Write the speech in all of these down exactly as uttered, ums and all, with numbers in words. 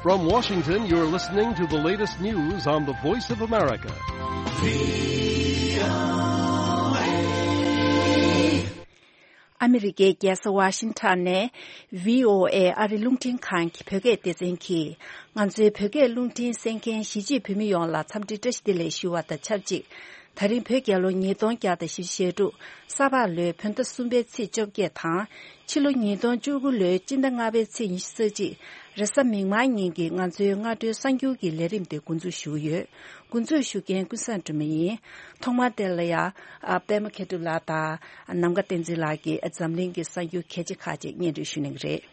From Washington, you're listening to the latest news on the Voice of America. ཨ་མི་རི་ཀའི་རྒྱལ་ས་ཝ་ཤིང་ཊོན་ནས་བྷི་ཨོ་ཨེ་ཨ་རི་རླུང་འཕྲིན་ཁང་གི་བོད་སྐད་སྡེ་ཚན་གྱིས། ང་ཚོའི་བོད་སྐད་རླུང་འཕྲིན་གསན་མཁན་གཞིས་བྱེས་བོད་མི་ཡོངས་ལ་འཚམས་འདྲི་བཀྲ་ཤིས་བདེ་ལེགས་ཞུ་བ་དང་ཆབས་ཅིག་ད་རིང་བོད་རྒྱལ་ལོ་ཉིས་སྟོང་བརྒྱ་དང་བཞི་བཅུ་ཞེ་དྲུག་ས་ཕག་ལོའི་བོད་ཟླ་གསུམ་པའི་ཚེས་བཅོ་བརྒྱད་དང་། ཕྱི་ལོ་ཉིས་སྟོང་བཅུ་དགུ་ལོའི་སྤྱི་ཟླ་ལྔ་པའི་ཚེས་ཉི་ཤུ་རྩ་གཅིག་རེས་གཟའ་མིག་དམར་ཉིན་གྱི་ང་ཚོའི་སྔ་དྲོའི་གསར་འགྱུར་གྱི་ལས་རིམ་དེ་འགོ་འཛུགས་ཞུ་གི་ཡོད། འགོ་འཛུགས་ཞུ་མཁན་ཀུན་བཟང་སྒྲོལ་མ་ཡིན། ཐོག་མར་དེ་ལ་ཡ། ཨ། པད་མ་མཁས་གྲུབ་ལགས་དང་། ནམ་མཁའ་བསྟན་འཛིན་ལགས་ཀྱིས་འཛམ་གླིང་གི་གསར་འགྱུར་གལ་ཆེ་ཁག་ཅིག་སྙན་སྒྲོན་ཞུ་གནང་གི་རེད།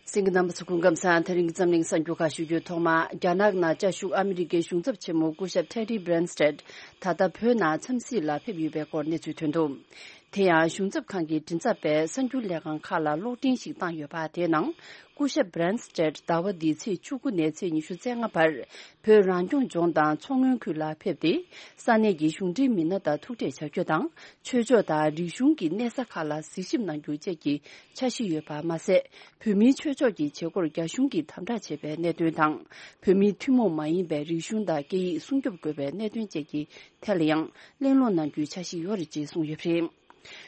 གསན་མཁན་རྣམ་པ་ཚོ་སྐུ་ཁམས་བཟང་། དེ་རིང་གི་འཛམ་གླིང་གསར་འགྱུར་ཁག་ཞུ་རྒྱུའི་ཐོག་མ། རྒྱ་ནག་ནང་བཅའ་བཞུགས་ཨ་མི་རི་ཀའི་གཞུང་ཚབ་ཆེན་མོ་སྐུ་ཞབས་ཊེ་ཌི་བྷི་རན་སི་ཊེད་ད་ལྟ་བོད་ནང་འཚམས་གཟིགས་ལ་ཕེབས་ཡོད་པའི་སྐོར་གནས་ཚུལ་ཐོན་འདུག་དེ་ཡང་གཞུང་ཚབ་ཁང་གི་མགྲིན་ཚབ་པས་གསར་འགྱུར་ལས་ཁང་ཁག་ལ་གློག་འཕྲིན་ཞིག་བཏང་ཡོད་པ་དེའི་ནང་། སྐུ་ཞབས་བྷི་རན་སི་ཊེད་ཟླ་བ་འདིའི་ཚེས་བཅུ་དགུ་ནས་ཚེས་ཉི་ཤུ་རྩ་ལྔ་བར་བོད་རང་སྐྱོང་ལྗོངས་དང་མཚོ་སྔོན་ཁུལ་ལ་ཕེབས་ཏེ། ས་གནས་ཀྱི་གཞུང་འབྲེལ་མི་སྣ་དང་ཐུག་འཕྲད་བྱ་རྒྱུ་དང་། ཆོས་ཕྱོགས་དང་རིག་གཞུང་གི་གནས་ས་ཁག་ལ་གཟིགས་ཞིབ་གནང་རྒྱུ་བཅས་ཀྱི་འཆར་གཞི་ཡོད་པ་མ་ཟད། བོད་མིའི་ཆོས་ཕྱོགས་ཀྱི་བྱེད་སྒོར་རྒྱ་གཞུང་གིས་དམ་དྲག་བྱས་པའི་གནད་དོན་དང་། བོད་མིའི་ཐུན་མོང་མ་ཡིན་པའི་རིག་གཞུང་དང་སྐད་ཡིག་སྲུང་སྐྱོབ་དགོས་པའི་གནད་དོན་བཅས་ཀྱི་ཐད་ལ་ཡང་གླེང་སློང་གནང་རྒྱུའི་འཆར་གཞི་ཡོད་རེད་ཅེས་གསུངས་ཡོད་པ་རེད།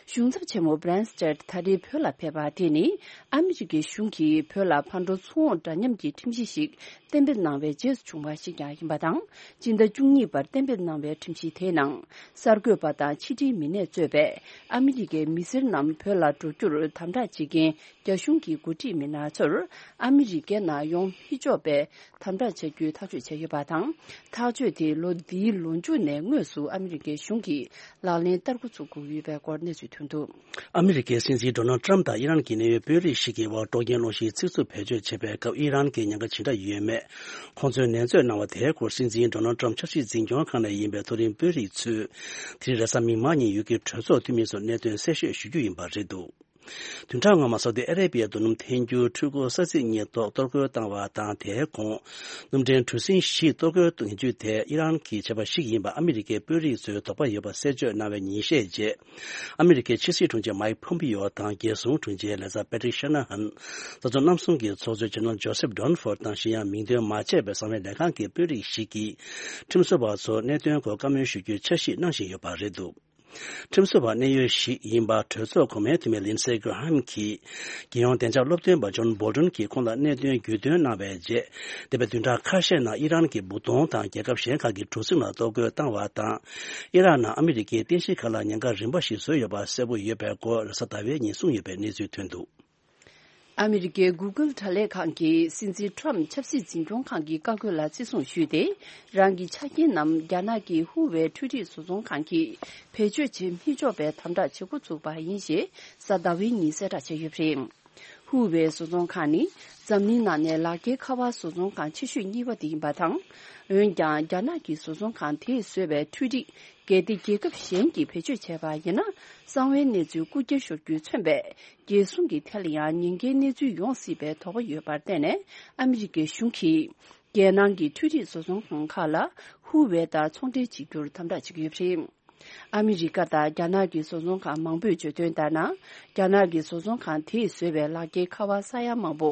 གཞུང་ཚབ་ཆེན་མོ་བྷི་རན་སི་ཊེད་ད་རེས་བོད་ལ་ཕེབས་པ་དེ་ནི། ཨ་མི་རི་ཀའི་གཞུང་གིས་བོད་ལ་ཕར་འགྲོ་ཚུར་འོང་འདྲ་མཉམ་གྱི་ཁྲིམས་གཞི་ཞིག་གཏན་འབེབས་གནང་བའི་རྗེས་སུ་བྱུང་བ་ཞིག་ཀྱང་ཡིན་པ་དང་། སྤྱི་ཟླ་བཅུ་གཉིས་པར་གཏན་འབེབས་གནང་བའི་ཁྲིམས་གཞི་དེའི་ནང་། གསར་འགོད་པ་དང་ཕྱི་འབྲེལ་མི་སྣས་གཙོས་པའི་ཨ་མི་རི་ཀའི་མི་སེར་རྣམས་བོད་ལ་འགྲོ་རྒྱུར་དམ་དྲག་བྱེད་མཁན་རྒྱ་གཞུང་གི་འགོ་ཁྲིད་མི་སྣ་ཚོར་ཨ་མི་རི་ཀའི་ནང་ཡོང་མི་ཆོག་པའི་དམ་དྲག་བྱ་རྒྱུའི་ཐག་གཅོད་བྱས་ཡོད་པ་དང་། ཐག་གཅོད་དེ་ལོ་འདིའི་ལོ་མཇུག་ནས་དངོས་སུ་ཨ་མི་རི་ཀའི་གཞུང་གིས་ལག་ལེན་བསྟར་འགོ་ཚུགས་དགོས་ཡོད་པའི་སྐོར་གནས་ཚུལ་ཐོན་འདུག་ཨ་མི་རི་ཀའི་སྲིད་འཛིན་ཌོ་ནལ་ཊམ་དང་ཨི་རན་གྱི་གནད་ཡོད་དཔོན་རིགས་ཤིག་གི་དབར་དཀྲོག་རྐྱེན་སློང་གཞིའི་ཚིག་རྩུབ་བེད་སྤྱོད་བྱས་པའི་སྐབས་ཨི་རན་གྱི་ཉེན་ཁ་ཇི་འདྲ་ཡོད་མེད། ཁོང་ཚོས་ནན་བརྗོད་གནང་བ་དེའི་སྐོར། སྲིད་འཛིན་ཌོ་ནལ་ཊམ་ཆབ་སྲིད་འཛིན་སྐྱོང་ཁང་ནས་ཡིན་པའི་མཐོ་རིམ་དཔོན་རིགས་ཚོས་དེ་རིང་རེས་གཟའ་མིག་དམར་ཉིན་ཡུལ་གྱི་གྲོས་ཚོགས་འཐུས་མི་ཚོར་གནད་དོན་གསལ་བཤད་ཞུ་རྒྱུ་ཡིན་པ་རེད་འདུག་བདུན་ཕྲག་སྔོན་མ་སོ་ཏི་ཨ་རེ་པི་ཡའི་རྡོ་སྣུམ་འཐེན་རྒྱུའི་འཕྲུལ་འཁོར་ས་ཚིགས་གཉིས་ཐོག་གཏོར་རྒོལ་བཏང་བ་དང་། དེའི་གོང་སྣུམ་འདྲེན་གྲུ་གཟིངས་བཞི་གཏོར་རྒོལ་གཏོང་རྒྱུ་དེ་ཨི་རན་གྱི་བྱ་བ་ཞིག་ཡིན་པ་ཨ་མི་རི་ཀའི་དཔོན་རིགས་ཚོས་དོགས་པ་ཡོད་པ་གསལ་བརྗོད་གནང་བའི་ཉིན་ཤས་རྗེས། ཨ་མི་རི་ཀའི་ཕྱི་སྲིད་དྲུང་ཆེ་མའིག་ཕོམ་པིའོ་དང་རྒྱལ་སྲུང་དྲུང་ཆེ་ལེ་ཛར་པེ་ཏྲིག་ཤ་ན་ཧན། རྩ་ཚོགས་རྣམ་གསུམ་གྱི་ཚོགས་གཙོ་ཇེ་ནེ་རལ་ཇོ་སེབ་ཌོན་ཧྥོར་དང་གཞན་ཡང་མིང་འདོན་མ་བྱས་པའི་གསང་བའི་ལས་ཁང་གི་དཔོན་རིགས་ཤིག་གིས། ཁྲིམས་བཟོ་བ་ཚོར་གནད་དོན་སྐོར་བཀའ་མོལ་ཞུ་རྒྱུའི་འཆར་གཞི་གནང་བཞིན་ཡོད་པ་རེད་འདུག་ཁྲིམས་བཟོ་བ་གནད་ཡོད་ཞིག་ཡིན་པ་གྲོས་ཚོགས་གོང་མའི་འཐུས་མི་ལིན་སེ་གྷི་ར་ཧམ་གྱིས། རྒྱལ་ཡོངས་བདེ་འཇགས་སློབ་སྟོན་པ་ཇོན་བོལ་ཏོན་གྱིས་ཁོང་ལ་གནད་དོན་བརྒྱུད་སྟོན་གནང་བའི་རྗེས། འདས་པའི་བདུན་ཕྲག་ཁ་ཤས་ནང་ཨི་རན་གྱི་བུ་སྟོང་དང་རྒྱལ་ཁབ་གཞན་ཁག་གི་གྲུ་གཟིངས་ལ་གཏོར་རྒོལ་བཏང་བ་དང་། ཨི་རན་ནང་ཨ་མི་རི་ཀའི་རྟེན་གཞིའི་ཁ་ལག་ཉེན་ཁ་རིམ་པ་ཞིག་བཟོས་ཡོད་པ་གསལ་པོ་ཡོད་པའི་སྐོར་རེས་གཟའ་ཟླ་བའི་ཉིན་གསུངས་ཡོད་པའི་གནས་ཚུལ་ཐོན་འདུག་ཨ་མི་རི་ཀའི་གུ་གལ་དྲ་ལས་ཁང་གིས་སྲིད་འཛིན་ཊམ་ཆབ་སྲིད་འཛིན་སྐྱོང་ཁང་གི་བཀའ་བཀོད་ལ་བརྩི་སྲུང་ཞུས་ཏེ། རང་གི་ཆ་རྐྱེན་རྣམས་རྒྱ་ནག་གི་ཧུ་ཝེ་འཕྲུལ་རིག་བཟོ་ཚོང་ཁང་གིས་བེད་སྤྱོད་བྱེད་མི་ཆོག་པའི་དམ་དྲག་བྱེད་འགོ་ཚུགས་པ་ཡིན་ཞེས་གཟའ་ཟླ་བའི་ཉིན་གསལ་བསྒྲགས་བྱས་ཡོད་པ་རེད། ཧུ་ཝེ་བཟོ་ཚོང་ཁང་ནི་འཛམ་གླིང་ནང་ནས་ལག་འཁྱེར་ཁ་པར་བཟོ་ཚོང་ཁང་ཆེ་ཤོས་གཉིས་པ་དེ་ཡིན་པ་དང་། འོན་ཀྱང་རྒྱ་ནག་གི་བཟོ་ཚོང་ཁང་དེས་བཟོས་པའི་འཕྲུལ་རིག་གལ་ཏེ་རྒྱལ་ཁབ་གཞན་གྱིས་བེད་སྤྱོད་བྱས་པ་ཡིན་ན། གསང་བའི་གནས་ཚུལ་རྐུ་འཁྱེར་ཤོར་རྒྱུས་མཚོན་པའི་རྒྱལ་སྲུང་གི་ཐད་ལ་ཡང་ཉེན་ཁའི་གནས་ཚུལ་ཡོང་སྲིད་པའི་དོགས་པ་ཡོད་པར་བརྟེན་ནས། ཨ་མི་རི་ཀའི་གཞུང་གིས་རྒྱལ་ནང་གི་འཕྲུལ་རིག་བཟོ་ཚོང་ཁང་ཁག་ལ་ཧུ་ཝེ་དང་ཚོང་འབྲེལ་བྱེད་རྒྱུར་དམ་དྲག་བྱེད་ཀྱི་ཡོད་པ་རེད། ཨ་མི་རི་ཀ་དང་རྒྱ་ནག་གི་བཟོ་ཚོང་ཁང་མང་པོས་བརྗོད་དོན་ལྟར་ན། རྒྱ་ནག་གི་བཟོ་ཚོང་ཁང་དེས་བཟོས་པའི་ལག་འཁྱེར་ཁ་པར་ས་ཡ་མང་པོ།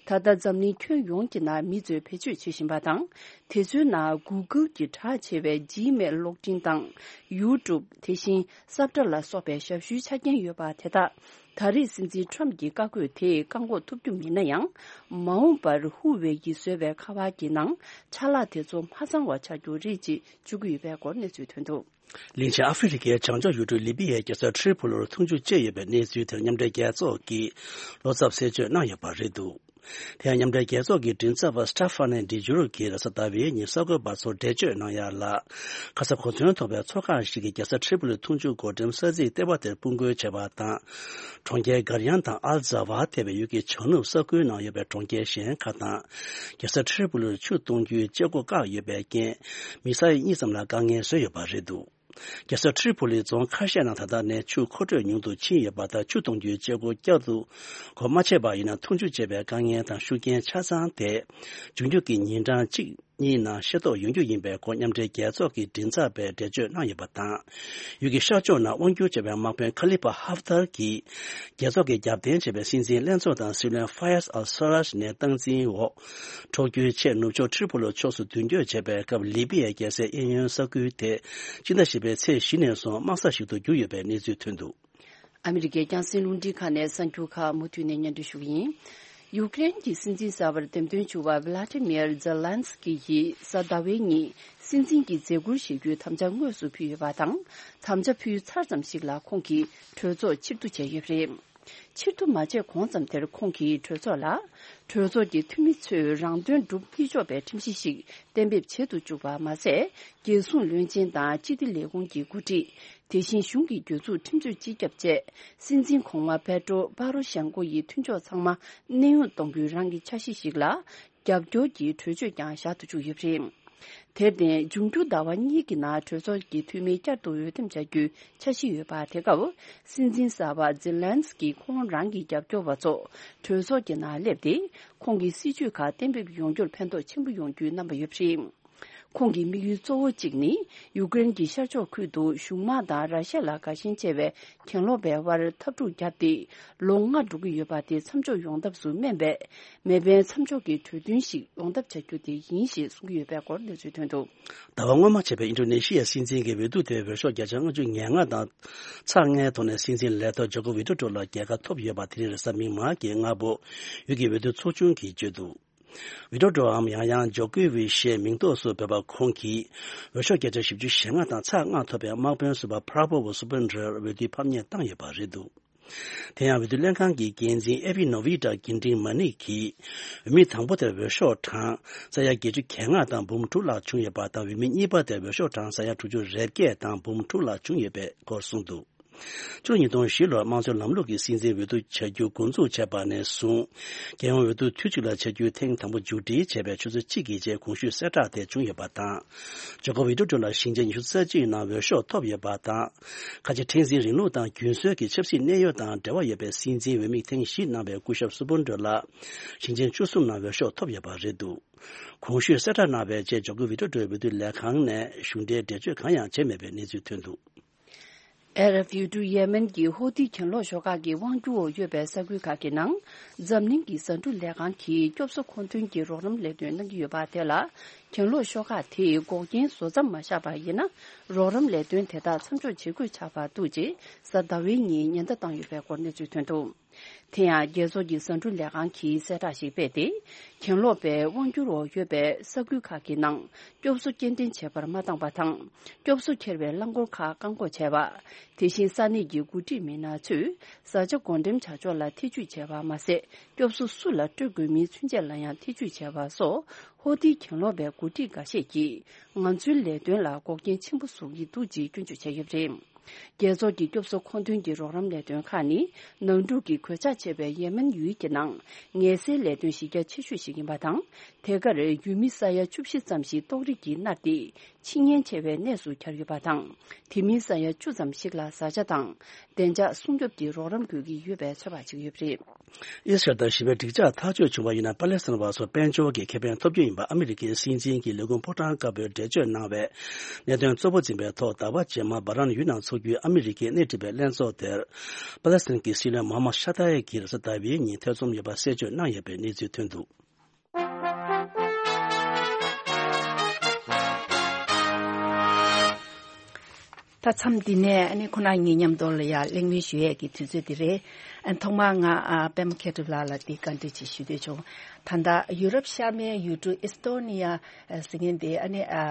ད་ལྟ་འཛམ་གླིང་ཁྱོན་ཡོངས་ཀྱི་ནང་མི་ཚོས་བེད་སྤྱོད་བྱེད་བཞིན་པ་དང་། དེ་ཚོའི་ནང་གུ་གལ་གྱི་གྲགས་ཆེ་བའི་ཇི་མེལ་གློག་འཕྲིན་དང་། ཡུ་ཊུབ། དེ་བཞིན་སབ་ཊ་ལ་སོགས་པའི་ཞབས་ཞུའི་ཆ་རྐྱེན་ཡོད་པ་དེ་དག་ད་རེས་སྲིད་འཛིན་ཊམ་གྱི་བཀའ་བཀོད་དེས་བཀག་འགོག་ཐུབ་རྒྱུ་མིན་ན་ཡང་། མ་འོངས་པར་ཧུ་ཝེ་ཡིས་བཟོས་པའི་ཁ་པར་གྱི་ནང་ཆ་ལག་དེ་ཚོ་མ་ཚང་བ་ཆགས་རྒྱུ་རེད་ཅེས་བརྗོད་ཀྱི་ཡོད་པའི་སྐོར་གནས་ཚུལ་ཐོན་འདུག་ལིན་ཆེན་ཨ་ཧྥེ་རི་ཁའི་བྱང་ཕྱོགས་ཡུལ་གྲུ་ལི་པི་ཡའི་རྒྱལ་ས་ཁྲི་པོ་ལིར་འཐུང་ཆུ་བཅད་ཡོད་པའི་གནས་ཚུལ་དེར་མཉམ་འབྲེལ་རྒྱལ་ཚོགས་ཀྱིས་བློ་འཚབ་གསལ་བརྗོད་གནང་ཡོད་པ་རེད་འདུག་དེ་ཡང་མཉམ་འབྲེལ་རྒྱལ་ཚོགས་ཀྱི་མགྲིན་ཚབ་པ་སི་ཊ་ཧྥ་ནེ་ཌི་ཇུ་རུ་གིས་རེས་གཟའ་ཟླ་བའི་ཉིན་གསར་འགོད་པ་ཚོར་འགྲེལ་བརྗོད་གནང་ཡ་ལ། ཁ་ས་གོ་མཚོན་ཐོགས་པའི་མཚོ་ཁང་ཞིག་གིས་རྒྱལ་ས་ཁྲི་པོ་ལི་འཐུང་ཆུ་བགོ་འགྲེམས་ས་ཚིགས་ལྟེ་བ་དེར་སྤུར་འགུལ་བྱས་པ་དང་། གྲོང་ཁྱེར་གར་ཡང་དང་ཨལ་ཛ་ཝ་ཐེ་བའི་ཡུལ་གྱི་བྱང་ནུབ་ས་ཁུལ་ནང་ཡོད་པའི་གྲོང་ཁྱེར་གཞན་ཁག་དང་། རྒྱལ་ས་ཁྲི་པོ་ལིར་ཆུ་གཏོང་རྒྱུའི་བྱེད་སྒོ་བཀག་ཡོད་པའི་རྐྱེན། མི་ས་ཡ་གཉིས་ཙམ་ལ་དཀའ་ངལ་བཟོས་ཡོད་པ་རེད་འདུག་རྒྱལ་ས་ཁྲི་པོ་ལིའི་རྫོང་ཁ་ཤས་ནང་ད་ལྟ་ནས་ཆུ་མཁོ་སྤྲོད་ཉུང་དུ་ཕྱིན་ཡོད་པ་དང་། ཆུ་གཏོང་རྒྱུའི་བྱེད་སྒོ་བསྐྱར་དུ་སྒོ་མ་ཕྱེ་བ་ཡིན་ན། འཐུང་ཆུ་བཅད་པའི་དཀའ་ངལ་དང་ཤུགས་རྐྱེན་ཆ་ཚང་དེ་འབྱུང་རྒྱུ་གི་ཉིན་གྲངས་གཅིག་ གཉིས་ནང་ཤེས་རྟོགས་ཡོང་རྒྱུ་ཡིན་པའི་སྐོར་མཉམ་འབྲེལ་རྒྱལ་ཚོགས་ཀྱི་མགྲིན་ཚབ་པས་འགྲེལ་བརྗོད་གནང་ཡོད་པ་དང་། ཡུལ་གྱི་ཤར་ཕྱོགས་ནང་དབང་སྒྱུར་བྱས་པའི་དམག་དཔོན་ཁ་ལི་ཕ་ཧབ་ཐར་གྱིས། རྒྱལ་ཚོགས་ཀྱིས་རྒྱབ་རྟེན་བྱས་པའི་སྲིད་འཛིན་ལྷན་ཚོགས་དང་སྲིད་བློན་ཕ་ཡས་ཨལ་ས་རཱཇ་ནས་སྟངས་འཛིན་འོག། འཕྲོག་རྒྱུའི་ཆེད་ནུབ་ཕྱོགས་ཁྲི་པོ་ལོ་ཕྱོགས་སུ་མདུན་སྐྱོད་བྱས་པའི་སྐབས། ལི་པི་ཡའི་རྒྱལ་སའི་གཡས་གཡོན་ས་ཁུལ་དེ། སྤྱི་ཟླ་བཞི་པའི་ཚེས་བཞི་ནས་བཟུང་དམག་ས་ཞིག་ཏུ་གྱུར་ཡོད་པའི་གནས་ཚུལ་ཐོན་འདུག། ཨ་མི་རི་ཀའི་རྒྱང་སྲིང་རླུང་འཕྲིན་ཁང་ནས་གསར་འགྱུར་ཁག་མུ་མཐུད་ནས་སྙན་སྒྲོན་ཞུ་གི་ཡིན། ཡུཀ་རེན་གྱི་སྲིད་འཛིན་གསར་པར་འདེམས་ཐོན་བྱུང་བ་ཝི་ལ་ཏི་མིར་ཛེ་ལན་སི་ཀི་ཡིས་གཟའ་ཟླ་བའི་ཉིན་སྲིད་འཛིན་གྱི་མཛད་ཁུར་བཞེས་རྒྱུའི་དམ་བཅའ་དངོས་སུ་ཕུལ་ཡོད་པ་དང་། དམ་བཅའ་ཕུལ་ཚར་ཙམ་ཞིག་ལ་ཁོང་གིས་གྲོས་ཚོགས་ཕྱིར་བསྡུ་བྱས་ཡོད་པ་རེད། ཕྱིར་བསྡུ་མ་བྱས་གོང་ཙམ་དེར་ཁོང་གིས་གྲོས་ཚོགས་ལ། གྲོས་ཚོགས་ཀྱི་འཐུས་མི་ཚོས་རང་དོན་སྒྲུབ་མི་ཆོག་པའི་ཁྲིམས་གཞི་ཞིག་གཏན་འབེབས་བྱེད་དུ་བཅུག་པ་མ་ཟད། རྒྱལ་སྲུང་བློན་ཆེན་དང་སྤྱི་བདེ་ལས་ཁུངས་ཀྱི་འགོ་ཁྲིད། དེ་བཞིན་གཞུང་གི་གྱོད་འཛུགས་ཁྲིམས་རྩོད་སྤྱི་ཁྱབ་བཅས། སྲིད་འཛིན་གོང་མ་པེ་ཏྲོ་པ་རོ་ཤན་ཀོ་ཡི་མཐུན་ཕྱོགས་ཚང་མ་གནས་དབྱུང་གཏོང་རྒྱུའི་རང་གི་འཆར་གཞི་ཞིག་ལ། རྒྱབ་སྐྱོར་གྱི་གྲོས་ཆོད་ཀྱང་བཞག་ཏུ་བཅུག་ཡོད་པ་རེད། དེར་བརྟེན། འབྱུང་འགྱུར་ཟླ་བ་གཉིས་ཀྱི་ནང་གྲོས་ཚོགས་ཀྱི་འཐུས་མི་བསྐྱར་དུ་འོས་འདེམས་བྱ་རྒྱུའི་འཆར་གཞི་ཡོད་པ། དེ་སྐབས་སྲིད་འཛིན་གསར་པ་ཛེ་ལན་སི་ཀིས་ཁོང་རང་གི་རྒྱབ་སྐྱོར་བ་ཚོ་གྲོས་ཚོགས་ཀྱི་ནང་སླེབས་ཏེ། ཁོང་གི་སྲིད་བྱུས་ཁག་གཏན་འབེབས་ཡོང་རྒྱུར་ཕན་ཐོགས་ཆེན་པོ་ཡོང་རྒྱུའི་རྣམ་པ་ཡོད་པ་རེད། ཁོང་གི་དམིགས་ཡུལ་གཙོ་བོ་གཅིག་ནི། ཡུཀ་རེན་གྱི་ཤར་ཕྱོགས་ཁུལ་དུ་གཞུང་དམག་དང་ར་ཤ་ལ་དགའ་ཞེན་ཆེ་བའི་གྱེན་ལོག་པའི་དབར་འཐབ་འཁྲུག་བརྒྱབ་སྟེ། ལོ་ལྔ་འགྲོ་གི་ཡོད་པ་དེ་མཚམས་འཇོག་ཡོང་ཐབས་སུ་སྨན་པའི་མེ་འཕེན་མཚམས་འཇོག་གི་གྲོས་མཐུན་ཞིག་ཡོང་ཐབས་བྱ་རྒྱུ་དེ་ཡིན་ཞེས་གསུང་གི་ཡོད་པའི་སྐོར་གནས་ཚུལ་ཐོན་འདུག། ཟླ་བ་སྔོན་མ་བྱས་པའི་ཨིན་ཌོ་ནེ་ཤི་ཡའི་སྲིད་འཛིན་གྱི་འོས་བསྡུ་དེ་འོས་ཤོག་བརྒྱ་ཆ་ལྔ་བཅུ་ང་ལྔ་དང་ཚེག་ལྔའི་ཐོག་ནས་སྲིད་འཛིན་ལས་ཐོག་ཇོ་ཀོ་ཝི་ཏྲོ་ལ་རྒྱལ་ཁ་ཐོབ་ཡོད་པ། དེ་རིང་རེས་གཟའ་མིག་དམར་གྱི་སྔ་པོ་ཡུལ་གྱི་འོས་བསྡུ་ཚོགས་ཆུང་གིས་བརྗོད་འདུག། ཝི་ཏྲོ་ཏྲོའམ་ཡང་ཡང་ཇོ་ཀོ་ཝི་ཞེས་མིང་འདོགས་སུ་འབོད་པ་ཁོང་གིས་འོས་ཤོག་བརྒྱ་ཆ་བཞི་བཅུ་ཞེ་ལྔ་དང་ཚེག་ལྔ་ཐོབ་པའི་དམག་དཔོན་ཟུར་པ་པྲ་བྷོ་བྷོ་སུ་བྷ་ནྡྲར་འོས་བསྡུའི་ཕམ་ཉེས་བཏང་ཡོད་པ་རེད་འདུག། དེ་ཡང་འོས་བསྡུ་ལྷན་ཁང་གི་འགན་འཛིན་ཨེ་བྷི་ནོ་བྷི་ཏྲ་གིན་ཏིང་མ་ནིག་གིས་འོས་མི་དང་པོ་དེར་འོས་ཤོག་གྲངས་ས་ཡ་བརྒྱད་ཅུ་གྱ་ལྔ་དང་འབུམ་དྲུག་ལྷག་བྱུང་ཡོད་པ་དང་། འོས་མི་གཉིས་པ་དེར་འོས་ཤོག་གྲངས་ས་ཡ་དྲུག་ཅུ་རེ་བརྒྱད་དང་འབུམ་དྲུག་ལྷག་བྱུང་ཡོད་པའི་སྐོར་གསུངས་འདུག། ཕྱི་ལོ་ཉིས་སྟོང་བཞི་ལོར་དམངས་གཙོའི་ལམ་ལུགས་ཀྱི་སྲིད་འཛིན་འོས་བསྡུ་བྱ་རྒྱུ་འགོ་འཛུགས་བྱས་པ་ནས་བཟུང་། རྒྱལ་ཡོངས་འོས་བསྡུ་དུས་གཅིག་ལ་བྱ་རྒྱུའི་ཐེངས་དང་པོ་མཇུག་སྒྲིལ་བྱས་པའི་ཆུ་ཚོད་གཅིག་གི་རྗེས་གོང་ཞུས་གསལ་བསྒྲགས་དེ་བྱུང་ཡོད་པ་དང་། ཇོ་ཀོ་ཝི་ཏྲོ་ཏྲོ་ལ་ཞིང་ཆེན་ཉི་ཤུ་རྩ་གཅིག་ནང་འོས་ཤོག་ཐོབ་ཡོད་པ་དང་། ཁ་ཆེ་ཕྲེང་འཛིན་རིང་ལུགས་དང་རྒྱུན་སྲོལ་གྱི་ཆབ་སྲིད་གནད་ཡོད་དང་འབྲེལ་བ་ཡོད་པའི་སྲིད་འཛིན་འོས་མི་ཐེངས་བཞི་གནང་བའི་སྐུ་ཞབས་སུ་བུན་ཏྲོ་ལགས་ཞིང་ཆེན་བཅུ་གསུམ་ནང་འོས་ཤོག་ཐོབ་ཡོད་པ་རེད་འདུག། གོང་ཞུས་གསལ་བསྒྲགས་གནང་བའི་རྗེས་ཇོ་ཀོ་ཝི་ཏྲོ་ཏྲོའི་འོས་བསྡུ་ལས་ཁང་ནས་གཞུང་འབྲེལ་འགྲེལ་བརྗོད་གང་ཡང་བྱས་མེད་པའི་གནས་ཚུལ་ཐོན་འདུག། ཨ་རབ་ཡུལ་གྲུ་ཡེ་མེན་གྱི་ཧོ་ཐི་གྱེན་ལོག་ཤོག་ཁག་གི་དབང་སྒྱུར་འོག་ཡོད་པའི་ས་ཁུལ་ཁག་གི་ནང་འཛམ་གླིང་གི་ཟ་འབྲུ་ལས་ཁང་གིས་སྐྱོབ་གསོ་མཁོ་འདོན་གྱི་རོགས་རམ་ལས་དོན་གནང་གི་ཡོད་པ་དེ་ལ། གྱེན་ལོག་ཤོག་ཁག་དེས་འགོག་རྐྱེན་བཟོ་མཚམས་མ་བཞག་པ་ཡིན་ན། རོགས་རམ་ལས་དོན་དེ་དག་མཚམས་འཇོག་བྱེད་དགོས་ཆགས་པར་འདུག་ཅེས་གཟའ་ཟླ་བའི་ཉིན་ཉེན་བརྡ་བཏང་ཡོད་པའི་སྐོར་གནས་ཚུལ་ཐོན་འདུག། དེ་ཡང་རྒྱལ་ཚོགས་ཀྱི་ཟ་འབྲུ་ལས་ཁང་གིས་གསལ་བསྒྲགས་ཤིག་སྤེལ་ཏེ། གྱེན་ལོག་པའི་དབང་སྒྱུར་འོག་ཡོད་པའི་ས་ཁུལ་ཁག་གི་ནང་སྐྱོབ་གསོ་སྐྱེལ་འདྲེན་བྱེད་པར་མ་བཏང་པ་དང་། སྐྱོབ་གསོ་འཁྱེར་བའི་རླངས་འཁོར་ཁག་བཀག་འགོག་བྱས་པ། དེ་བཞིན་ས་གནས་ཀྱི་འགོ་ཁྲིད་མི་སྣ་ཚོས་བཟའ་བཅའ་བགོ་འགྲེམས་བྱ་ཕྱོགས་ལ་ཐེ་ཇུས་བྱས་པ་མ་ཟད། སྐྱོབ་གསོ་སུ་ལ་སྤྲོད་དགོས་མིན་ཚུན་ཆད་ལ་ཡང་ཐེ་ཇུས་བྱས་པ་སོགས། ཧོ་ཐིའི་གྱེན་ལོག་པའི་འགོ་ཁྲིད་འགའ་ཤས་ཀྱིས་ང་ཚོའི་ལས་དོན་ལ་འགོག་རྐྱེན་ཆེན་པོ་བཟོ་གི་འདུག་ཅེས་སྐྱོན་བརྗོད་བྱས་ཡོད་པ་རེད། རྒྱལ་ཚོགས་ཀྱི་སྐྱོབ་གསོ་མཁོ་འདོན་གྱི་རོགས་རམ་ལས་དོན་ཁག་ནི། ནང་འཁྲུག་གི་གོད་ཆག་ཆེ་བའི་ཡེ་མེན་ཡུལ་གྱི་ནང་ངལ་སེལ་ལས་དོན་གཞི་རྒྱ་ཆེ་ཤོས་ཤིག་ཡིན་པ་དང་། དེ་གར་ཡུལ་མི་ས་ཡ་བཅུ་བཞི་ཙམ་ཞིག་ཏོག་དབྱིབས་ཀྱིས་མནར་ཏེ། འཆི་ཉེན་ཆེ་བའི་གནས་སུ་གྱར་ཡོད་པ་དང་། དེ་མིན་ས་ཡ་བཅུ་ཙམ་ཞིག་ལ་བཟའ་བཅའ་དང་། བདེ་འཇགས་སྲུང་སྐྱོབ་ཀྱི་རོགས་རམ་དགོས་ཀྱི་ཡོད་པའི་ཚོད་དཔག་བྱེད་ཀྱི་ཡོད་པ་རེད། ཨི་སི་རལ་དང་ཞི་བའི་འགྲིག་འཇགས་ཐག་གཅོད་བྱུང་བ་ཡིན་ན། པ་ལེ་སི་ཐན་བ་ཚོ་དཔལ་འབྱོར་གྱི་ཁེ་ཕན་ཐོབ་རྒྱུ་ཡིན་པ་ཨ་མི་རི་ཀའི་སྲིད་འཛིན་གྱི་ལས་ཁུངས་ཕོ་བྲང་དཀར་པོས་འགྲེལ་བརྗོད་གནང་བའི་གནད་དོན་གཙོ་བོ་འཛིན་པའི་ཐོག་ཟླ་བ་རྗེས་མར་སྦ་རན་ཡུལ་ནང་འཚོགས་རྒྱུའི་ཨ་མི་རི་ཀའི་སྣེ་ཁྲིད་པའི་ལྷན་ཚོགས་དེར། པ་ལེ་སི་ཐན་གྱི་སྲིད་བློན་མོ་ཧམ་མད་ཤ་ཏཱ་ཡེ་གིས་རེས་གཟའ་ཟླ་བའི་ཉིན་ཐེ་ཚོམ་ཡོད་པ་གསལ་བརྗོད་གནང་ཡོད་པའི་གནས་ཚུལ་ཐོན་འདུག། ད་མཚམས་འདི་ནས་ཨ་ནི་ཁོ་ན་ཉིད་མཉམ་དུ་ལ་ཡ་གླེང་མོལ་ཞུ་ཡས་ཀྱི་དུས་ཚོད་འདི་རེད། ཨ་ཐོག་མར་ང་ཨ་པད་མ་མཁས་གྲུབ་ལགས་ལ་འདི་བཀའ་འདྲི་ཅིག་ཞུ་འདོད་བྱུང་། ད་ལྟ་ཡུ་རོབ་ཤར་མའི་ཡུལ་གྲུ་ཨི་སི་ཏོ་ནི་ཡ་ཟེར་མཁན་འདི་ཨ་ནི་ཨ་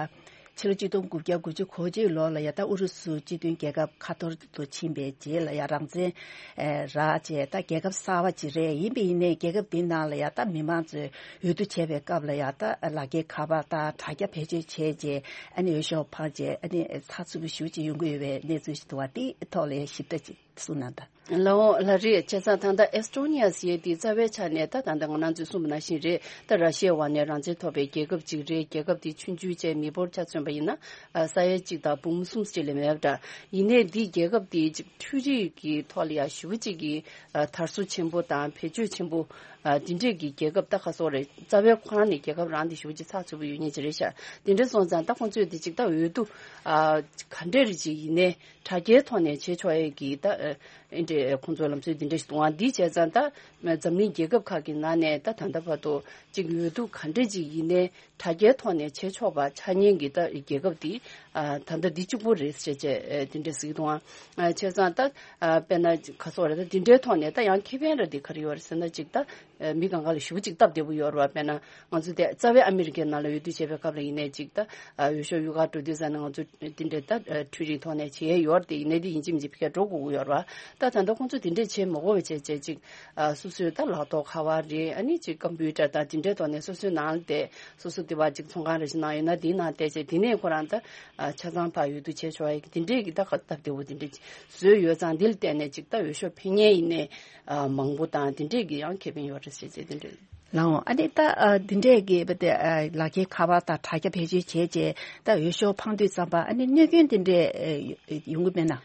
ཕྱི་ལོ་ཆིག་སྟོང་དགུ་བརྒྱ་དགུ་བཅུ་གོ་གཅིག་ལོ་ལ་ཡ་ད་ཨུ་རུ་སུ་སྤྱི་མཐུན་རྒྱལ་ཁབ་ཁ་ཐོར་དུ་ཕྱིན་པའི་རྗེས་ལ་ཡ་རང་བཙན་ཨེ་རག་བྱས་ད་རྒྱལ་ཁབ་གསར་པ་ཅིག་རེད། ཡིན་པ་ཡིན་ནའི་རྒྱལ་ཁབ་འདི་ནང་ལ་ཡ་ད་མི་མང་ཚོས་འོས་བསྡུ་བྱས་པའི་སྐབས་ལ་ཡ་ད་ལག་འཁྱེར་ཁ་པར་དང་དྲ་རྒྱ་བེད་སྤྱོད་བྱས་རྗེས་ཨ་ནི་འོས་ཤོག་འཕངས་རྗེས་ཨ་ནི་ཚགས་ཚུད་པོ་ཞེ་པོ་ཅིག་ཡོང་གི་ཡོད་པའི་གནས་ཚུལ་ཞིག་འདུག་པ། དེའི་ཐོག་ལ་ཡ་ཞིབ་ཕྲ་ཅིག་ གསུངས་གནང་དང་། ལའོ་ལ་རེད། བྱས་ཙང་ད་ལྟ་ཨེ་སི་ཊོ་ནི་ཡ་ཟེར་ཡས་དེ་རྩ་བའི་ཆ་ནས་ད་ད་ལྟ་ང་རང་ཚོས་གསུངས་པ་ནང་བཞིན་རེད། ད་ར་ཤི་ཡའི་འོག་ནས་རང་བཙན་ཐོབ་པའི་རྒྱལ་ཁབ་ཅིག་རེད། རྒྱལ་ཁབ་དེ་ཆུང་ཆུང་བྱས་མི་འབོར་ཆ་མཚོན་པ་ཡིན་ན་ས་ཡ་གཅིག་དང་འབུམ་གསུམ་ཅིག་ལས་མེད་པ་འདྲ། ཡིན་ནའི་འདི་རྒྱལ་ཁབ་དེ་ཅིག་འཕྲུལ་རིག་གི་ཐོག་ལ་ཡ་ཞེ་པོ་ཅིག་གི་དར་སྲོལ་ཆེན་པོ་དང་བེད་སྤྱོད་ཆེན་པོ་འདི་འདྲས་ཀྱི་རྒྱལ་ཁབ་ད་ག་སོག་རེད། རྩ་བའི་ཁོ་རང་ནས་རྒྱལ་ཁབ་རང་དེ་ཞེ་པོ་ཅིག་ཚགས་ཚུད་པོ་ཡོད་མཁན་ཅིག་རེད་ཤག་དེ་འདྲས་སོང་ཙང་ད་ཁོང་ཚོས་དེ་ཅིག་ད་འོས་བསྡུ་ག་འདྲས་རེ་ཅིག་ཡིན་ནའི། དྲ་རྒྱའི་ཐོག་ནས་བྱེད་ཆོག་ཡས་ཀྱི་ད་ཨེ་འདྲས་ཁོང་ཚོའི་ལམ་སྲོལ་འདི་འདྲས་ཤིག་འདུག་ཨང་། འདི་བྱས་ཙང་ད་འཛམ་གླིང་རྒྱལ་ཁབ་ཁག་གི་ནང་ནས་ད་ད་ལྟ་བར་དུ་ཅིག་འོས་བསྡུ་ག་འདྲས་ཅིག་ཡིན་ནའི་དྲ་རྒྱའི་ཐོག་ནས་བྱེད་ཆོག་པ་ཆགས་མཁན་གྱི་ད་རྒྱལ་ཁབ་འདི་ད་ལྟ་འདི་གཅིག་པོ་རེད་ཟེར་བྱས་འདི་འདྲས་ཟེར་གྱི་འདུག་ཨང་། བྱས་ཙང་ད་དཔེར་ན་ག་སོག་རེད། ད་འདི་འདྲའི་ཐོག་ནས་ད་ཡང་ཁེ་ཕན་ར་འདི་ག་རེ་ཡོད་རེད་ཟེར་ན་ཅིག་ད། མི་གང་ག་ལ་ཞེ་པོ་ཅིག་སྟབས་བདེ་པོ་ཡོད་རེད་བ། དཔེར་ན་ང་ཚོ་དེ་རྩ་བའི་ཨ་མི་རི་ཀའི་ནང་ལ་འོས་བསྡུ་བྱེད་པའི་སྐབས་ལ་ཡིན་ནའི་ཅིག་ད་འོས་ཤོག་གཡུག་གར་འགྲོ་དུས་ཙང་ནས་ང་ཚོ་དེ་འདྲའི་ད་འཕྲུལ་རིག་ཐོག་ནས་བྱེད་ཡས་ཡོད་རེད། དེ་ཡིན་ནའི་དེ་ཡིན་གཅིག་མིན་གཅིག་ཕ་གིར་འགྲོ་དགོས་ཀྱི་ཡོད་རེད་བ། ད་ད་ལྟ་ཁོང་ཚོ་དེ་འདྲས་བྱེད་མ་དགོས་པ་བྱས་བྱས་ཅིག་སོ་སོའི་ད་ལག་ཐོག་ཁ་པར་རེད། ཨ་ནི་ཅིག་ཀམ་པུ་ཊར་དང་དེ་འདྲའི་ཐོག་ནས་སོ་སོའི་ནང་ལ་བསྡད། སོ་སོ་དེ་བ་ཅིག་ཚོང་ཁང་རེ་ཞིག་ནང་ཡོད་ན་དེའི་ནང་བསྡད་བྱས་དེ་ནས་ཁོ་རང་ད་ཆ་ཚང་ཕ་འོས་བསྡུ་བྱས་ཆོག་ཡས་དེ་འདྲས་ཀྱི་ད་སྟབས་བདེ་པོ་དེ་འདྲས་བཟོས་ཡོད་ཙང་། འདི་ལ་བརྟེན་ནས་ཅིག་ད་འོས་ཤོག་འཕེན་མཁན་ཡིན་ནའི། ཨ་མང་པོ་དང་དེ་འདྲས་ཀྱི་ཡང་ཁེ་ཕན་ཡོད་རེད་ཟེར་བྱས་དེ་འདྲས། ལའོ་ཨ་ནི་ད་ཨ་འདི་འདྲས་ཀྱི་བ་དེ་ཨ་ལག་ཁྱེར་ཁ་པར་དང་དྲ་རྒྱ་བེད་སྤྱོད་བྱས་རྗེས་ད་འོས་ཤོག་འཕང་དུས་ཙམ་པ་ཨ་ནི་གནོད་སྐྱོན་དེ་འདྲས་ཨ་ཡོང་གི་མེད་ན།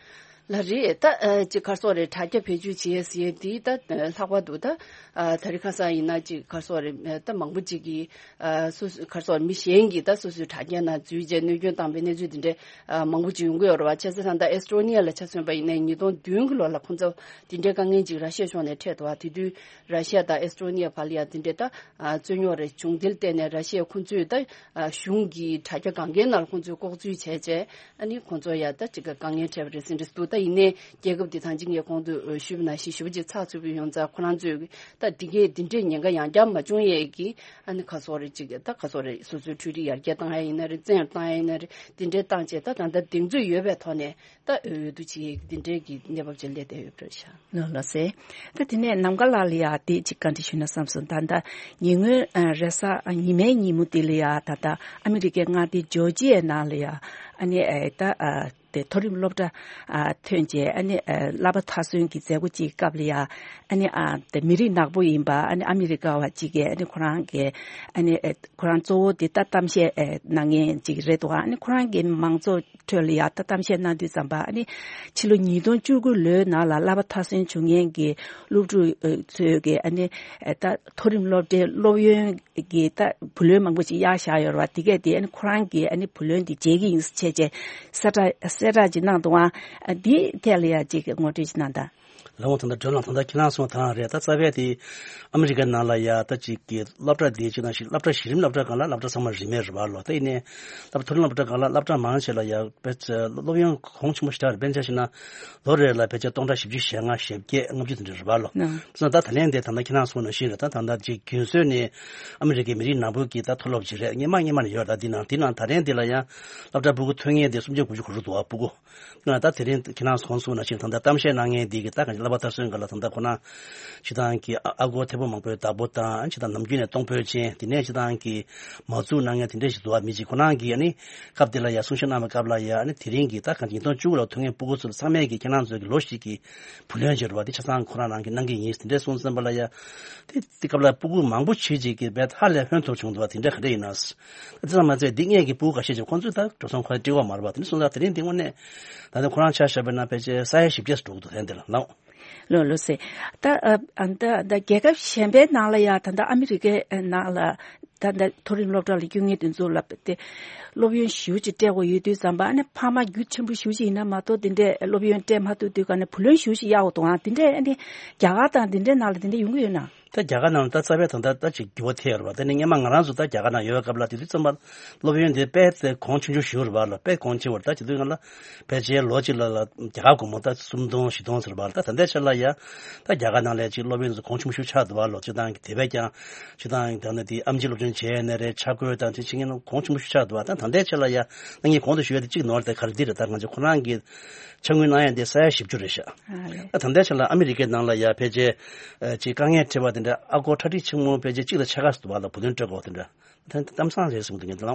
ལ་རེད། ད་ཨ་ཅིག་ག་རེ་ཟེར་དགོས་རེད། དྲ་རྒྱ་བེད་སྤྱོད་བྱས་ཟེར་དེ་ད་ལྷག་པར་དུ་ད་ཨ་དེ་རིང་ཁ་སང་ཡིན་ན་ཅིག་ག་རེ་ཟེར་དགོས་རེད། ད་མང་པོ་ཅིག་གིས་ཨ་སོ་སོ་ག་རེ་ཟེར་དགོས་རེད། མི་གཞན་གྱིས་ད་སོ་སོའི་དྲ་རྒྱ་ནང་འཛུལ་བྱས་གནོད་སྐྱོན་བཏང་པའི་གནས་ཚུལ་དེ་འདྲས་ཨ་མང་པོ་ཅིག་ཡོང་གི་ཡོད་རེད་བ། བྱས་ཙང་ད་ཨེ་སི་ཊོ་ནི་ཡ་ལ་ཆ་མཚོན་པ་ཡིན་ན་ཉིས་སྟོང་བདུན་གྱི་ལོ་ལ་ཁོང་ཚོ་དེ་འདྲའི་དཀའ་ངལ་ཅིག་ར་ཤི་ཡའི་ཕྱོགས་ནས་འཕྲད་འདུག་བ། དེ་དུས་ར་ཤི་ཡ་དང་ཨེ་སི་ཊོ་ནི་ཡ་བར་ལ་ཡ་དེ་འདྲའི་ད་ཨ་རྩོད་རྙོག་རེ་བྱུང་། དེ་ལ་བརྟེན་ནས་ར་ཤི་ཡ་ཁོང་ཚོས་ད་ཨ་གཞུང་གི་དྲ་རྒྱ་སྒང་གའི་ནང་ལ་ཁོང་ཚོས་ལྐོག་འཛུལ་བྱས་བྱས་ཨ་ནི་ཁོང་ཚོ་ཡ་ད་ཅིག་དཀའ་ངལ་འཕྲད་པ་རེད་ཟེར་འདྲ་འདུག་ད་ཡིན་ནའི་རྒྱལ་ཁབ་དེ་ད་གིན་ངས་གོང་དུ་ཞུས་པ་ནང་བཞིན་ཞེ་པོ་ཅིག་ཚགས་ཚུད་པོ་ཡོང་ཙང་ཁོ་རང་ཚོས་ད་དེ་གའི་དེ་འདྲའི་ཉེན་ཁ་ཡང་བསྐྱར་མ་བྱུང་ཡས་ཀྱི་ཨ་ནི་ག་རེ་ཟེར་དགོས་རེད། ཅིག་ད་ག་རེ་ཟེར་དགོས་རེད། སོ་སོའི་འཕྲུལ་རིག་ཡར་རྒྱས་བཏང་ཡ་ཡིན་ན་རེད། བཙན་བཏང་ཡ་ཡིན་ན་རེད། དེ་འདྲའི་བཏང་བྱས་ད་ད་ལྟ་གདེང་ཚོད་ཡོད་པའི་ཐོག་ནས་ད་འོས་བསྡུ་བྱེད་ཡས་དེ་འདྲའི་གི་གནས་བབ་ཅིག་སླེབས་བསྡད་ཡོད་པ་རེད་ཤག་ལགས་སོ། ད་དེ་ནས་ནམ་མཁའ་ལགས་ལ་ཡ་དེ་ཅིག་བཀའ་འདྲི་ཞུས་ན་བསམ་སོང་། ད་ལྟ་ཉེ་སྔོན་ཨ་རེས་གཟའ་ཉི་མའི་ཉིན་མོ་དེ་ལ་ཡ་ད་ལྟ་ཨ་མི་རི་ཀའི་མངའ་སྡེ་ཇོར་ཇི་ཡའི་ནང་ལ་ཡ་ཨ་ནི་ཨ་ད་ཨ་དེ་མཐོ་རིམ་སློབ་གྲྭ་ཨ་ཐོན་རྗེས་ཨ་ནི་ཨ་བསླབ་པ་མཐར་སོན་གྱི་མཛད་སྒོ་ཅིག་སྐབས་ལ་ཡ་ཨ་ནི་ཨ་དེ་མི་རིགས་ནག་པོ་ཡིན་པ་ཨ་ནི་ཨ་མི་རི་ཀ་བ་ཅིག་གིས་ཨ་ནི་ཁོ་རང་གི་ཨ་ནི་ཨ་ཁོ་རང་གཙོ་བོ་དེ་ད་གཏམ་བཤད་ཨ་གནང་མཁན་ཅིག་རེད་འདུག་ཨ་ནི་ཁོ་རང་གི་མང་ཚོགས་ཁྲོད་ལ་ཡ་ད་གཏམ་བཤད་གནང་དུས་ཙམ་པ་ཨ་ནི་ཕྱི་ལོ་ཉིས་སྟོང་བཅུ་དགུ་ལོའི་ནང་ལ་བསླབ་པ་མཐར་སོན་བྱུང་མཁན་གྱི་སློབ་ཕྲུག་ཚོས་ཀྱི་ཨ་ནི་ད་མཐོ་རིམ་སློབ་གྲྭའི་སློབ་ཡོན་གྱི་ད་བུ་ལོན་མང་པོ་ཅིག་གཡར་བཞག་ཡོད་རེད་བ། དེ་གས་དེ་ཨ་ནི་ཁོ་རང་གིས་ཨ་ནི་བུ་ལོན་དེ་འཇལ་གྱི་ཡིན་ཟེར་བྱས་བྱས་གསལ་བསྒྲགས་གསལ་བསྒྲགས་ཅིག་གནང་འདུག་ཨ་འདིའི་ཐད་ལ་ཡ་ཅིག་ངོ་སྤྲོད་ཅིག་གནང་དང་། ལགས་འོང་། ད་ལྟ་སྒྲོལ་ལགས་ད་ལྟ་ཁྱེད་རང་གསུངས་པ་དང་རེད། ད་རྩ་བའི་དེ་ཨ་མི་རི་ཀའི་ནང་ལ་ཡ་ད་ཅིག་གི་སློབ་གྲྭ་དེ་ཅིག་ནང་བཞིན་སློབ་གྲྭ་གཞི་རིམ་སློབ་གྲྭ་སྒང་ལ་སློབ་གྲྭ་ཚང་མ་རིན་མེད་རེད་བ་ལོ། ད་ཡིན་ནའི་སློབ་མཐོ་རིམ་སློབ་གྲྭ་སྒང་ལ་སློབ་གྲྭ་མང་ཆེ་ལ་ཡ་དཔེ་ཆ་སློབ་ཡོན་གོང་ཆེན་པོ་ཞེ་དྲག་རེད། དཔེར་ན་ཆ་བཞག་ན་ལོ་རེ་ལ་ཕལ་ཆེར་སྟོང་ཕྲག་བཞི་བཅུ་ཞེ་ལྔ་ཞེ་བརྒྱད་ལྔ་བཅུ་དེ་འདྲ་རེད་བ་ལོ། ཨང་། སོང་ཙང་ད་ལན་དེ་ད་ལྟ་ཁྱེད་རང་གསུངས་ནང་བཞིན་རེད། ད་ད་ལྟ་ཅིག་རྒྱུན་སྲོལ་ནས་ཨ་མི་རི་ཀའི་མི་རིགས་ནག་པོ་གི་ད་མཐོ་སློབ་ཅིག་རེད། སྔོན་མ་སྔོན་མ་ནས་ཡོད། ད་འདི་ནང་འདི་ནང་ད་ལན་འདི་ལ་ཡ་སློབ་གྲྭ་ཕྲུ་གུ་ཐོན་མཁན་དེ་སུམ་བརྒྱ་དགུ་བཅུ་གོ་དྲུག་འདུག་བ། ཕྲུ་གུ་ད་དེ་རིང་ཁྱེད་རང་གོང་གསུངས་ནང་བཞིན་ད་ལྟ་གཏམ་བཤད་གནང་མཁན་འདི་གི་ད་གང་ཅི་བསླབ་པ་མཐར་སོན་སྒང་ལ་ད་ལྟ་ཁོ་ན་སྤྱིར་བཏང་གི་ཨ་ཨ་སྒོར་ཐེར་པ་མང་པོའི་བདག་པོ་དང་། སྤྱིར་བཏང་ནམ་རྒྱུན་ནས་གཏོང་ཕོད་ཅན། དེ་ནས་སྤྱིར་བཏང་གི་མ་བཙུགས་གནང་མཁན་དེ་འདྲ་ཞིག་འདུག་བ། མི་གཅིག་ཁོ་རང་གིས་ཨ་ནི་སྐབས་དེ་ལ་ཡ་གསུང་བཤད་གནང་བའི་སྐབས་ལ་ཡ་ཨ་ནི་དེ་རིང་གི་ད་གང་ཅི་ཉིས་སྟོང་བཅུ་དགུ་ལ་ཐོན་མཁན་ཕྲུ་གུ་ཚོ་ཚང་མས་ཀྱི་ཁྱེད་རང་ཚོ་གི་ལོ་གཅིག་གི་བུ་ལོན་བྱེད་རོགས་དེ་ཆ་ཚང་ཁོ་རང་རང་གིས་གནང་གི་ཡིན་དེ་འདྲ་གསུངས་ཙམ་པ་ལ་ཡ། དེ་དེ་སྐབས་ལ་ཕྲུ་གུ་མང་པོ་ཞིག་ཅིག་གིས་རྦད་ཧ་ལས་ཕན་ཐོགས་བྱུང་འདུག་བ། དེ་འདྲ་ག་འདྲ་ཡིན་ན། དེ་ཙམ་མ་ཚད་འདི་སྔས་ཀྱི་ཕྲུ་གུ་ཁ་ཤས་ཅིག་ཁོང་ཚོས་ད་འགྲོ་སོང་ཁོ་ར་སྤྲད་ཀྱི་ཡོད་མ་རེད་པ། དེ་འདྲ་སོང་ཙང་དེ་རིང་འདི་དངོས་གནས་ད་ནི་ཁོ་རང་ཆ་བཞག་པ་ན་ཕལ་ཆེར་ས་ཡ་བཞི་བརྒྱ་ཙམ་འགྲོ་གི་འདུག་དེ་འདི་ལ། ལགས་འོང་། ལགས་འོང་ལགས་སེ། ད་ཨ་ད་ད་རྒྱལ་ཁབ་གཞན་པའི་ནང་ལ་ཡ་ད་ད་ཨ་མི་རི་ཀའི་ནང་ལ་ད་ད་མཐོ་རིམ་སློབ་གྲྭ་ལ་སྐྱོད་མཁན་དེ་ཚོ་ལ་དེ་སློབ་ཡོན་ཞེ་པོ་ཅིག་སྤྲད་དགོས་ཡོད་དུས་ཙམ་པ། ཨ་ནི་ཕ་མ་རྒྱུ་ཆེན་པོ་ཞེ་པོ་ཅིག་ཡིན་ན་མ་གཏོགས་དེ་འདྲའི་སློབ་ཡོན་སྤྲད་མ་ཐུབ་དུས་ག་ནས་བུ་ལོན་ཞེ་པོ་ཅིག་གཡར་དགོས་འདུག་ཨང་། དེ་འདྲའི་ཨ་ནི་རྒྱ་གར་དང་དེ་འདྲའི་ནང་ལ་དེ་འདྲ་ཡོང་གི་ཡོད་ན། ད་རྒྱ་གར་ནང་ལ་ད་རྩ་བའི་ད་ལྟ་ད་ཅིག་འགྱུར་བ་ཐེབས་ཡོད་རེད་པ། དེ་ནི་སྔོན་མ་ང་རང་ཚོ་ད་རྒྱ་གར་ནང་ཡོད་པའི་སྐབས་ལ་དེ་དུས་ཙམ་པ་སློབ་ཡོན་དེ་དཔེ་དེ་གོང་ཆུང་ཆུང་ཞིག་རེད་པ་ལ། དཔེ་གོང་ཆེ་བ་རེད། ད་བྱེད་དུས་ང་ལ་ཕལ་ཆེར་ལོ་གཅིག་ལ་ལ་རྒྱ་གར་སྒོར་མོ་ད་སུམ་སྟོང་བཞི་སྟོང་ཟེར་བ་ལ། ད་ད་ལྟའི་ཆ་ལ་ཡ་ད་རྒྱ་གར་ནང་ལ་ཅིག་སློབ་ཡོན་དེ་ཚོ་གོང་ཆུང་ཤོས་ཆགས་འདུག་པ་ལོ། སྤྱིར་བཏང་གི་དེ་བས་ཀྱང་སྤྱིར་བཏང་གི་ད་ནི་དེ་ཨེམ་ཆི་སློབ་སྦྱོང་བྱས་ནས་རེད། ཆ་བགོས་དང་དེ་བྱེད་མཁན་གོང་ཆུང་ཤོས་ཆགས་འདུག་པ། ད་ད་ལྟའི་ཆ་ལ་ཡ་ད་ངས་གོང་དུ་ཞུས་པ་དེ་གཅིག་ནོར་དེ་ག་རེ་འདི་རེད། ད་ང་ཚོ་ཁོ་རང་གི་ཆ་དངུལ་གནང་ཡ་འདི་ས་ཡ་བཞི་བཅུ་རེད་ཤག་ཨ་ལེ། ད་ད་ལྟའི་ཆ་ལ་ཨ་མི་རི་ཀའི་ནང་ལ་ཡ་ཕལ་ཆེར་ཨ་ཅིག་དཀའ་ངལ་འཕྲད་པ་དེ། འདི་ཨ་སྒོར་གྲ་སྒྲིག་ཆེན་མོ་ཕལ་ཆེར་གཅིག་དང་ཕྱེད་ཀ་ཙམ་འདུག་པ་ལ། བུ་ལོན་སྤྲོད་དགོས་དེ་འདྲ། ད་གཏམ་བཟང་རེད་གསུངས་འདུག་ངས་འདི་ལ།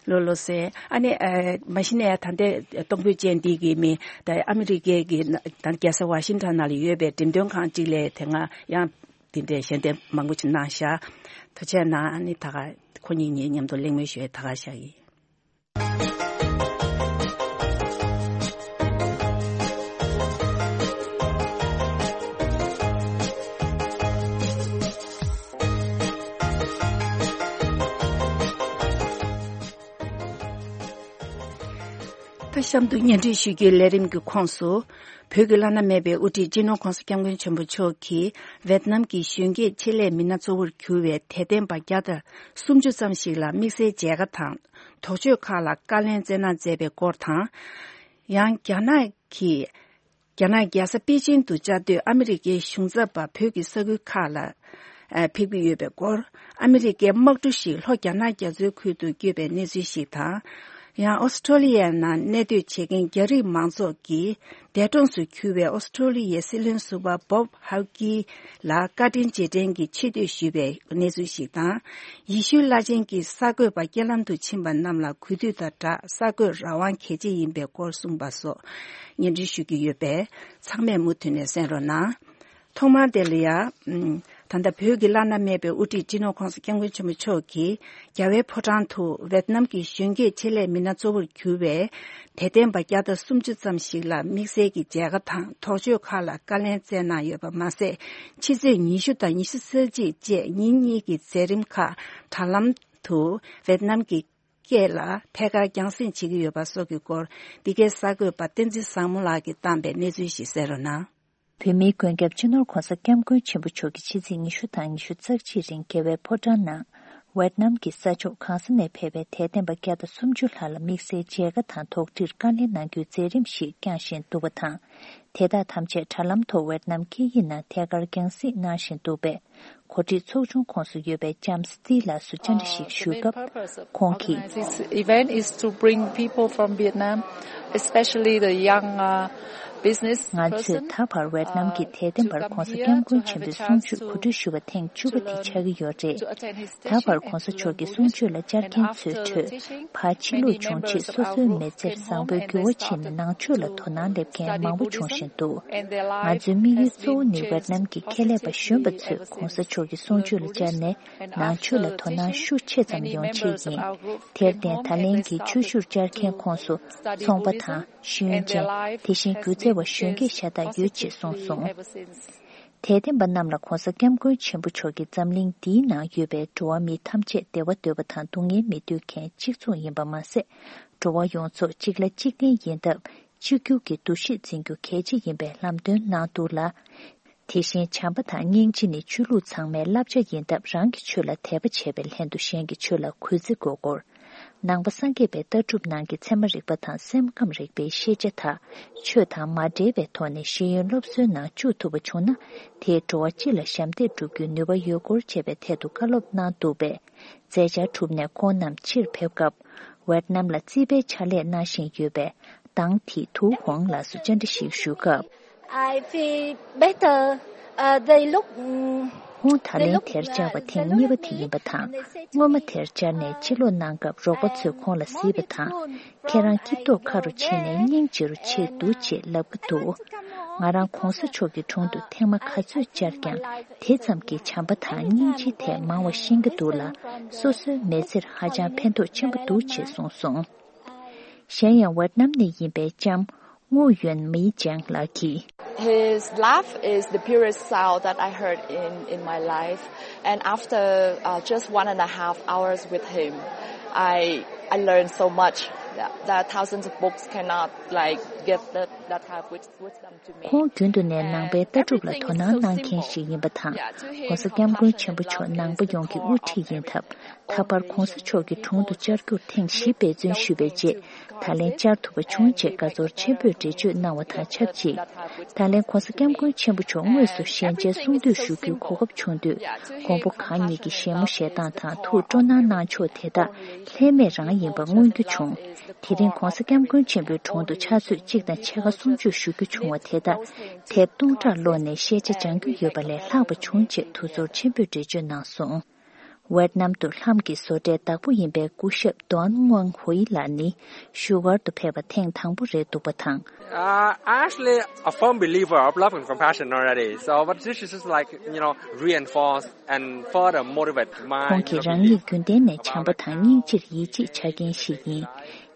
ལོ་ལོ་ཟེར། ཨ་ནི་ཨ་མ་གཞི་ནས་ད་ལྟའི་གཏོང་ཕོད་ཅན་འདི་གི་མི་ད་ཨ་མི་རི་ཀའི་གི་ད་རྒྱལ་ས་ཝ་ཤིང་ཊོན་ནང་ལ་ཡོད་པའི་འགྲེམས་སྟོན་ཁང་གཅིག་ལ་དེ་སྔ་ཡང་དེ་འདྲའི་ཞལ་འདེབས་མང་པོ་ཅིག་གནང་ཤག། ཐུགས་རྗེ་གནང་། ཨ་ནི་ད་ག་ཁོ་གཉིས་གཉིས་མཉམ་དུ་གླེང་མོལ་ཞུ་ཡས་ད་ག་བཞག་ཡིན། ད་གཤམ་དུ་སྙན་སྒྲོན་ཞུ་རྒྱུའི་ལས་རིམ་གྱི་ཁོངས་སུ། བོད་ཀྱི་བླ་ན་མེད་པའི་དབུ་ཁྲིད་སྤྱི་ནོར་༧གོང་ས་༧སྐྱབས་མགོན་ཆེན་པོ་མཆོག་གིས་ཝེད་ནམ་གྱི་གཞོན་སྐྱེས་ཆེད་ལས་མི་སྣ་གཙོ་བོར་གྱུར་བའི་དད་ལྡན་པ་བརྒྱ་དང་སུམ་ཅུ་ཙམ་ཞིག་ལ་དམིགས་བསལ་མཇལ་ཁ་དང་དོགས་གཅོད་ཁག་ལ་བཀའ་ལན་སྩལ་གནང་མཛད་པའི་སྐོར་དང་། ཡང་རྒྱ་ནག་གིས། རྒྱ་ནག་རྒྱལ་ས་པེ་ཅིང་དུ་བཅའ་སྡོད་ཨ་མི་རི་ཀའི་གཞུང་ཚབ་པ་བོད་ཀྱི་ས་ཁུལ་ཁག་ལ་ཕེབས་ཀྱི་ཡོད་པའི་སྐོར། ཨ་མི་རི་ཀའི་དམག་གྲུ་ཞིག་ལྷོ་རྒྱ་ནག་རྒྱ་མཚོའི་ཁུལ་དུ་བསྐྱོད་པའི་གནས་ཚུལ་ཞིག་དང་། ཡང་ཨོ་སི་ཁྲོ་ལི་ཡའི་ནང་གནས་སྡོད་བྱེད་མཁན་རྒྱ་རིགས་མང་ཚོགས་ཀྱིས་འདས་གྲོངས་སུ་གྱུར་བའི་ཨོ་སི་ཁྲོ་ལི་ཡའི་སྲིད་བློན་ཟུར་པ་བོབ་ཧའུ་ཀི་ལ་བཀའ་དྲིན་རྗེས་དྲན་གྱི་ཆེ་བསྟོད་ཞུས་པའི་གནས་ཚུལ་ཞིག་དང་། ཡེ་ཤུའི་བླ་ཆེན་གྱིས་གསར་འགོད་པ་རྐྱེན་ལམ་དུ་ཕྱིན་པ་རྣམས་ལ་གུས་འདུད་དང་སྦྲགས་གསར་འགོད་རང་དབང་གལ་ཆེ་ཡིན་པའི་སྐོར་གསུངས་པ་སོགས་སྙན་སྒྲོན་ཞུ་གི་ཡོད་པས། ཚང་མས་མུ་མཐུད་ནས་གསན་རོགས་གནང་། ཐོག་མར་དེ་ལ་ཡ། ཨམ། ད་ལྟ་བོད་ཀྱི་བླ་ན་མེད་པའི་དབུ་ཁྲིད་སྤྱི་ནོར་༧གོང་ས་༧སྐྱབས་མགོན་ཆེན་པོ་མཆོག་གིས་རྒྱ་བལ་ཕོ་བྲང་དུ་ཝེད་ནམ་གྱི་གཞོན་སྐྱེས་ཆེད་ལས་མི་སྣ་གཙོ་བོར་གྱུར་བའི་དད་ལྡན་པ་བརྒྱ་དང་སུམ་ཅུ་ཙམ་ཞིག་ལ་དམིགས་བསལ་གྱི་མཇལ་ཁ་དང་དོགས་གཅོད་ཁག་ལ་བཀའ་ལན་སྩལ་གནང་ཡོད་པ་མ་ཟད། ཕྱི་ཚེས་ཉི་ཤུ་དང་ཉི་ཤུ་རྩ་གཅིག་བཅས་ཉིན་གཉིས་ཀྱི་མཛད་རིམ་ཁག་དྲ་ལམ་དུ་ཝེད་ནམ་གྱི་སྐད་ལ་ཐད་ཀར་རྒྱང་སྲིང་བྱེད་ཀྱི་ཡོད་པ་སོགས་ཀྱི་སྐོར། འདི་གའི་གསར་འགོད་པ་བསྟན་འཛིན་བཟང་མོ་ལགས་ཀྱིས་བཏང་པའི་གནས་ཚུལ་ཞིག་གསན་རོགས་གནང་། བོད་མིའི་མགོན་སྐྱབས་སྤྱི་ནོར་༧གོང་ས་༧སྐྱབས་མགོན་ཆེན་པོ་མཆོག་གིས་ཕྱི་ཚེས་ཉི་ཤུ་དང་ཉི་ཤུ་རྩ་གཅིག་རིང་རྒྱལ་བའི་ཕོ་བྲང་ནང་། ཝེད་ནམ་གྱི་ས་ཕྱོགས་གང་ས་ནས་ཕེབས་པའི་དད་ལྡན་པ་བརྒྱ་དང་སུམ་ཅུ་ལྷག་ལ་དམིགས་བསལ་མཇལ་ཁ་དང་དོགས་འདྲིར་བཀའ་ལན་གནང་རྒྱུའི་མཛད་རིམ་ཞིག་བསྐྱངས་བཞིན་འདུག་པ་དང་། དེ་དག་ཐམས་ཅད་དྲ་ལམ་ཐོག་ཝེད་ནམ་སྐད་ཡིག་ནང་ཐད་ཀར་རྒྱང་སྲིང་གནང་བཞིན་འདུག་པས། གོ་སྒྲིག་ཚོགས་ཆུང་ཁོངས་སུ་ཡོད་པའི་ལྕམ་སི་ཏི་ལགས་སུ་བཅར་འདྲི་ཞིག་ཞུས་སྐབས། ཁོང་གིས། This event is to bring people from Vietnam, especially the young, uh, business person. ང་ཚོས་ད་བར་ཝེད་ནམ་གྱི་དད་ལྡན་པར་༧གོང་ས་༧སྐྱབས་མགོན་ཆེན་པོའི་གསུང་ཆོས་གོ་སྒྲིག་ཞུ་བ་ཐེངས་བཅུ་པ་དེ་ཆགས་ཀྱི་ཡོད་རེད། ད་བར་༧གོང་ས་མཆོག་གི་གསུང་ཆོས་ལ་བཅར་མཁན་ཚོའི་ཁྲོད། ཕར་ཕྱིར་ལོག་བྱུང་རྗེས་སོ་སོའི་མི་ཚེར་བཟང་པོའི་འགྱུར་བ་ཕྱིན་ནས་ནང་ཆོས་ལ་དོ་སྣང་སླེབས་མཁན་མང་པོ་བྱུང་བཞིན་འདུག། ང་ཚོའི་དམིགས་ཡུལ་གཙོ་བོ་ནི་ཝེད་ནམ་གྱི་ཁྱད་ལས་པ་གཞོན་པ་ཚོས་༧གོང་ས་མཆོག་གི་གསུང་ཆོས་ལ་བཅར་ནས་ནང་ཆོས་ལ་དོ་སྣང་ཤུགས་ཆེ་ཙམ་ཡོང་ཆེད་ཡིན། དེར་བརྟེན་ད་ལན་གྱི་ཆོས་ཞུར་བཅར་མཁན་ཁོངས་སུ་ཚོང་པ་དང་། ཤེས་ཡོན་ཅན། དེ་བཞིན་སྒྱུ་རྩལ་བ་གཞོན་སྐྱེས་ཤ་སྟག་ཡོད་ཅེས་གསུངས་སོང་། དད་ལྡན་པ་རྣམས་ལ་༧གོང་ས་༧སྐྱབས་མགོན་ཆེན་པོ་མཆོག་གིས་འཛམ་གླིང་འདིའི་ནང་ཡོད་པའི་འགྲོ་བ་མི་ཐམས་ཅད་བདེ་བ་འདོད་པ་དང་སྡུག་བསྔལ་མི་འདོད་མཁན་གཅིག་མཚུངས་ཡིན་པ་མ་ཟད། འགྲོ་བ་ཡོངས་རྫོགས་གཅིག་ལ་གཅིག་བརྟེན་ཡིན་སྟབས། གཅིག་གྱུར་གྱི་འདུ་ཤེས་འཛིན་རྒྱུ་གལ་ཆེ་ཡིན་པའི་ལམ་སྟོན་གནང་འདུག་ལ། དེ་བཞིན་བྱམས་པ་དང་སྙིང་རྗེ་ནི་ཆོས་ལུགས་ཚང་མའི་བསླབ་བྱ་ཡིན་སྟབས། རང་གི་ཆོས་ལ་དད་པ་བྱས་པའི་ལྷན་དུ་གཞན་གྱི་ཆོས་ལ་གུས་བརྩི་དགོས་སྐོར། ནང་པ་སངས་རྒྱས་པའི་ལྟ་གྲུབ་ནང་གི་ཚད་མ་རིག་པ་དང་སེམས་ཁམས་རིག་པའི་ཤེས་བྱ་དག་ཆོས་དང་མ་འབྲེལ་བའི་ཐོག་ནས་ཤེས་ཡོན་སློབ་གསོའི་ནང་བཅུག་ཐུབ་པ་བྱུང་ན། དེས་འགྲོ་བ་སྤྱི་ལ་ཞབས་འདེགས་སྒྲུབ་རྒྱུའི་ནུས་པ་ཡོད་སྐོར་བཅས་པའི་ཐད་དུ་བཀའ་སློབ་གནང་འདུག་པས། མཛད་འཆར་གྲུབ་ནས་ཁོང་རྣམས་ཕྱིར་ཕེབས་སྐབས། ཝེད་ནམ་ལ་རྩིས་པའི་ཕྱག་ལས་གནང་བཞིན་ཡོད་པའི་དང་ཐི་ཐུའུ་ཧོང་ལགས་སུ་བཅར་འདྲི་ཞིག་ཞུ་སྐབས། I feel better. Uh, they look, mm, ཁོང་ད་ལན་དེར་བཅར་བ་ཐེངས་གཉིས་པ་དེ་ཡིན་པ་དང་། སྔོན་མ་དེར་བཅར་ནས་ཕྱིར་ལོག་གནང་སྐབས། རོགས་པ་ཚོས་ཁོང་ལ་གཟིགས་པ་དང་། ཁྱེད་རང་སྐྱིད་ཐོག་ཁ་རུ་ཕྱིན་ནས་སྙིང་རྗེ་རུ་ཕྱིན་འདུག་ཅེས་ལབ་ཀྱི་འདུག། ང་རང་༧གོང་ས་མཆོག་གི་དྲུང་དུ་ཐེངས་མ་ག་ཚོད་བཅར་ཀྱང་། དེ་ཙམ་གྱིས་བྱམས་པ་དང་སྙིང་རྗེའི་ཐད་མང་བ་ཤེས་ཀྱི་འདུག་ལ། སོ་སོའི་མི་ཚེར་ཧ་ཅང་ཕན་ཐོགས་ཆེན་པོ་འདུག་ཅེས་གསུངས་སོང་། གཞན་ཡང་ཝེད་ནམ་ནས་ཡིན་པའི་ལྕམ་ངུ་ཡོན་མི་ཅང་ལགས་ཀྱིས། His laugh is the purest sound that I heard in, in my life. And after, uh, just one and a half hours with him, I, I learned so much. There are thousands of books cannot, like, give that, that type of wisdom to me. ཁོང་རྒྱུན་དུ་ནས་ནང་པའི་ལྟ་གྲུབ་ལ་དོ་སྣང་གནང་མཁན་ཞིག་ཡིན་པ་དང་།༧གོང་ས་༧སྐྱབས་མགོན་ཆེན་པོ་མཆོག་ནང་པ་ཡོངས་ཀྱི་དབུ་ཁྲིད་ཡིན་སྟབས། ད་བར་༧གོང་ས་མཆོག་གི་དྲུང་དུ་བཅར་རྒྱུར་ཐེངས་བཞི་འབད་བརྩོན་ཞུས་པའི་རྗེས། ད་ལན་བཅར་ཐུབ་པ་བྱུང་ཅེས་དགའ་ཚོར་ཆེན་པོས་འགྲེལ་བརྗོད་གནང་བ་དང་ཆབས་ཅིག། ད་ལན་༧གོང་ས་༧སྐྱབས་མགོན་ཆེན་པོ་མཆོག་དངོས་སུ་ཞལ་མཇལ་གསུང་བསྟོད་ཞུ་རྒྱུའི་གོ་སྐབས་བྱུང་དུས། མགོན་པོ་གང་ཉིད་ཀྱི་བཞད་མོ་བཞད་སྟངས་དང་ཐུགས་སྤྲོ་སྣང་གནང་ཕྱོགས་དེ་དག་ལྷད་མེད་རང་ ཡིན་པ་མངོན་རྒྱུ་བྱུང་། དེ་རིང་༧གོང་ས་༧སྐྱབས་མགོན་ཆེན་པོའི་དྲུང་དུ་ཕྱག་ཚོད་གཅིག་དང་ཕྱེད་ཀ་སུམ་ཅུ་ཞུ་རྒྱུ་བྱུང་བ་དེ་དག་དེབ་སྟོང་ཕྲག་ཀློག་ནས་ཤེས་བྱ་སྦྱང་རྒྱུ་ཡོད་པ་ལས་ལྷག་པ་བྱུང་ཅེས་ཐུགས་ཚོར་ཆེན་པོས་འགྲེལ་བརྗོད་གནང་སོང་། ཝེད་ནམ་དུ་ལྷམ་གྱི་བཟོ་གྲྭའི་བདག་པོ་ཡིན་པའི་སྐུ་ཞབས་ཏོན་ངུའང་ཧུའེ་ལགས་ནི་བཞུགས་སྒར་དུ་ཕེབས་པ་ཐེངས་དང་པོ་རེད་འདུག་པ་དང་། Uh, actually, a firm believer of love and compassion already. So, but this is just like, you know, reinforce and further motivate my, ཁོང་གིས་རང་ཉིད་རྒྱུན་ལྡན་ནས་བྱམས་པ་དང་སྙིང་རྗེར་ཡིད་ཆེས་བྱ་མཁན་ཞིག་ཡིན།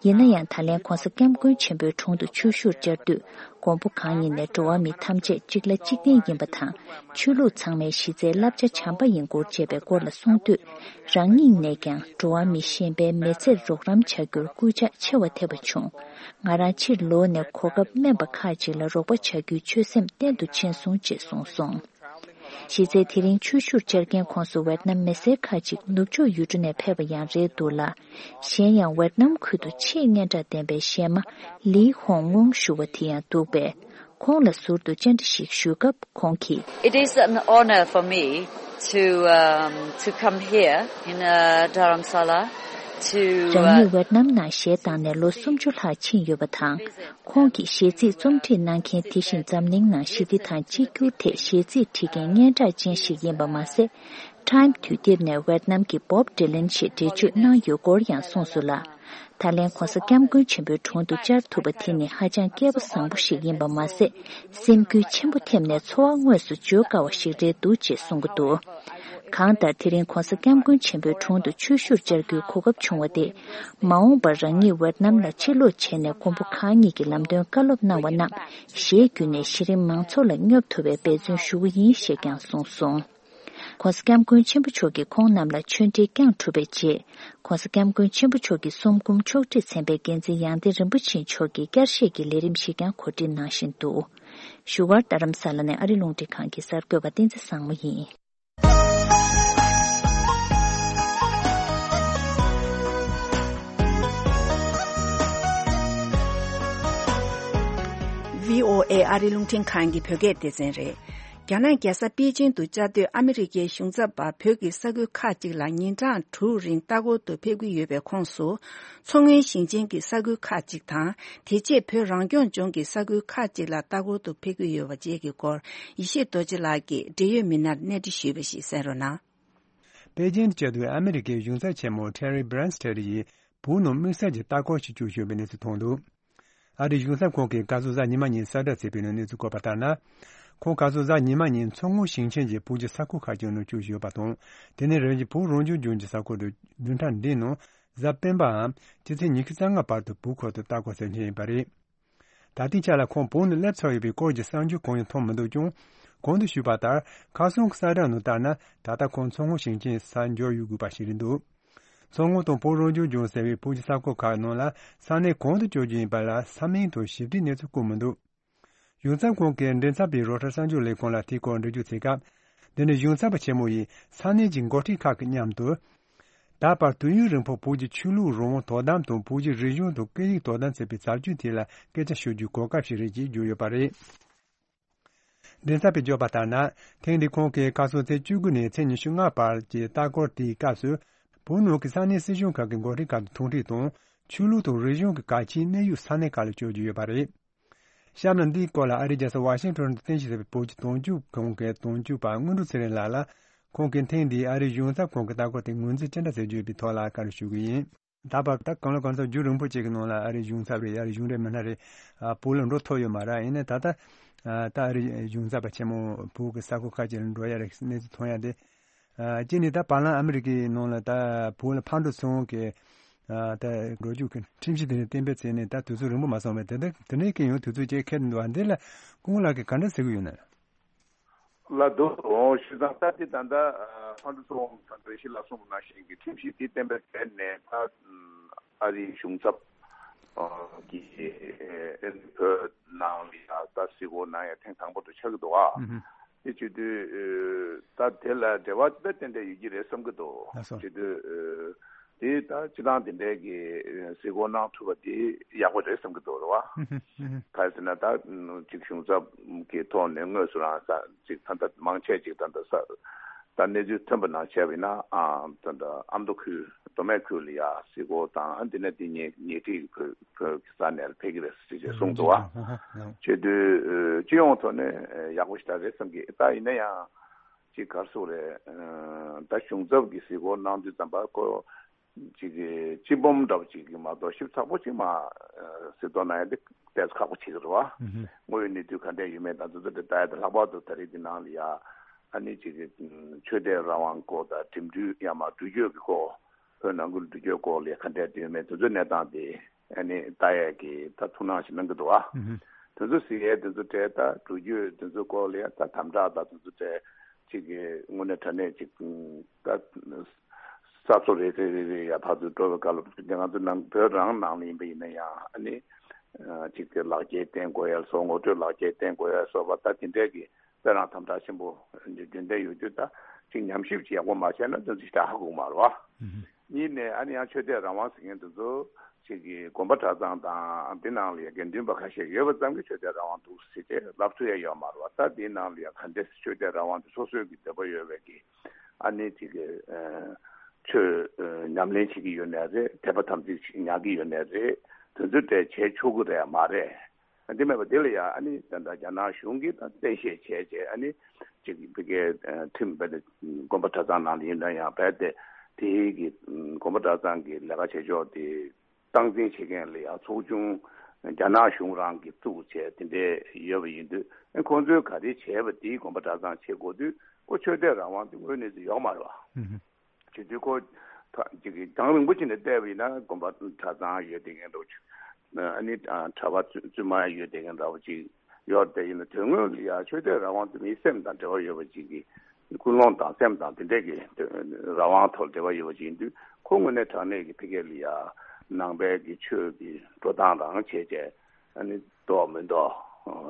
ཡིན་ན་ཡང་ད་ལན་༧གོང་ས་༧སྐྱབས་མགོན་ཆེན་པོའི་དྲུང་དུ་ཆོས་ཞུར་བཅར་དུས་མགོན་པོ་གང་ཉིད་ནས་འགྲོ་བ་མི་ཐམས་ཅད་གཅིག་ལ་གཅིག་བརྟེན་ཡིན་པ་དང་ཆོས་ལུགས་ཚང་མའི་གཞི་རྩའི་བསླབ་བྱ་བྱམས་པ་ཡིན་སྐོར་བཅས་པའི་སྐོར་ལ་གསུངས་དུས་རང་ཉིད་ནས་ཀྱང་འགྲོ་བ་མི་གཞན་པའི་མི་ཚེར་རོགས་རམ་བྱ་རྒྱུར་སྐུལ་ལྕག་ཆེ་བ་ཐེབས་པ་བྱུང་། ང་རང་ཕྱིར་ལོག་ནས་གོ་སྐབས་དམན་པ་ཁག་ཅིག་ལ་རོགས་པ་བྱ་རྒྱུའི་ཆོད་སེམས་བརྟན་དུ་ཕྱིན་སོང་ཅེས་གསུངས་སོང་། གཞི་རྩའི་དེ་རིང་ཆོས་ཞུར་བཅར་མཁན་ཁོངས་སུ་ཝེད་ནམ་མི་སེར་ཁག་ཅིག་ནུབ་ཕྱོགས་ཡུལ་གྲུ་ནས་ཕེབས་པ་ཡང་རེད་འདུག་ལ། གཞན་ཡང་ཝེད་ནམ་ཁུལ་དུ་ཆེས་སྙན་གྲགས་ལྡན་པའི་གཞས་མ་ལི་ཧོང་ངོང་ཞུ་བ་དེ་ཡང་འདུག་པས། ཁོང་ལ་ཟུར་དུ་བཅར་འདྲི་ཞིག་ཞུས་སྐབས་ཁོང་གིས། It is an honor for me to, um, to come here in, uh, Dharamsala to, uh, རང་ཉིད་ཝེད་ནམ་ནང་གཞས་བཏང་ནས་ལོ་སུམ་ཅུ་ལྷག་ཕྱིན་ཡོད་པ་དང་། ཁོང་གིས་གཞས་ཚིག་རྩོམ་སྒྲིག་གནང་མཁན་དེ་བཞིན་འཛམ་གླིང་ནང་ཞི་བདེ་དང་གཅིག་གྱུར་ཐད་གཞས་ཚིག་བྲིས་མཁན་སྙན་གྲགས་ཅན་ཞིག་ཡིན་པ་མ་ཟད། Time་དུས་དེབ་ནས་ཝེད་ནམ་གྱི་Bob Dylan་ཞེས་འགྲེལ་བརྗོད་གནང་ཡོད་སྐོར་ཡང་གསུངས་སོང་ལ། ད་ལན་༧གོང་ས་༧སྐྱབས་མགོན་ཆེན་པོའི་དྲུང་དུ་བཅར་ཐུབ་པ་དེ་ནི་ཧ་ཅང་སྐལ་པ་བཟང་པོ་ཞིག་ཡིན་པ་མ་ཟད། སེམས་འགུལ་ཆེན་པོ་ཐེབས་ནས་ཚོར་བ་དངོས་སུ་བརྗོད་དཀའ་བ་ཞིག་རེད་འདུག་ཅེས་གསུང་གི་འདུག་གང་ལྟར་དེ་རིང་༧གོང་ས་༧སྐྱབས་མགོན་ཆེན་པོའི་དྲུང་དུ་ཆོས་ཞུར་བཅར་རྒྱུའི་གོ་སྐབས་བྱུང་བ་དེ། མ་འོངས་པར་རང་ཉིད་ཝེད་ནམ་ལ་ཕྱིར་ལོག་བྱས་ནས་མགོན་པོ་གང་ཉིད་ཀྱི་ལམ་སྟོན་བཀའ་སློབ་གནང་བ་རྣམས་གཞས་བརྒྱུད་ནས་གཞི་རིམ་མང་ཚོགས་ལ་སྙོབ་ཐུབ་པའི་འབད་བརྩོན་ཞུ་གི་ཡིན་ཞེས་ཀྱང་གསུངས་སོང་། ༸གོང་ས་༸སྐྱབས་མགོན་ཆེན་པོ་མཆོག་གིས་ཁོང་རྣམས་ལ་ཆོས་འབྲེལ་བསྐྱངས་གྲུབ་པའི་རྗེས། ༸གོང་ས་༸སྐྱབས་མགོན་ཆེན་པོ་མཆོག་གི་གསུང་འབུམ་ཕྱོགས་སྒྲིག་ཚན་པའི་འགན་འཛིན་ཡང་སྟེང་རིན་པོ་ཆེ་མཆོག་གིས་བསྐྱར་བཤད་ཀྱི་ལས་རིམ་ཞིག་ཀྱང་གོ་སྒྲིག་གནང་བཞིན་འདུག་བཞུགས་སྒར་རྡ་རམ་ས་ལ་ནས་ཨ་རི་རླུང་འཕྲིན་ཁང་གི་གསར་འགོད་པ་བསྟན་འཛིན་བཟང་མོ་ཡིན། ཝི་ཨོ་ཨེ་ཨ་རི་རླུང་འཕྲིན་ཁང་གི་བོད་སྐད་སྡེ་ཚན་རེད། རྒྱ་ནག་རྒྱལ་ས་པེ་ཅིང་དུ་བཅའ་སྡོད་ཨ་མི་རི་ཀའི་གཞུང་ཚབ་པ་བོད་ཀྱི་ས་ཁུལ་ཁག་ཅིག་ལ་ཉིན་གྲངས་དྲུག་རིང་ལྟ་སྐོར་དུ་ཕེབས་ཀྱི་ཡོད་པའི་ཁོངས་སུ། མཚོ་སྔོན་ཞིང་ཆེན་གྱི་ས་ཁུལ་ཁག་ཅིག་དང་། དེ་རྗེས་བོད་རང་སྐྱོང་ལྗོངས་ཀྱི་ས་ཁུལ་ཁག་ཅིག་ལ་ལྟ་སྐོར་དུ་ཕེབས་ཀྱི་ཡོད་པ་བཅས་ཀྱི་སྐོར་ཡེ་ཤེས་རྡོ་རྗེ་ལགས་ཀྱིས་འབྲེལ་ཡོད་མི་སྣར་གནས་འདྲི་ཞུས་པ་ཞིག་གསན་རོགས་གནང་། པེ་ཅིང་དུ་བཅའ་སྡོད་ཨ་མི་རི་ཀའི་གཞུང་ཚབ་ཆེན་མོ་Terry Branstad་ཡིས་བོད་ནང་དམིགས་བསལ་གྱི་ལྟ་སྐོར་ཞིག་བསྐྱོད་ཡོད་པའི་གནས་ཚུལ་ཐོན་འདུག་ཨ་རིའི་གཞུང་ཚབ་ཁང་གིས་བཀའ་ཟུར་གཟའ་ཉི་མ་ཉིན་གསལ་བསྒྲགས་བྱས་པའི་ནང་གནས་ཚུལ་བཀོད་པ་ལྟར་ན། ཁོང་བཀའ་ཟུར་གཟའ་ཉི་མ་ཉིན་མཚོ་སྔོན་ཞིང་ཆེན་གྱི་བོད་ཀྱི་ས་ཁུལ་ཁག་ཅིག་ནང་བསྐྱོད་ཡོད་པ་དང་། དེ་ནས་རང་གི་བོད་རང་སྐྱོང་ལྗོངས་ཀྱི་ས་ཁུལ་དུ་བདུན་ཕྲག་འདིའི་ནང་གཟའ་སྤེན་པའམ་སྤྱི་ཚེས་ཉི་ཤུ་རྩ་ལྔ་བར་དུ་བོད་ཁུལ་དུ་ལྟ་སྐོར་གསན་མཁན་ཡིན་པ་རེད། ད་ལྟའི་ཆ་ལ་ཁོང་བོད་ནང་སླེབས་ཚར་ཡོད་པའི་སྐོར་གྱི་གསར་འགྱུར་གང་ཡང་ཐོན་མི་འདུག་ཀྱང་། གོང་དུ་ཞུས་པ་ལྟར་ཁ་སང་གི་གསལ་བསྒྲགས་ནང་ལྟར་ན། ད་ལྟ་ཁོང་མཚོ་སྔོན་ཞིང་ཆེན་ས་འབྱོར་ཡོད་དགོས་པ་ཞིག་རེད་འདུག་མཚོ་སྔོན་དང་བོད་རང་སྐྱོང་ལྗོངས་ཟེར་བའི་བོད་ཀྱི་ས་ཁུལ་ཁག་ནང་ལ་ས་གནས་གང་དུ་བསྐྱོད་རྒྱུ་ཡིན་པ་ལ་ས་མིང་དང་ཞིབ་ཕྲའི་གནས་ཚུལ་བཀོད་མི་འདུག་གཞུང་ཚབ་ཁང་གི་མགྲིན་ཚབ་པས་རོའི་ཊར་གསར་འགྱུར་ལས་ཁང་ལ་དེའི་སྐོར་འགྲེལ་བརྗོད་བྱས་སྐབས། འདི་ནི་གཞུང་ཚབ་པ་ཆེན་མོ་ཡིས་ས་གནས་ཀྱི་འགོ་ཁྲིད་ཁག་གི་མཉམ་དུ། ད་བར་དུས་ཡུན་རིང་པོ་བོད་ཀྱི་ཆོས་ལུགས་རང་དབང་དོ་དམ་དང་བོད་ཀྱི་རིག་གཞུང་དང་སྐད་ཡིག་དོ་དམ་ཟེར་བའི་བྱ་སྤྱོད་དེ་ལ་སྐད་ཆ་ཤོད་རྒྱུའི་གོ་སྐབས་ཤིག་རེད་ཅེས་བརྗོད་ཡོད་པ་རེད། མགྲིན་ཚབ་པས་བརྗོད་པ་ལྟར་ན། ཐེངས་འདིའི་ཁོང་གིས་ཁ་སང་ཚེས་བཅུ་དགུ་ནས་ཚེས་ཉི་ཤུ་ལྔ་བར་གྱི་ལྟ་སྐོར་དེའི་སྐབས་སུ། བོད་ནང་གི་ས་གནས་སྲིད་གཞུང་ཁག་གི་འགོ་ཁྲིད་ཁག་དང་ཐུག་འཕྲད་དང་། ཆོས་ལུགས་དང་རིག་གཞུང་གི་གལ་ཆེའི་གནས་ཡུལ་ས་གནས་ཁག་ལ་བསྐྱོད་རྒྱུ་ཡོད་པ་རེད། གཤམ་ལ་འདིའི་སྐོར་ལ་ཨ་རིའི་རྒྱལ་ས་ཝ་ཤིང་ཊོན་དུ་རྟེན་གཞི་བྱས་པའི་བོད་ཀྱི་དོན་གཅོད་ཁང་གི་དོན་གཅོད་པ་དངོས་གྲུབ་ཚེ་རིང་ལགས་ལ། ཁོང་གིས་ཐེངས་འདིའི་ཨ་རིའི་གཞུང་ཚབ་ཁང་གི་ལྟ་སྐོར་དེ་ངོས་འཛིན་ཅི་འདྲ་བྱེད་རྒྱུ་ཡོད་པའི་ཐོག་ལ་བཀའ་འདྲི་ཞུ་གི་ཡིན། ད་བར་ད་གང་ལ་གང་འཚམ་རྒྱུན་རིང་པོ་ཅིག་གི་ནང་ལ་ཨ་རིའི་གཞུང་ཚབ་རེད། ཨ་རིའི་གཞུང་འབྲེལ་མི་སྣ་རེད། ཨ། བོད་ལ་འགྲོ་ཐུབ་ཡོད་མ་རེད། ཡིན་ནའི་ད་ལྟ་ཨ། ད་ཨ་རིའི་གཞུང་ཚབ་པ་ཆེན་མོ་བོད་ཀྱི་ས་ཁུལ་ཁག་ཅིག་ལ་འགྲོ་ཡ་རེད། གནས་ཚུལ་ཐོན་ཡ་དེ། ཨ། གཅིག་ནི་ད་བར་ལམ་ཨ་མི་རི་ཀའི་ནང་ལ་ད་བོད་ལ་ཕར་འགྲོ་ཚུར་འོང་གི། ཨ། ད་འགྲོ་རྒྱུ་གི་ཁྲིམས་གཞི་དེ་ནས་གཏན་འབེབས་བྱས་ནས་ད་དུས་ཚོད་རིང་པོ་མ་སོང་བས། དེ་འདྲ་དེ་འདྲའི་གི་ཡང་དུས་ཚོད་ཅིག་འཁེལ་འདུག་ཨ། འདི་ལ་སྐུ་ངོ་ལགས་ཀྱིས་ག་འདྲ་ཟེར་གི་ཡོད་ན། ལ་འདུག་འོ་བྱས་ཙང་ད་དེ་ད་ལྟ་ཕར་འགྲོ་ཚུར་འོང་ད་འགྲེལ་བཤད་ལ་གསུངས་པ་ནང་བཞིན་གྱི་ཁྲིམས་གཞི་དེ་གཏན་འབེབས་བྱས་ནས་ད་ཨ་རིའི་གཞུང་ཚབ་ཀྱིས་ཨ་ནི་བོད་ནང་ལ་ཡ་ད་གཟིགས་སྐོར་གནང་ཡ་ཐེངས་དང་པོ་དེ་ཆགས་ཀྱི་འདུག་ཨ། དེ་བྱེད་དུས་ད་དེ་ལ་འབྲེལ་བ་ཅི་ལྟར་ཏན་ཏན་ཡོད་ཀྱི་རེད་བསམ་གྱི་འདུག་ལགས་སོ། བྱེད་དུས་དེ་ད་སྤྱི་བཏང་དེ་འདྲའི་གི་གཟིགས་སྐོར་གནང་ཐུབ་པ་དེ་ཡག་པོ་རེད་བསམ་གྱི་འདུག་རེད་བ། ག་རེ་ཟེར་ན་ད་ཅིག་གཞུང་ཚབ་ཀྱི་ཐོག་ནས་དངོས་སུ་རང་ས་ཅིག་ད་ལྟ་མང་ཆེ་ཅིག་ད་ལྟ་ས་ ད་གནས་ཚུལ་ཐོན་པ་ནང་བྱས་པ་ཡིན་ན། ཨ་ད་ལྟ་ཨ་མདོ་ཁུལ་མདོ་སྨད་ཁུལ་ལ་ཡ་སའི་གོ་དང་། ཨ་འདི་ནས་དེ་ཉེ་ཉེ་འཁྲིས་བོད་བོད་ཀྱི་ས་གནས་ལ་ཕེབས་ཀྱི་རེད་ཟེར་ཅེས་གསུངས་འདུག་བ། བྱེད་དུས་སྤྱི་ཡོངས་ཐོག་ནས་ཡག་པོ་ཞེ་དྲག་རེད་བསམ་གི། ད་ཡིན་ན་ཡང་ཅིག་ག་རེ་ཟེར་དགོས་རེད། ད་གཞུང་ཚབ་ཀྱི་སའི་གོ་གནང་དུས་ཙམ་པ་ཁོ་ཅིག་གི་སྤྱི་འབུམ་འདྲ་པོ་ཅིག་གི་མ་གཏོགས་ཞིབ་ཚགས་པོ་ཅིག་མ་གཟིགས་རྟོག་གནང་ཡ་དེ་ཏོག་ཙམ་ཁག་པོ་ཆགས་ཀྱི་རེད་བ། དངོས་ཡོད་གནས་ཚུལ་ག་འདྲ་ཡོད་མེད་དང་དེ་ཚོ་དེ་ལྟ་ཡ་དེ། ལྷག་པར་དུ་ད་རེས་འདི་ནང་ལ་ཡ་ཨ་ནི་ཅིག་གི་ཆོས་དད་རང་དབང་སྐོར་དང་འགྲིམ་འགྲུལ་ཡང་མ་འགྲུལ་སྐྱོད་ཀྱི་སྐོར། བོད་ནང་ཁུལ་འགྲུལ་སྐྱོད་སྐོར་ལ་ག་འདྲ་ཡོད་མེད་དེ་ཚོའི་གནས་སྟངས་དེ་ཨ་ནི་ལྟ་ཡས་ཀྱི་ད་ཐུགས་སྣང་ཞིག་གནང་གི་འདུག་ཨ། དེ་ཚོ་གཟིགས་ཡས་དེ་ཚོ་གྲས་ད་འགྲུལ་སྐྱོད་དེ་ཚོ་སྐོར་ལ་ཡ་ད་དམ་དྲག་དང་དེ་ཚོ་གྲས་ཅིག་གི་དངོས་གནས་དྲང་གནས་ཅིག་ད་ས་ཕྱོགས་རེ་རེ་རེ་རེ་ཡ་ཕར་ཚུར་འགྲོ་བའི་སྐབས་ལ་ང་ཚོ་ནང་བོད་རང་ནང་ལ་ཡིན་པ་ཡིན་ན་ཡང་ཨ་ནི་ཅིག་གི་ལག་འཁྱེར་བསྟན་དགོས་ཡ་སོགས། ངོ་སྤྲོད་ལག་འཁྱེར་བསྟན་དགོས་ཡ་སོགས་པ་ད་དེ་འདྲས་ཀྱི་དཔེ་རང་དམ་དྲག་ཆེན་པོ་རྒྱུན་ལྡན་ཡོད་དུས། ད་ཅིག་ཉམས་ཞིབ་ཅིག་ཡག་པོ་མ་བྱས་ན་དོན་ཚིག་ད་ཧ་གོ་གི་མ་རེད་བ། གཉིས་ནས་ཨ་ནི་ཡང་ཆོས་དད་རང་དབང་ཟེར་མཁན་དེ་ཚོ་ཅིག་གི་དགོན་པ་གྲྭ་ཚང་དང་དེ་ནང་ལ་ཡ་དགེ་འདུན་པ་ཁ་ཤས་ཡོད་པ་ཙམ་གྱིས་ཆོས་དད་རང་དབང་འདུག་ཟེར་ཏེ་ལབ་ཐུབ་ཡ་ཡོད་མ་རེད་བ། ད་དེ་ནང་ལ་ཡ་ག་འདྲས་ཆོས་དད་རང་དབང་དེ་སོ་སོའི་གི་འདོད་པ་ཡོད་པའི་གི་ཨ་ནི་ཅིག་གི་ཆོས་ཉམས་ལེན་བྱེད་ཀྱི་ཡོད་ནའི་རེད། དད་པ་དམ་ཚིག་ཅིག་ཉར་གྱི་ཡོད་ནའི་རེད། དེ་ཚོ་དེ་བྱེད་ཆོག་གི་རེད་མ་རེད། དེ་མེད་པ་དེ་ལ་ཡང་ཨ་ནི་ད་ལྟ་རྒྱ་ནག་གཞུང་གིས་ད་གཏན་བཤེར་བྱས་བྱས། ཨ་ནི་ཅིག་ཕ་གིའི་ཁྲིམས་རྦད་དེ་དགོན་པ་གྲྭ་ཚང་ནང་ལ་ཡིན་ན་ཡང་རྦད་དེ་དེའི་གི་དགོན་པ་གྲྭ་ཚང་གི་ལས་ཀ་བྱེད་ཕྱོགས་དེ་སྟངས་འཛིན་བྱེད་མཁན་ལ་ཡང་ཚོགས་ཆུང་རྒྱ་ནག་གཞུང་རང་གིས་བཙུགས་བྱས་དེ་འདྲས་ཡོད་པ་ཡིན་དུས། ཨ་ཁོང་ཚོས་ག་རེ་བྱས་པ་དེའི་དགོན་པ་གྲྭ་ཚང་བྱེད་དགོས་དུས་ཁོ་ཆོས་དད་རང་དབང་དེ་དངོས་གནས་ཡོད་མ་རེད་བ། བྱེད་དུས་ཁོ་ད་ཅིག་གི་རྒྱང་རིང་པོ་ཅིག་ནས་བལྟས་པ་ཡིན་ན་དགོན་པ་གྲྭ་ཚང་ཡོད་བསྡད་མཁན་འདྲ་བོ་ཅིག་ཨ་ནི་གྲྭ་པ་བཙུན་མ་ཡོད་བསྡད་མཁན་འདྲ་བོ་ཅིག་ཡོད་དེ། ཡིན་ན་དོན་དངོས་ལ་ཡ་ཆོས་དད་རང་དབང་དེ་མིའི་སེམས་དང་འབྲེལ་བ་ཡོད་པ་ཅིག་གི། ཀུན་སློང་དང་སེམས་དང་དེ་འདྲས་ཀྱི་རང་དབང་ཐོག་འབྲེལ་བ་ཡོད་པ་ཅིག་ཡིན་དུས། ཁོ་དངོས་གནས་དྲང་གནས་ཀྱི་ཕ་གི་ལ་ཡ་ནང་པའི་གི་ཆོས་ཀྱི་འགྲོ་སྟངས་རང་བྱས་བྱས། ཨ་ནི་འདུག་མི་འདུག་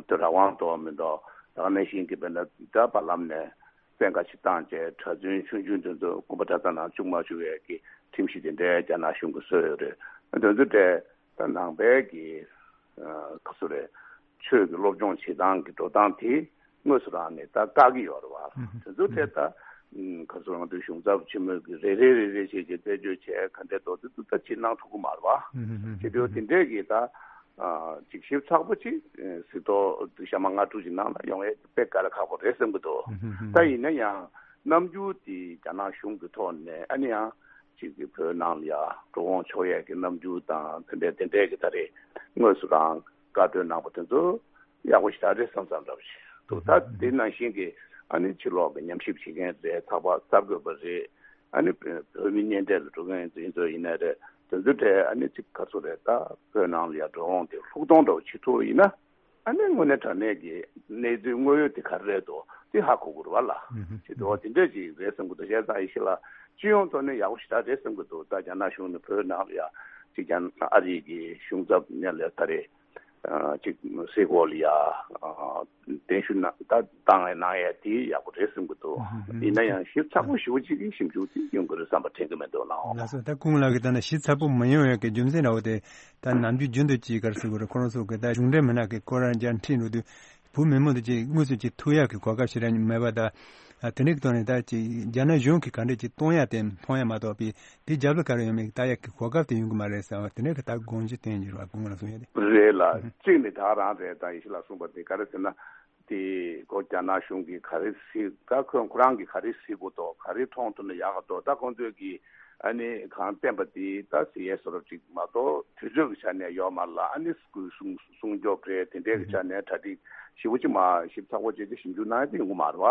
དེ་རང་དབང་འདུག་མི་འདུག་ད་ག་ནང་བཞིན་གྱི་དཔེར་ན་ད་བར་ལམ་ནས་བཙན་བཀའ་ཞིག་བཏང་བྱས་གྲྭ་བཙུན་ཆུང་ཆུང་དེ་ཚོ་དགོན་པ་གྲྭ་ཚང་ནང་བཅུག་མ་བཅུག་ཡས་ཀྱི་ཁྲིམས་གཞི་དེ་འདྲའི་རྒྱ་ནག་གཞུང་གིས་བཟོས་ཡོད་རེད། དེ་ཚོ་གྲས་ད་ནང་པའི་གི་ཨ་ག་ཚོད་རེད། ཆོས་ཀྱི་སློབ་སྦྱོང་བྱེད་སྟངས་ཀྱི་འགྲོ་སྟངས་དེ་དངོས་སུ་རང་ནས་ད་བཀག་གི་ཡོད་རེད་བ། དེ་ཚོ་གྲས་ད་ག་ཚོད་རང་དུ་གཞུང་ཚབ་ཆེན་མོས་ཀྱི་རེ་རེ་རེ་རེ་བྱས་བྱས་རྩད་གཅོད་བྱས་ག་འདྲས་འདུག་དེ་ཚོ་ད་ཅིག་གནང་ཐུབ་ཀྱི་མ་རེད་བ། དེ་དུས་དེ་འདྲས་ཀྱི་ད། ཅིག་ཞིབ་ཚགས་པོ་ཅིག་གཟིགས་རྟོག་གཤམ་མ་ལྔ་དྲུག་ཅིག་ནང་ལ་ཡོང་ཡས་དཔེ་དཀའ་ལས་ཁག་པོ་རེད་བསམ་གྱི་འདུག་ད་ཡིན་ན་ཡང་རྣམ་འགྱུར་དེ་རྒྱ་ནག་གཞུང་གི་ཐོག་ནས་ཨ་ནི་ཡང་ཅིག་གི་བོད་ནང་ལ་ཡ་འགྲོ་འོང་ཆོག་ཡས་ཀྱི་རྣམ་འགྱུར་དང་དེ་འདྲས་དེ་འདྲས་ཀྱི་ད་རེས་དངོས་སུ་རང་བཀའ་འཁྲོལ་གནང་པ་དེ་ཚོ་ཡག་པོ་ཞེ་དྲག་རེད་བསམ་བསམ་འདྲ་པོ་ཞིག་འདུག་ད་དེ་ནང་བཞིན་གྱི་ཨ་ནི་ཕྱི་ལོགས་ཀྱི་ཉམས་ཞིབ་བྱེད་མཁན་རེད། ཚགས་པར་གསར་འགོད་པ་རེད། ཨ་ནི་བོད་མི་གཉེན་འཕྲད་ལ་འགྲོ་མཁན་ཡིན་ཚོད་ཡིན་ནའི་རེད། དེ་ཚོ་གྲས་ཨ་ནི་ཅིག་ག་ཚོད་རེད། ད་བོད་ནང་ལ་ཡ་འགྲོ་འོང་དེ་ལྷུག་གཏོང་འདྲ་བོ་བྱེད་ཐུབ་ཡིན་ན། ཨ་ནི་དངོས་གནས་དྲང་གནས་ཀྱི་གནས་ཚུལ་དངོས་ཡོད་དེ་ག་རེ་རེད་འདུག་དེ་ཧ་གོ་དགོས་རེད་བ་ལ། ཅིག་འདུག་བ་དེ་འདྲས་ཅིག་རེད་བསམ་གྱི་འདུག་བྱས་ཙང་ཡེ་ཤེས་ལགས་སྤྱི་ཡོངས་ཐོག་ནས་ཡག་པོ་ཞེ་དྲག་རེད་བསམ་གྱི་འདུག་ད་རྒྱ་ནག་གཞུང་ནས་བོད་ནང་ལ་ཡ་ཅིག་ཀྱང་ཨ་རིའི་གི་གཞུང་ཚབ་ནས་ལས་ད་རེད། ཅིག་སའི་གོ་ལ་ཡ་གདན་ཞུ་གནང་ད་བཏང་ཡ་གནང་ཡ་དེ་ཡག་པོ་རེད་བསམ་གྱི་འདུག་ཡིན་ན་ཡང་ཞིབ་ཚགས་པོ་ཞེ་པོ་ཅིག་གི་ཞིབ་འཇུག་དེ་ཡོང་གི་རེད་བསམ་པ་དྲན་གྱི་མི་འདུག་ལགས། ལགས་སོ། ད་སྐུ་ངོ་ལགས་ཀྱིས་ད་ནི་ཞིབ་ཚགས་པོ་མ་ཡོང་ཡ་གི་རྒྱུ་མཚན་འདྲ་བོ་དེ་ད་ནམ་རྒྱུན་རྒྱུན་དུ་ཅིག་ག་རེ་ཟེར་དགོས་རེད། ཁོ་རང་ཚོ་གི་ད་གཞུང་འབྲེལ་མི་སྣ་གི་སྐོར་རང་རྒྱ་འཕྲིན་རུ་དུ་བོད་མི་མང་དུ་ཅིག་དངོས་སུ་ཅིག་ཐུག་ཡག་གི་གོ་སྐབས་ཞེ་དྲག་མེད་པ་དང་། དེ་འདྲའི་ཐོག་ནས་ད་ཅིག་རྒྱ་ནག་གཞུང་གིས་ག་འདྲ་ཅིག་གཏོང་ཡག་དེ་མཐོང་ཡག་མ་གཏོགས་པའི་དེ་རྒྱབ་ལ་ག་རེ་ཡོད་མེད་ལྟ་ཡག་གི་གོ་སྐབས་དེ་ཡོང་གི་མ་རེད་ཟེར་བ་དེ་འདྲའི་གི་ད་དགོངས་གཞི་བསྟན་ཡོད་རེད་བ། སྐུ་ངོ་ལ་གསུང་ཡ་དེ། རེད་ལ། གཅིག་ནས་ད་རང་རེད། ད་ཡེ་ཤེས་ལགས་གསུངས་པ་དེ་ག་རེ་ཟེར་ན། དེ་གོ་རྒྱ་ནག་གཞུང་གིས་ག་རེ་གཟིགས། ད་ཁོ་ཁོ་རང་གིས་ག་རེ་གཟིགས་དགོས་འདུག་ག་རེ་མཐོང་ཐུབ་ན་ཡག་ག་འདུག་ད་ཁོང་ཚོས་ཀྱིས་ཨ་ནི་གང་བསྟན་པ་དེ་ད་གཟིགས་ཡས་བཟོ་འདྲ་ཅིག་མ་གཏོགས་དུས་ཚོད་ཀྱི་ཆ་ནས་ཡོད་མ་རེད་ལ། ཨ་ནི་སྐུ་སྲུང་སྲུང་སྐྱོབ་རེད། དེ་འདྲའི་གི་ཆ་ནས་གྲ་སྒྲིག་ཞེ་པོ་ཅིག་མ་ཞིབ་ཚགས་པོ་བྱས་ཏེ་ཞིབ་འཇུག་གནང་ཡས་དེ་ཡོང་གི་མ་རེད་བ།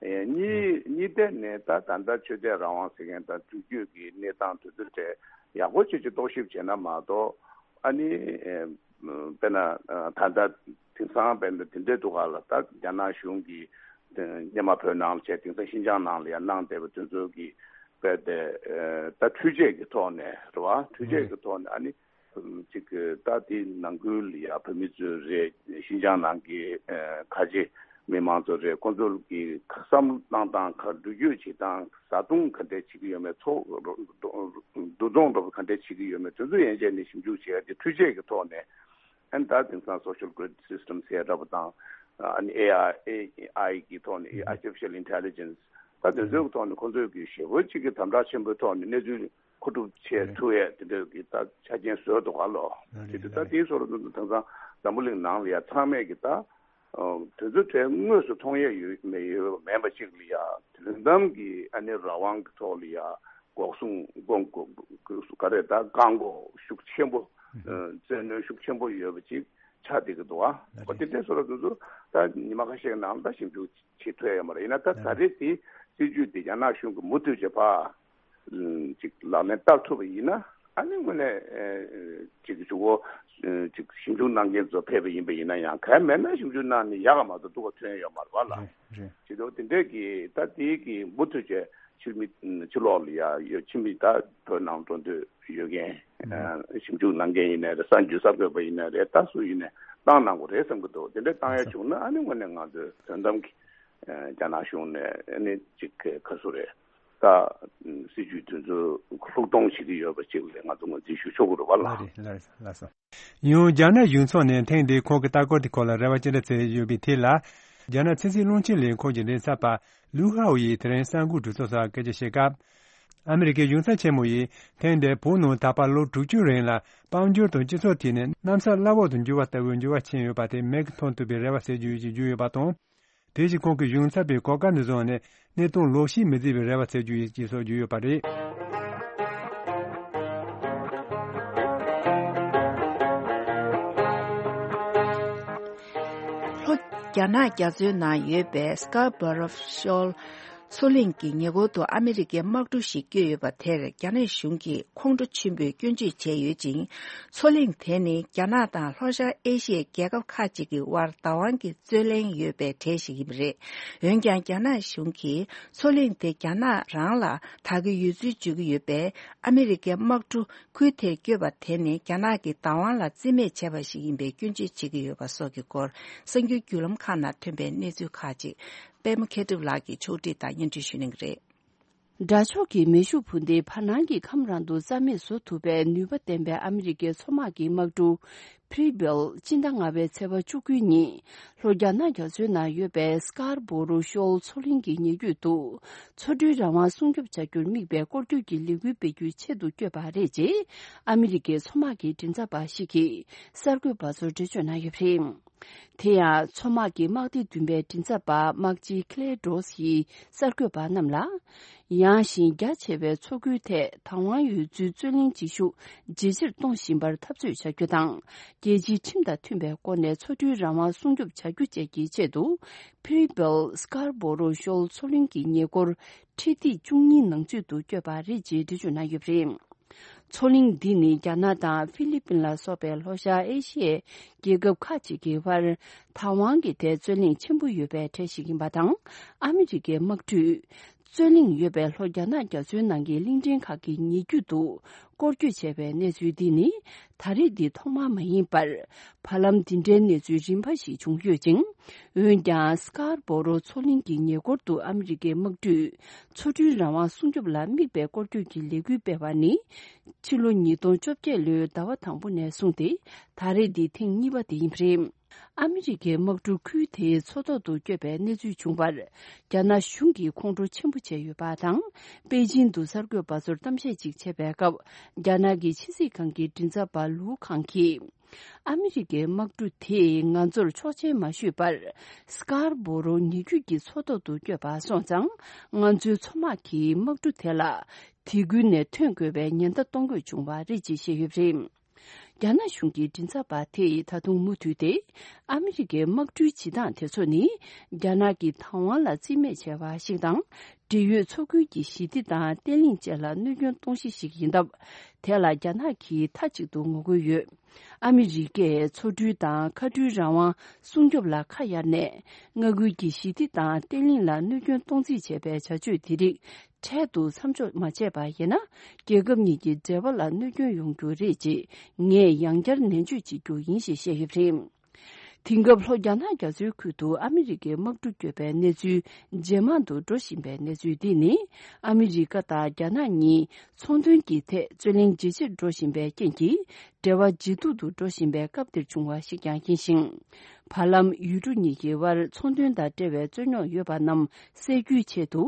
ཨེ་གཉིས་གཉིས་ཐད་ནས་ད་ད་ལྟ་ཆོས་དད་རང་དབང་ཟེར་མཁན་དང་འགྲུལ་སྐྱོད་ཀྱི་གནས་སྟངས་དེ་ཚོ་གྲས་ཡག་པོ་བྱས་ཅིག་རྟོག་ཞིབ་བྱས་ན་མ་གཏོགས། ཨ་ནི་ཨེ་དཔེར་ན་ད་ལྟ་དེང་སང་དཔེར་ན་དེ་འདྲའི་འདུག་ག་ལ། ད་རྒྱ་ནག་གཞུང་གིས་སྔོན་མ་བོད་ནང་ལ་བྱས། དེང་སང་ཤིན་ཅང་ནང་ལ་ཡང་གནང་བསྡད་པ་དེ་ཚོ་གི་དཔེ་དེ་ད་འཕྲུལ་ཆས་ཀྱི་ཐོག་ནས་རེད་བ། འཕྲུལ་ཆས་ཀྱི་ཐོག་ནས་ཨ་ནི་ཅིག་ད་དེ་ནང་ཁུལ་ལ་ཡ་བོད་མི་ཚོ་རེད། ཤིན་ཅང་ནང་གི་ཁ་ཆེ་མི་མང་ཚོ་རེད། ཁོང་ཚོ་གི་བསམ་བློ་གཏོང་སྟངས། ག་འགྲུལ་སྐྱོད་བྱེད་སྟངས། བཟའ་བཏུང་ག་འདྲས་བྱེད་ཀྱི་ཡོད་མེད། འཚོ་འདུ་འཚོང་འདྲ་པོ་ག་འདྲས་བྱེད་ཀྱི་ཡོད་མེད། དེ་ཚོ་ཡན་ཆད་ནས་ཞིབ་འཇུག་བྱེད་ཡ་དེ་འཕྲུལ་ཆས་ཀྱི་ཐོག་ནས། ཨ་ནི་ད་དེང་སང་social grid systems ཟེར་འདྲ་པོ་དང་། ཨ་ནི་ཨེ་ཨའི་ཨེ་ཨའི་གི་ཐོག་ནས། artificial intelligence། ད་དེ་ཚོའི་ཐོག་ནས་ཁོང་ཚོས་ཀྱི་ཞེ་པོ་གཅིག་གི་དམ་དྲག་ཆེན་པོའི་ཐོག་ནས་གནས་ཚུལ་མཁོ་སྒྲུབ་བྱེད་ཐུབ་ཡས་དེ་འདྲ་གི་ད་ཆ་རྐྱེན་བཟོས་འདུག་ག་ལོ། རེད་དེ་རེད་ད་རེད། དེའི་བཟོ་འདྲ་དེ་ཚོ་དེང་སང་འཛམ་བུ་གླིང་ནང་ལ་ཡ་ཚང་མས་ཀྱི་ད་དེ་ཚོ་གྲས་དངོས་སུ་མཐོང་ཡས་ཡོད་མེད་ཡོད་མེད་པ་གཅིག་ལ་ཡ་དོན་དམ་གྱི་ཨ་ནི་རང་དབང་གི་ཐོག་ལ་ཡ་འགོག་སྲུང་སྐོང་ག་རེ་ད་བཀག་འགོག་ཤུགས་ཆེན་པོ་བཙན་གནོན་ཤུགས་ཆེན་པོ་ཡོད་པ་ཅིག་ཆགས་བསྡད་ཀྱི་འདུག་ཨ། ཨོ་དེ་འདྲའི་བཟོ་འདྲ་དེ་ཚོ་ད་ཉི་མ་ཁ་ཤས་ནང་ལ་ཞིབ་འཇུག་བྱེད་ཐུབ་ཡ་ཡོད་མ་རེད། ཡིན་ན་ད་ད་རེས་དེ་སྲིད་ཇུས་དེ་རྒྱ་ནག་གཞུང་གིས་མུ་མཐུད་བྱེད་པ་ཅིག་ལག་ལེན་བསྟར་ཐུབ་པ་ཡིན་ན་ཨ་ནི་དངོས་གནས་ཅིག་ཇུས་འགོད་ཅིག་ཞིབ་འཇུག་གནང་མཁན་ཚོ་ཕེབས་པ་ཡིན་པ་ཡིན་ན་ཡང་གལ་མེད་ན་ཞིབ་འཇུག་གནང་ནས་ཡག་ག་མ་གཏོགས་སྡུག་ག་ཐོན་ཡོད་མ་རེད་བ་ལ། རེད་རེད། བྱེད་དུས་དེ་འདྲས་ཀྱི་ད་དེའི་གི་མུ་མཐུད་བྱས་ཕྱི་མི་ཕྱི་ལོགས་ལ་ཡ་ཡོད་ཕྱི་མི་ད་བོད་ནང་འགྲོ་འདོད་ཡོད་མཁན་ཞིབ་འཇུག་གནང་མཁན་ཡིན་ནའི་རེད། གསར་འགྱུར་གསར་འགོད་པ་ཡིན་ནའི་རེད། ད་སུ་ཡིན་ནའི་བཏང་གནང་དགོས་རེད་བསམ་གྱི་འདུག་དེ་འདྲ་བཏང་ཡ་བྱུང་ན་ཨ་ནི་དངོས་གནས་ང་ཚོས་དོན་དམ་གྱི་རྒྱ་ནག་གཞུང་ནས་ཨ་ནི་ཅིག་ག་སུ་རེད་ད་སྲིད་ཇུས་དེ་ཚོ་ལྷུག་གཏོང་བྱེད་ཀྱི་ཡོད་པ་ཅིག་ལ་ང་ཚོ་ངོས་འཛིན་ཞུ་ཆོག་གི་རེད་བ་ལ། ལགས་རེད་ལགས་རེད་ལགས་སོ། ཡང་རྒྱ་ནག་གཞུང་ཚོགས་ནས་ཐེངས་འདིའི་ཁོང་གི་ལྟ་སྐོར་དེ་སྐོར་ལ་རེ་བ་ཅི་འདྲ་བྱས་ཡོད་པའི་ཐད་ལ། རྒྱ་ནག་ཚན་རྩལ་རླུང་འཕྲིན་ལས་ཁང་གི་མགྲིན་ཚབ་པ་ལུའུ་ཧའོ་ཡིས་དེ་རིང་གསར་འགོད་གྲོས་ཚོགས་སར་སྐད་ཆ་བཤད་སྐབས། ཨ་མི་རི་ཀའི་གཞུང་ཚབ་ཆེན་མོ་ཡིས་ཐེངས་འདིར་བོད་ནང་ད་བར་ལོ་དྲུག་ཅུ་རིང་ལ་དཔལ་འབྱོར་དང་སྤྱི་ཚོགས་ཐད་ནས་གནམ་ས་བླ་འོག་ཏུ་འགྱུར་བ་ལྟ་བུའི་འགྱུར་བ་ཕྱིན་ཡོད་པ་དེ་མིག་གིས་མཐོང་ཐུབ་པའི་རེ་བ་ཟེར་རྒྱུ་ཡོད་ཅེས་བརྗོད་ཡོད་པ་དང་། དེ་བཞིན་ཁོང་གིས་གཞུང་ཚབ་པའི་གོ་སྐབས་འདི་བཟུང་ནས་གནས་སྟངས་ལོག་ཤེས་མི་བྱེད་པའི་རེ་བ་བྱེད་རྒྱུ་ཡིན་ཅེས་སོགས་བརྗོད་ཡོད་པ་རེད། ལྷོ་རྒྱ་ནག་རྒྱ་མཚོའི་ནང་ཡོད་པའི་Scarborough Shoal མཚོ་གླིང་གི་ཉེ་འཁོར་དུ་ཨ་མི་རི་ཀའི་དམག་གྲུ་ཞིག་བསྐྱོད་ཡོད་པ་དེར་རྒྱ་ནག་གཞུང་གིས་ཁོང་ཁྲོ་ཆེན་པོས་སྐྱོན་བརྗོད་བྱས་ཡོད་ཅིང་། མཚོ་གླིང་དེ་ནི་རྒྱ་ནག་དང་ལྷོ་ཤར་ཨེ་ཤི་ཡའི་རྒྱལ་ཁབ་ཁག་ཅིག་གི་དབར་བདག་དབང་གི་རྩོད་གླེང་ཡོད་པའི་གྲས་ཤིག་ཡིན་པ་རེད། འོན་ཀྱང་རྒྱ་ནག་གཞུང་གིས་མཚོ་གླིང་དེ་རྒྱ་ནག་རང་ལ་བདག་གི་ཡོད་ཚུལ་བརྗོད་ཀྱི་ཡོད་པས། ཨ་མི་རི་ཀའི་དམག་གྲུ་ཁུལ་དེར་བསྐྱོད་པ་དེ་ནི་རྒྱ་ནག་གི་བདག་དབང་ལ་བརྩི་མེད་བྱས་པ་ཞིག་ཡིན་པའི་སྐྱོན་བརྗོད་བྱེད་ཀྱི་ཡོད་པ་སོགས་ཀྱི་སྐོར་གསར་འགྱུར་བརྒྱུད་ལམ་ཁག་ནང་ཐོན་པའི་གནས་ཚུལ་ཁག་ཅིག་པད་མ་མཁས་གྲུབ་ལགས་ཀྱིས་ཕྱོགས་སྒྲིག་དང་སྙན་སྒྲོན་ཞུ་གནང་གི་རེད། དགྲ་ཕྱོགས་ཀྱི་མེ་ཤུགས་འཕུར་མདེལ་བར་སྣང་གི་ཁམས་རང་དུ་རྩ་མེད་བཟོ་ཐུབ་པའི་ནུས་པ་ལྡན་པའི་ཨ་མི་རི་ཀའི་མཚོ་དམག་གི་དམག་གྲུ་Preble སྤྱི་ཟླ་ལྔ་པའི་ཚེས་པ་བཅུ་དགུ་ཉིན་ལྷོ་རྒྱ་ནག་རྒྱ་མཚོའི་ནང་ཡོད་པའི་Scarborough Shoal མཚོ་གླིང་གི་ཉེ་བརྒྱུད་དུ་མཚོ་གྲུའི་རང་དབང་སྲུང་སྐྱོབ་བྱ་རྒྱུར་དམིགས་པའི་སྐོར་སྐྱོད་ཀྱི་ལས་འགུལ་སྤེལ་རྒྱུའི་ཆེད་དུ་བསྐྱོད་པ་རེད་ཅེས་ཨ་མི་རི་ཀའི་མཚོ་དམག་གི་མགྲིན་ཚབ་པ་ཞིག་གིས་གསར་འགོད་པ་ཚོར་འགྲེལ་བརྗོད་གནང་ཡོད་པ་རེད། དེ་ཡང་མཚོ་དམག་གི་དམག་སྡེ་བདུན་པའི་མགྲིན་ཚབ་པ་དམག་སྤྱི་Claire Droz ཡིས་གསར་འགོད་པ་རྣམས་ལ། ཡངས་ཤིང་རྒྱ་ཆེ་བའི་མཚོ་ཁུལ་ཐད་བདག་དབང་ཡོད་ཚུལ་རྩོད་གླེང་བྱེད་ཤུགས་ཇེ་ཆེར་གཏོང་བཞིན་པར་འཐབ་རྩོད་བྱ་རྒྱུ་དང་། རྒྱལ་སྤྱིའི་ཁྲིམས་དང་མཐུན་པའི་སྒོ་ནས་མཚོ་གྲུའི་རང་དབང་སྲུང་སྐྱོབ་བྱ་རྒྱུ་བཅས་ཀྱི་ཆེད་དུ། Preble Scarborough Shoal མཚོ་གླིང་གི་ཉེ་འཁོར་ཁྲི་ཐིག་བཅུ་གཉིས་ནང་ཚུད་དུ་བསྐྱོད་པ་རེད་ཅེས་འགྲེལ་བརྗོད་གནང་ཡོད་པ་རེད། མཚོ་གླིང་འདི་ནི་རྒྱ་ནག་དང་ཧྥི་ལི་པིན་ལ་སོགས་པའི་ལྷོ་ཤར་ཨེ་ཤི་ཡའི་རྒྱལ་ཁབ་ཁག་ཅིག་གི་བར་བདག་དབང་གི་ཐད་རྩོད་གླེང་ཆེན་པོ་ཡོད་པའི་གྲས་ཤིག་ཡིན་པ་དང་། ཨ་མི་རི་ཀའི་དམག་གྲུས་རྩོད་གླེང་ཡོད་པའི་ལྷོ་རྒྱ་ནག་རྒྱ་མཚོའི་ནང་གི་གླིང་ཕྲན་ཁག་གི་ཉེ་བརྒྱུད་དུ་སྐོར་སྐྱོད་བྱས་པའི་གནས་ཚུལ་འདི་ནི་ད་རེས་འདི་ཐོག་མ་མ་ཡིན་པར། བར་ལམ་འདི་འདྲའི་གནས་ཚུལ་རིམ་པ་ཞིག་བྱུང་ཡོད་ཅིང་། འོན་ཀྱང་Scarborough མཚོ་གླིང་གི་ཉེ་འཁོར་དུ་ཨ་མི་རི་ཀའི་དམག་གྲུས་མཚོ་གྲུའི་རང་དབང་སྲུང་སྐྱོབ་ལ་དམིགས་པའི་སྐོར་སྐྱོད་ཀྱི་ལས་འགུལ་སྤེལ་བ་ནི། ཕྱི་ལོ་ཉིས་སྟོང་བཅོ་བརྒྱད་ལོའི་ཟླ་བ་དང་པོ་ནས་བཟུང་སྟེ་ད་རེས་འདི་ཐེངས་གཉིས་པ་དེ་ཡིན་པ་རེད། ཨ་མི་རི་ཀའི་དམག་གྲུ་ཁུལ་དེའི་མཚོ་ཐོག་ཏུ་བསྐྱོད་པའི་གནས་ཚུལ་བྱུང་བར། རྒྱ་ནག་གཞུང་གིས་ཁོང་ཁྲོ་ཆེན་པོ་བྱས་ཡོད་པ་དང་། པེ་ཅིན་དུ་གསར་འགོད་པ་ཚོར་གཏམ་བཤད་ཅིག་བྱས་པའི་སྐབས། རྒྱ་ནག་གི་ཕྱི་སྲིད་ཁང་གི་མགྲིན་ཚབ་པ་ལུའུ་ཁང་གིས། ཨ་མི་རི་ཀའི་དམག་གྲུ་དེས་ང་ཚོར་ཆོག་མཆན་མ་ཞུས་པར། སི་ཀར་བྷོ་རོ་ཉེ་བརྒྱུད་ཀྱི་མཚོ་ཐོག་ཏུ་བསྐྱོད་པ་སོང་ཙང་། ང་ཚོའི་མཚོ་དམག་གིས་དམག་གྲུ་དེ་ལ་དེ་ཁུལ་ནས་ཐོན་དགོས་པའི་ཉེན་བརྡ་གཏོང་དགོས་བྱུང་བ་རེད་ཅེས་བཤད་ཡོད་པ་རེད། རྒྱ་ནག་གཞུང་གི་མགྲིན་ཚབ་པ་དེས་ད་དུང་མུ་མཐུད་དེ། ཨ་མི་རི་ཀའི་དམག་གྲུའི་བྱེད་སྟངས་དེ་ཚོ་ནི། རྒྱ་ནག་གི་བདག་དབང་ལ་རྩིས་མེད་བྱས་པ་ཞིག་དང་། འབྲེལ་ཡོད་མཚོ་ཁུལ་གྱི་ཞི་བདེ་དང་བརྟན་ལྷིང་བཅས་ལ་གནོད་སྐྱོན་གཏོང་གཞི་ཞིག་ཡིན་སྟབས། དེ་ལ་རྒྱ་ནག་གིས་མཐའ་གཅིག་ཏུ་ངོ་རྒོལ་ཡོད། ཨ་མི་རི་ཀས་མཚོ་གྲུ་དང་མཁའ་གྲུའི་རང་དབང་སྲུང་སྐྱོབ་ལ་ཁ་གཡར་ནས། མངའ་ཁུལ་གྱི་ཞི་བདེ་དང་བརྟན་ལྷིང་ལ་གནོད་སྐྱོན་གཏོང་རྩིས་བྱས་པའི་བྱ་སྤྱོད་དེ་རིགས་འཕྲལ་དུ་མཚམས་འཇོག་མ་བྱས་པ་ཡིན་ན། རྒྱལ་ཁབ་གཉིས་ཀྱི་འབྲེལ་བ་ལ་གནོད་སྐྱོན་ཡོང་རྒྱུ་རེད་ཅེས་ངས་ཡང་བསྐྱར་ནན་བརྗོད་བྱེད་རྒྱུ་ཡིན་ཞེས་བཤད་ཡོད་པ་རེད། དེང་སྐབས་ལྷོ་རྒྱ་ནག་རྒྱ་མཚོའི་ཁུལ་དུ་ཨ་མི་རི་ཀའི་དམག་གྲུ་བསྐྱོད་པའི་གནས་ཚུལ་ཇེ་མང་དུ་འགྲོ་བཞིན་པའི་གནས་ཚུལ་འདི་ནི། ཨ་མི་རི་ཀ་དང་རྒྱ་ནག་གཉིས་ཚོང་དོན་གྱི་ཐད་རྩོད་གླེང་ཇེ་ཆེར་འགྲོ་བཞིན་པའི་རྐྱེན་གྱིས། འབྲེལ་བ་ཇེ་སྡུག་ཏུ་འགྲོ་བཞིན་པའི་སྐབས་འདིར་བྱུང་བ་ཞིག་ཀྱང་ཡིན་ཞིང་། བར་ལམ་ཡུལ་གྲུ་གཉིས་ཀྱི་དབར་ཚོང་དོན་དང་འབྲེལ་བའི་རྩོད་རྙོག་ཡོད་པ་རྣམས་སེལ་རྒྱུའི་ཆེད་དུ།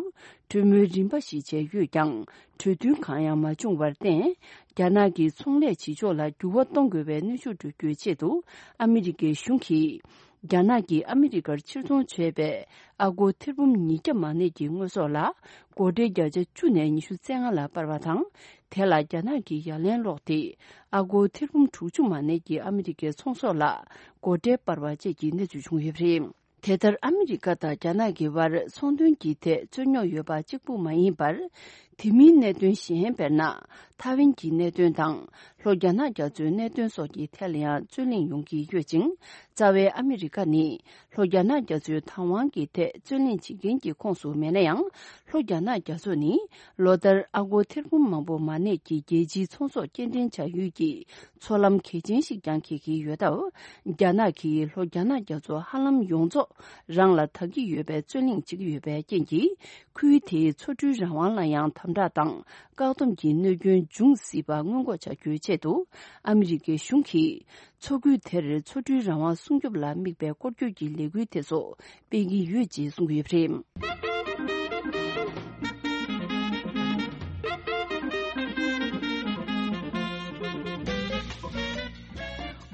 གྲོས་མོལ་རིམ་པ་ཞིག་བྱས་ཡོད་ཀྱང་། གྲོས་མཐུན་གང་ཡང་མ་བྱུང་བར་བརྟེན། རྒྱ་ནག་གི་ཚོང་ལས་བྱེད་ཕྱོགས་ལ་འགྱུར་བ་གཏོང་དགོས་པའི་གནོན་ཤུགས་སྤྲོད་རྒྱུའི་ཆེད་དུ། ཨ་མི་རི་ཀའི་གཞུང་གིས། རྒྱ་ནག་གིས་ཨ་མི་རི་ཀར་ཕྱིར་ཚོང་བྱས་པའི་ཨ་སྒོར་ཐེར་འབུམ་ཉིས་བརྒྱ་མ་ནས་ཀྱི་དངོས་ཟོག་ལ་སྒོར་ཁྲལ་བརྒྱ་ཆ་བཅུ་ནས་ཉི་ཤུ་རྩ་ལྔ་ལ་སྤར་བ་དང་། དེ་ལ་རྒྱ་ནག་གིས་ཡ་ལན་སློག་སྟེ། ཨ་སྒོར་ཐེར་འབུམ་དྲུག་ཅུ་མ་ནས་ཀྱི་ཨ་མི་རི་ཀའི་ཚོང་ཟོག་ལ་སྒོར་ཁྲལ་སྤར་བ་བཅས་ཀྱི་གནས་ཚུལ་བྱུང་ཡོད་པ་རེད། དེ་ལྟར་ཨ་མི་རི་ཀ་དང་རྒྱ་ནག་གི་དབར་ཚོང་དོན་གྱི་ཐད་རྩོད་རྙོག་ཡོད་པ་གཅིག་པུ་མ་ཡིན་པར། དེ་མིན་གནད་དོན་གཞན་དཔེར་ན། ཐའེ་ཝན་གྱི་གནད་དོན་དང་། ལྷོ་རྒྱ་ནག་རྒྱ་མཚོའི་གནད་དོན་སོགས་ཀྱི་ཐད་ལ་ཡང་རྩོད་གླེང་ཡོང་གི་ཡོད་ཅིང་། རྩ་བའི་ཨ་མི་རི་ཀ་ནི། ལྷོ་རྒྱ་ནག་རྒྱ་མཚོའི་བདག་དབང་གི་ཐད་རྩོད་གླེང་བྱེད་མཁན་གྱི་ཁོངས་སུ་མེད་ན་ཡང་། ལྷོ་རྒྱ་ནག་རྒྱ་མཚོ་ནི། ལོ་ལྟར་ཨ་སྒོར་ཐེར་འབུམ་མང་པོ་མ་གནས་ཀྱི་རྒྱལ་སྤྱིའི་ཚོང་ཟོག་སྐྱེལ་འདྲེན་བྱ་ཡུལ་གྱི་མཚོ་ལམ་གལ་ཆེན་ཞིག་ཀྱང་འཁེལ་གྱི་ཡོད་སྟབས། རྒྱ་ནག་གིས་ལྷོ་རྒྱ་ནག་རྒྱ་མཚོ་ཧ་ལམ་ཡོངས་རྫོགས་རང་ལ་བདག་གི་ཡོད་པའི་རྩོད་གླེང་བྱེད་ཀྱི་ཡོད་པའི་རྐྱེན་གྱིས། ཁུལ་དེའི་མཚོ་གྲུའི་རང་དབང་ལ་ཡང་དམ་དྲག་དང་བཀག་སྡོམ་གྱི་གནོད་སྐྱོན་འབྱུང་སྲིད་པ་སྔོན་འགོག་བྱ་རྒྱུའི་ཆེད་དུ། ཨ་མི་རི་ཀའི་གཞུང་གིས། མཚོ་ཁུལ་དེར་མཚོ་གྲུའི་རང་དབང་སྲུང་སྐྱོབ་ལ་དམིགས་པའི་སྐོར་སྐྱོད་ཀྱི་ལས་འགུལ་དེ་ཚོ་སྤེལ་གྱི་ཡོད་ཅེས་གསུངས་ཡོད་པ་རེད།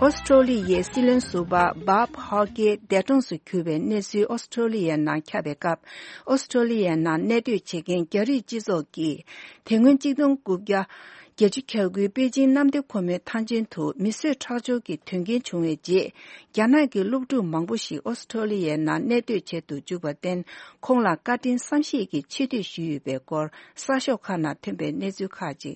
ཨོ་སི་ཀྲོ་ལི་ཡའི་སྲིད་བློན་ཟུར་པ་བཱབ་ཧོག་གི་འདས་གྲོངས་སུ་གྱུར་བའི་གནས་ཚུལ་ཨོ་སི་ཀྲོ་ལི་ཡའི་ནང་ཁྱབ་པའི་སྐབས། ཨོ་སི་ཀྲོ་ལི་ཡའི་ནང་གནས་སྡོད་བྱེད་མཁན་རྒྱ་རིགས་སྤྱི་ཚོགས་ཀྱིས། དེ་སྔོན་གཅིག་སྟོང་དགུ་བརྒྱ་བརྒྱད་ཅུ་གྱ་དགུའི་པེ་ཅིང་གནམ་བདེ་ཁོལ་མོའི་ཐང་ཆེན་དུ་མི་གསོད་ཁྲག་སྦྱོར་གྱི་དོན་རྐྱེན་བྱུང་བའི་རྗེས། རྒྱ་ནག་གི་སློབ་ཕྲུག་མང་པོ་ཞིག་ཨོ་སི་ཀྲོ་ལི་ཡའི་ནང་གནས་སྡོད་བྱེད་དུ་འཇུག་པར་བརྟེན། ཁོང་ལ་བཀའ་དྲིན་བསམ་ཤེས་ཀྱི་ཆེ་བསྟོད་ཞུས་ཡོད་པའི་སྐོར་གསར་ཤོག་ཁག་ནང་ཐོན་པའི་གནས་ཚུལ་ཁག་ཅིག་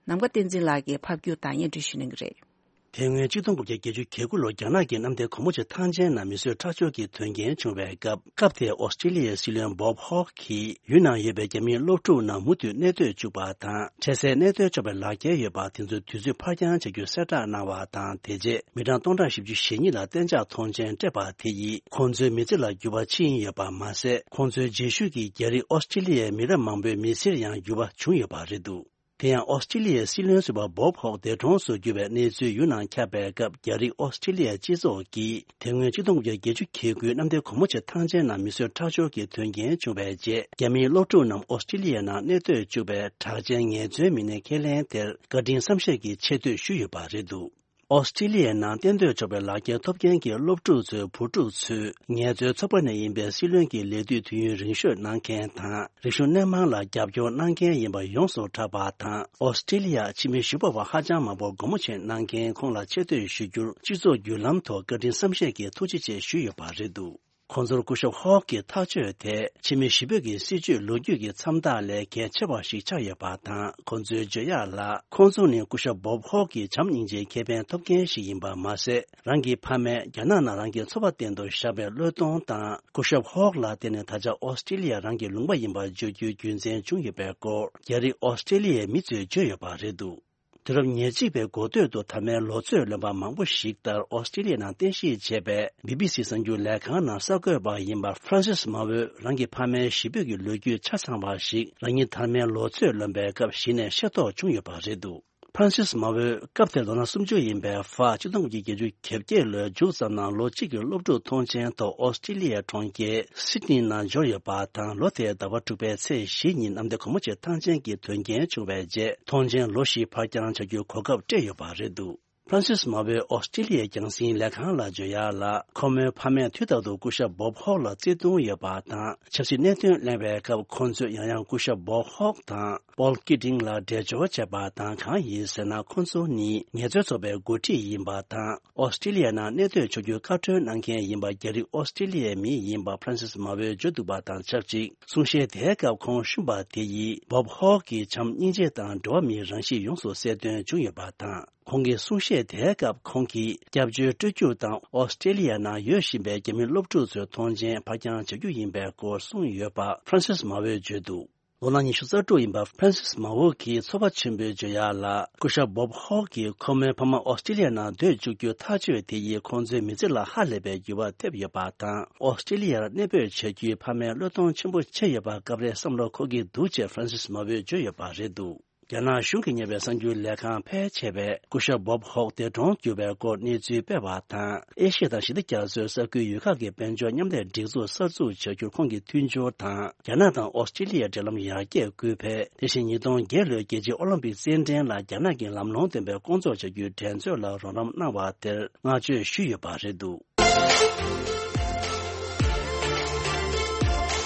ནམ་མཁའ་བསྟན་འཛིན་ལགས་ཀྱིས་ཕབ་སྒྱུར་དང་སྙན་སྒྲོན་ཞུ་གནང་གི་རེད། དེ་སྔོན་གཅིག་སྟོང་དགུ་བརྒྱ་བརྒྱད་ཅུ་གྱ་དགུ་ལོར་རྒྱ་ནག་གི་གནམ་བདེ་གོལ་མོ་ཆེ་ཐང་ཆེན་ནང་མི་གསོད་ཁྲག་སྦྱོར་གྱི་དོན་རྐྱེན་བྱུང་བའི་སྐབས། སྐབས་དེའི་ཨོ་སི་ཀྲི་ལི་ཡའི་སྲིད་བློན་བོབ་ཧོག་གིས་ཡུལ་ནང་ཡོད་པའི་རྒྱ་མིའི་སློབ་ཕྲུག་རྣམས་མུ་མཐུད་གནས་སྡོད་བཅུག་པ་དང་། འཕྲལ་སེལ་གནས་སྡོད་གཅོག་པའི་ལག་འཁྱེར་ཡོད་པ་དེ་ཚོའི་དུས་ཚོད་ཕར་འགྱངས་བྱ་རྒྱུ་གསལ་བསྒྲགས་གནང་བ་དང་། དེ་རྗེས་མི་གྲངས་སྟོང་ཕྲག་བཞི་བཅུ་ཞེ་གཉིས་ལ་གཏན་འཇགས་ཐོངས་མཆན་སྤྲད་པ་དེ་ཡིས། ཁོང་ཚོའི་མི་ཚེ་ལ་འགྱུར་བ་ཕྱིན་ཡོད་པ་མ་ཟད། ཁོང་ཚོའི་རྗེས་ཤུལ་གྱི་རྒྱ་རིགས་ཨོ་སི་ཀྲི་ལི་ཡའི་མི་རབས་མང་པོའི་མི་ཚེར་ཡང་འགྱུར་བ་བྱུང་ཡོད་པ་རེད་འདུག་དེ་ཡང་ཨོ་སི་ཀྲི་ལི་ཡའི་སྲིད་བློན་ཟུར་པ་བོབ་ཧོག་འདས་གྲོངས་སུ་གྱུར་བའི་གནས་ཚུལ་ཡུལ་ནང་ཁྱབ་པའི་སྐབས། རྒྱ་རིགས་ཨོ་སི་ཀྲི་ལི་ཡའི་སྤྱི་ཚོགས་ཀྱིས། དེ་སྔོན་གཅིག་སྟོང་དགུ་བརྒྱ་བརྒྱད་ཅུ་གྱ་དགུའི་གནམ་བདེ་གོལ་མོ་ཆེ་ཐང་ཆེན་ནང་མི་གསོད་ཁྲག་སྦྱོར་གྱི་དོན་རྐྱེན་བྱུང་བའི་རྗེས། རྒྱ་མིའི་སློབ་ཕྲུག་རྣམས་ཨོ་སི་ཀྲི་ལི་ཡའི་ནང་གནས་སྡོད་བཅུག་པའི་གྲགས་ཅན་ངལ་རྩོལ་མི་སྣའི་ཁས་ལེན་དེར་བཀའ་དྲིན་བསམ་ཤེས་ཀྱི་ཆེ་བསྟོད་ཞུས་ཡོད་པ་རེད་འདུག་ཨོ་སི་ཀྲི་ལི་ཡའི་ནང་གཏན་སྡོད་ཆོག་པའི་ལག་འཁྱེར་ཐོབ་མཁན་གྱི་སློབ་ཕྲུག་ཚོའི་བུ་ཕྲུག་ཚོས་ངལ་རྩོལ་ཚོགས་པ་ནས་ཡིན་པའི་སྲིད་བློན་གྱི་ལས་དུས་དུས་ཡུན་རིང་ཤོས་གནང་མཁན་དང་། རིག་གཞུང་སྣེ་མང་ལ་རྒྱབ་སྐྱོར་གནང་མཁན་ཡིན་པ་ཡོངས་སུ་གྲགས་པ་དང་། ཨོ་སི་ཀྲི་ལི་ཡ་ཕྱི་མི་ཞུ་བ་བ་ཧ་ཅང་མང་པོ་སྒོ་མོ་ཕྱེ་གནང་མཁན་ཁོང་ལ་ཆེ་བསྟོད་ཞུ་རྒྱུར། སྤྱི་ཚོགས་བརྒྱུད་ལམ་ཐོག་བཀའ་དྲིན་བསམ་ཤེས་ཀྱི་ཐུགས་རྗེ་ཆེ་ཞུས་ཡོད་པ་རེད་འདུག་ཁོང་ཚོར་སྐུ་ཞབས་ཧོག་གི་ཐག་གཅོད་དེ། ཕྱི་མི་ཞི་བོད་ཀྱི་སྲིད་བྱུས་ལོ་རྒྱུས་ཀྱི་མཚམས་རྟགས་ལས་གལ་ཆེ་བ་ཞིག་ཆགས་ཡོད་པ་དང་། ཁོང་ཚོའི་བརྗོད་ཡག་ལ། ཁོང་ཚོ་ནི་སྐུ་ཞབས་བོབ་ཧོག་གི་བྱམས་སྙིང་རྗེའི་ཁེ་ཕན་ཐོབ་མཁན་ཞིག་ཡིན་པ་མ་ཟད། རང་གི་ཕ་མས་རྒྱ་ནག་ནང་རང་གི་འཚོ་བ་གཏན་དུ་བཞག་པའི་བློས་གཏོང་དང་། སྐུ་ཞབས་ཧོག་ལ་བརྟེན་ནས་ད་ཆ་ཨོ་སི་ཀྲི་ལི་ཡ་རང་གི་ལུང་པ་ཡིན་པ་བརྗོད་རྒྱུའི་རྒྱུ་མཚན་བྱུང་ཡོད་པའི་སྐོར། རྒྱ་རིགས་ཨོ་སི་ཀྲི་ལི་ཡའི་མི་ཚོས་བརྗོད་ཡོད་པ་རེད་འདུག་དུས་རབས་ཉེར་གཅིག་པའི་འགོ་སྟོད་དུ་དར་མའི་ལོ་ཚོད་ལོན་པ་མང་པོ་ཞིག་ལྟར་ཨོ་སི་ཀྲི་ལི་ཡ་ནང་རྟེན་གཞི་བྱས་པའི་བི་བི་སི་གསར་འགྱུར་ལས་ཁང་ནང་གསར་འགོད་པ་ཡིན་པ་ཧྥ་རན་སིས་མ་ཝོས་རང་གི་ཕ་མའི་གཞིས་སྤོས་ཀྱི་ལོ་རྒྱུས་ཆ་ཚང་བ་ཞིག་རང་ཉིད་དར་མའི་ལོ་ཚོད་ལོན་པའི་སྐབས་གཞི་ནས་ཤེས་རྟོགས་བྱུང་ཡོད་པ་རེད་འདུག་ཧྥ་རན་སིས་མ་ཝོས་སྐབས་དེར་ལོ་ན་སུམ་ཅུ་ཡིན་པའི་ཧྥ་གཅིག་སྟོང་དགུ་བརྒྱ་བརྒྱད་ཅུ་གྱ་བརྒྱད་ལོའི་མཇུག་ཙམ་ནང་ལོ་གཅིག་གི་སློབ་ཕྲུག་ཐོངས་མཆན་ཐོག་ཨོ་སི་ཀྲི་ལི་ཡའི་གྲོང་ཁྱེར་སིད་ནི་ནང་འབྱོར་ཡོད་པ་དང་། ལོ་དེའི་ཟླ་བ་དྲུག་པའི་ཚེས་བཞི་ཉིན་གནམ་བདེ་གོལ་མོ་ཆེ་ཐང་ཆེན་གྱི་དོན་རྐྱེན་བྱུང་བའི་རྗེས། ཐོངས་མཆན་ལོ་བཞི་ཕར་འགྱངས་བྱ་རྒྱུའི་གོ་སྐབས་སྤྲད་ཡོད་པ་རེད་འདུག་ཧྥ་རན་སིས་མ་ཝོས་ཨོ་སི་ཀྲི་ལི་ཡའི་རྒྱང་སྲིང་ལས་ཁང་ལ་བརྗོད་ཡག་ལ། ཁོ་མོའི་ཕ་མས་དུས་རྟག་ཏུ་སྐུ་ཞབས་བོབ་ཧོག་ལ་བརྩེ་དུང་ཡོད་པ་དང་། ཆབ་སྲིད་གནད་དོན་གླེང་བའི་སྐབས། ཁོང་ཚོས་ཡང་ཡང་སྐུ་ཞབས་བོབ་ཧོག་དང་པོལ་ཀི་ཏིང་ལ་འབྲེལ་སྦྱོར་བྱས་པ་དང་། གང་ཡིན་ཟེར་ན། ཁོང་ཚོ་ནི་ངལ་རྩོལ་ཚོགས་པའི་འགོ་ཁྲིད་ཡིན་པ་དང་། ཨོ་སི་ཀྲི་ལི་ཡ་ནང་གནས་སྡོད་ཆོག་རྒྱུའི་བཀའ་འཁྲོལ་གནང་མཁན་ཡིན་པ། རྒྱ་རིགས་ཨོ་སི་ཀྲི་ལི་ཡའི་མི་ཡིན་པ་ཧྥ་རན་སིས་མ་ཝོས་བརྗོད་འདུག་པ་དང་ཆབས་ཅིག་གསུང་བཤད་དེའི་སྐབས་ཁོང་བཤུམས་པ་དེ་ཡིས་བོབ་ཧོག་གི་བྱམས་སྙིང་རྗེ་དང་འགྲོ་བ་མིའི་རང་གཤིས་ཡོངས་སུ་གསལ་སྟོན་བྱུང་ཡོད་པ་དང་། ཁོང་གི་གསུང་བཤད་དེའི་སྐབས་ཁོང་གིས་སྐྱབས་བཅོལ་སྤྲོད་རྒྱུ་དང་ཨོ་སི་ཀྲི་ལི་ཡ་ནང་ཡོད་བཞིན་པའི་རྒྱ་མི་སློབ་ཕྲུག་ཚོའི་ཐོངས་མཆན་ཕར་འགྱངས་བྱ་རྒྱུ་ཡིན་པའི་སྐོར་གསུངས་ཡོད་པ་ཧྥ་རན་སིས་མ་ཝོས་བརྗོད་འདུག་ལོ་ན་ཉི་ཤུ་རྩ་དྲུག་ཡིན་པ་ཧྥ་རན་སིས་མ་ཝོ་གིས་ཚོར་བ་ཆེན་པོས་བརྗོད་ཡག་ལ། སྐུ་ཞབས་བོབ་ཧོག་གིས་ཁོ་མོའི་ཕ་མ་ཨོ་སི་ཀྲི་ལི་ཡ་ནང་སྡོད་བཅུག་རྒྱུ་ཐག་གཅོད་དེ་ཡིས་ཁོང་ཚོའི་མི་ཚེ་ལ་ཧ་ལས་པའི་འགྱུར་བ་ཐེབས་ཡོད་པ་དང་། ཨོ་སི་ཀྲི་ལི་ཡར་གནས་སྤོས་བྱ་རྒྱུའི་ཕ་མའི་བློས་གཏོང་ཆེན་པོ་བྱས་ཡོད་པ་སྐབས་རེ་བསམ་བློ་འཁོར་གྱི་འདུག་ཅེས་ཧྥ་རན་སིས་མ་ཝོས་བརྗོད་ཡོད་པ་རེད་འདུག་རྒྱ་ནག་གཞུང་གིས་གཉེར་བའི་གསར་འགྱུར་ལས་ཁང་ཕལ་ཆེ་བས་སྐུ་ཞབས་Bob Hawke་འདས་གྲོངས་གྱུར་བའི་སྐོར་གནས་ཚུལ་སྤེལ་བ་དང་། ཨེ་ཤི་ཡ་དང་ཞི་བདེ་རྒྱ་མཚོའི་ས་ཁུལ་ཡུལ་ཁག་གི་དཔལ་འབྱོར་མཉམ་ལས་སྒྲིག་འཛུགས་གསར་འཛུགས་བྱ་རྒྱུར་ཁོང་གིས་མཐུན་སྦྱོར་དང་། རྒྱ་ནག་དང་ཨོ་སི་ཀྲི་ལི་ཡའི་འབྲེལ་ལམ་ཡར་རྒྱས་སྐུལ་འཕེལ། དེ་བཞིན་ཉིས་སྟོང་བརྒྱད་ལོའི་རྒྱལ་སྤྱིའི་ཨོ་ལིམ་པིག་རྩེད་འགྲན་ལ་རྒྱ་ནག་གི་ལམ་ལྷོང་ལྡན་པའི་སྐོང་ཚོགས་བྱ་རྒྱུའི་འགྲན་རྩོད་ལ་རོགས་རམ་གནང་བ་དེར་བསྔགས་བརྗོད་ཞུས་ཡོད་པ་རེད་འདུག།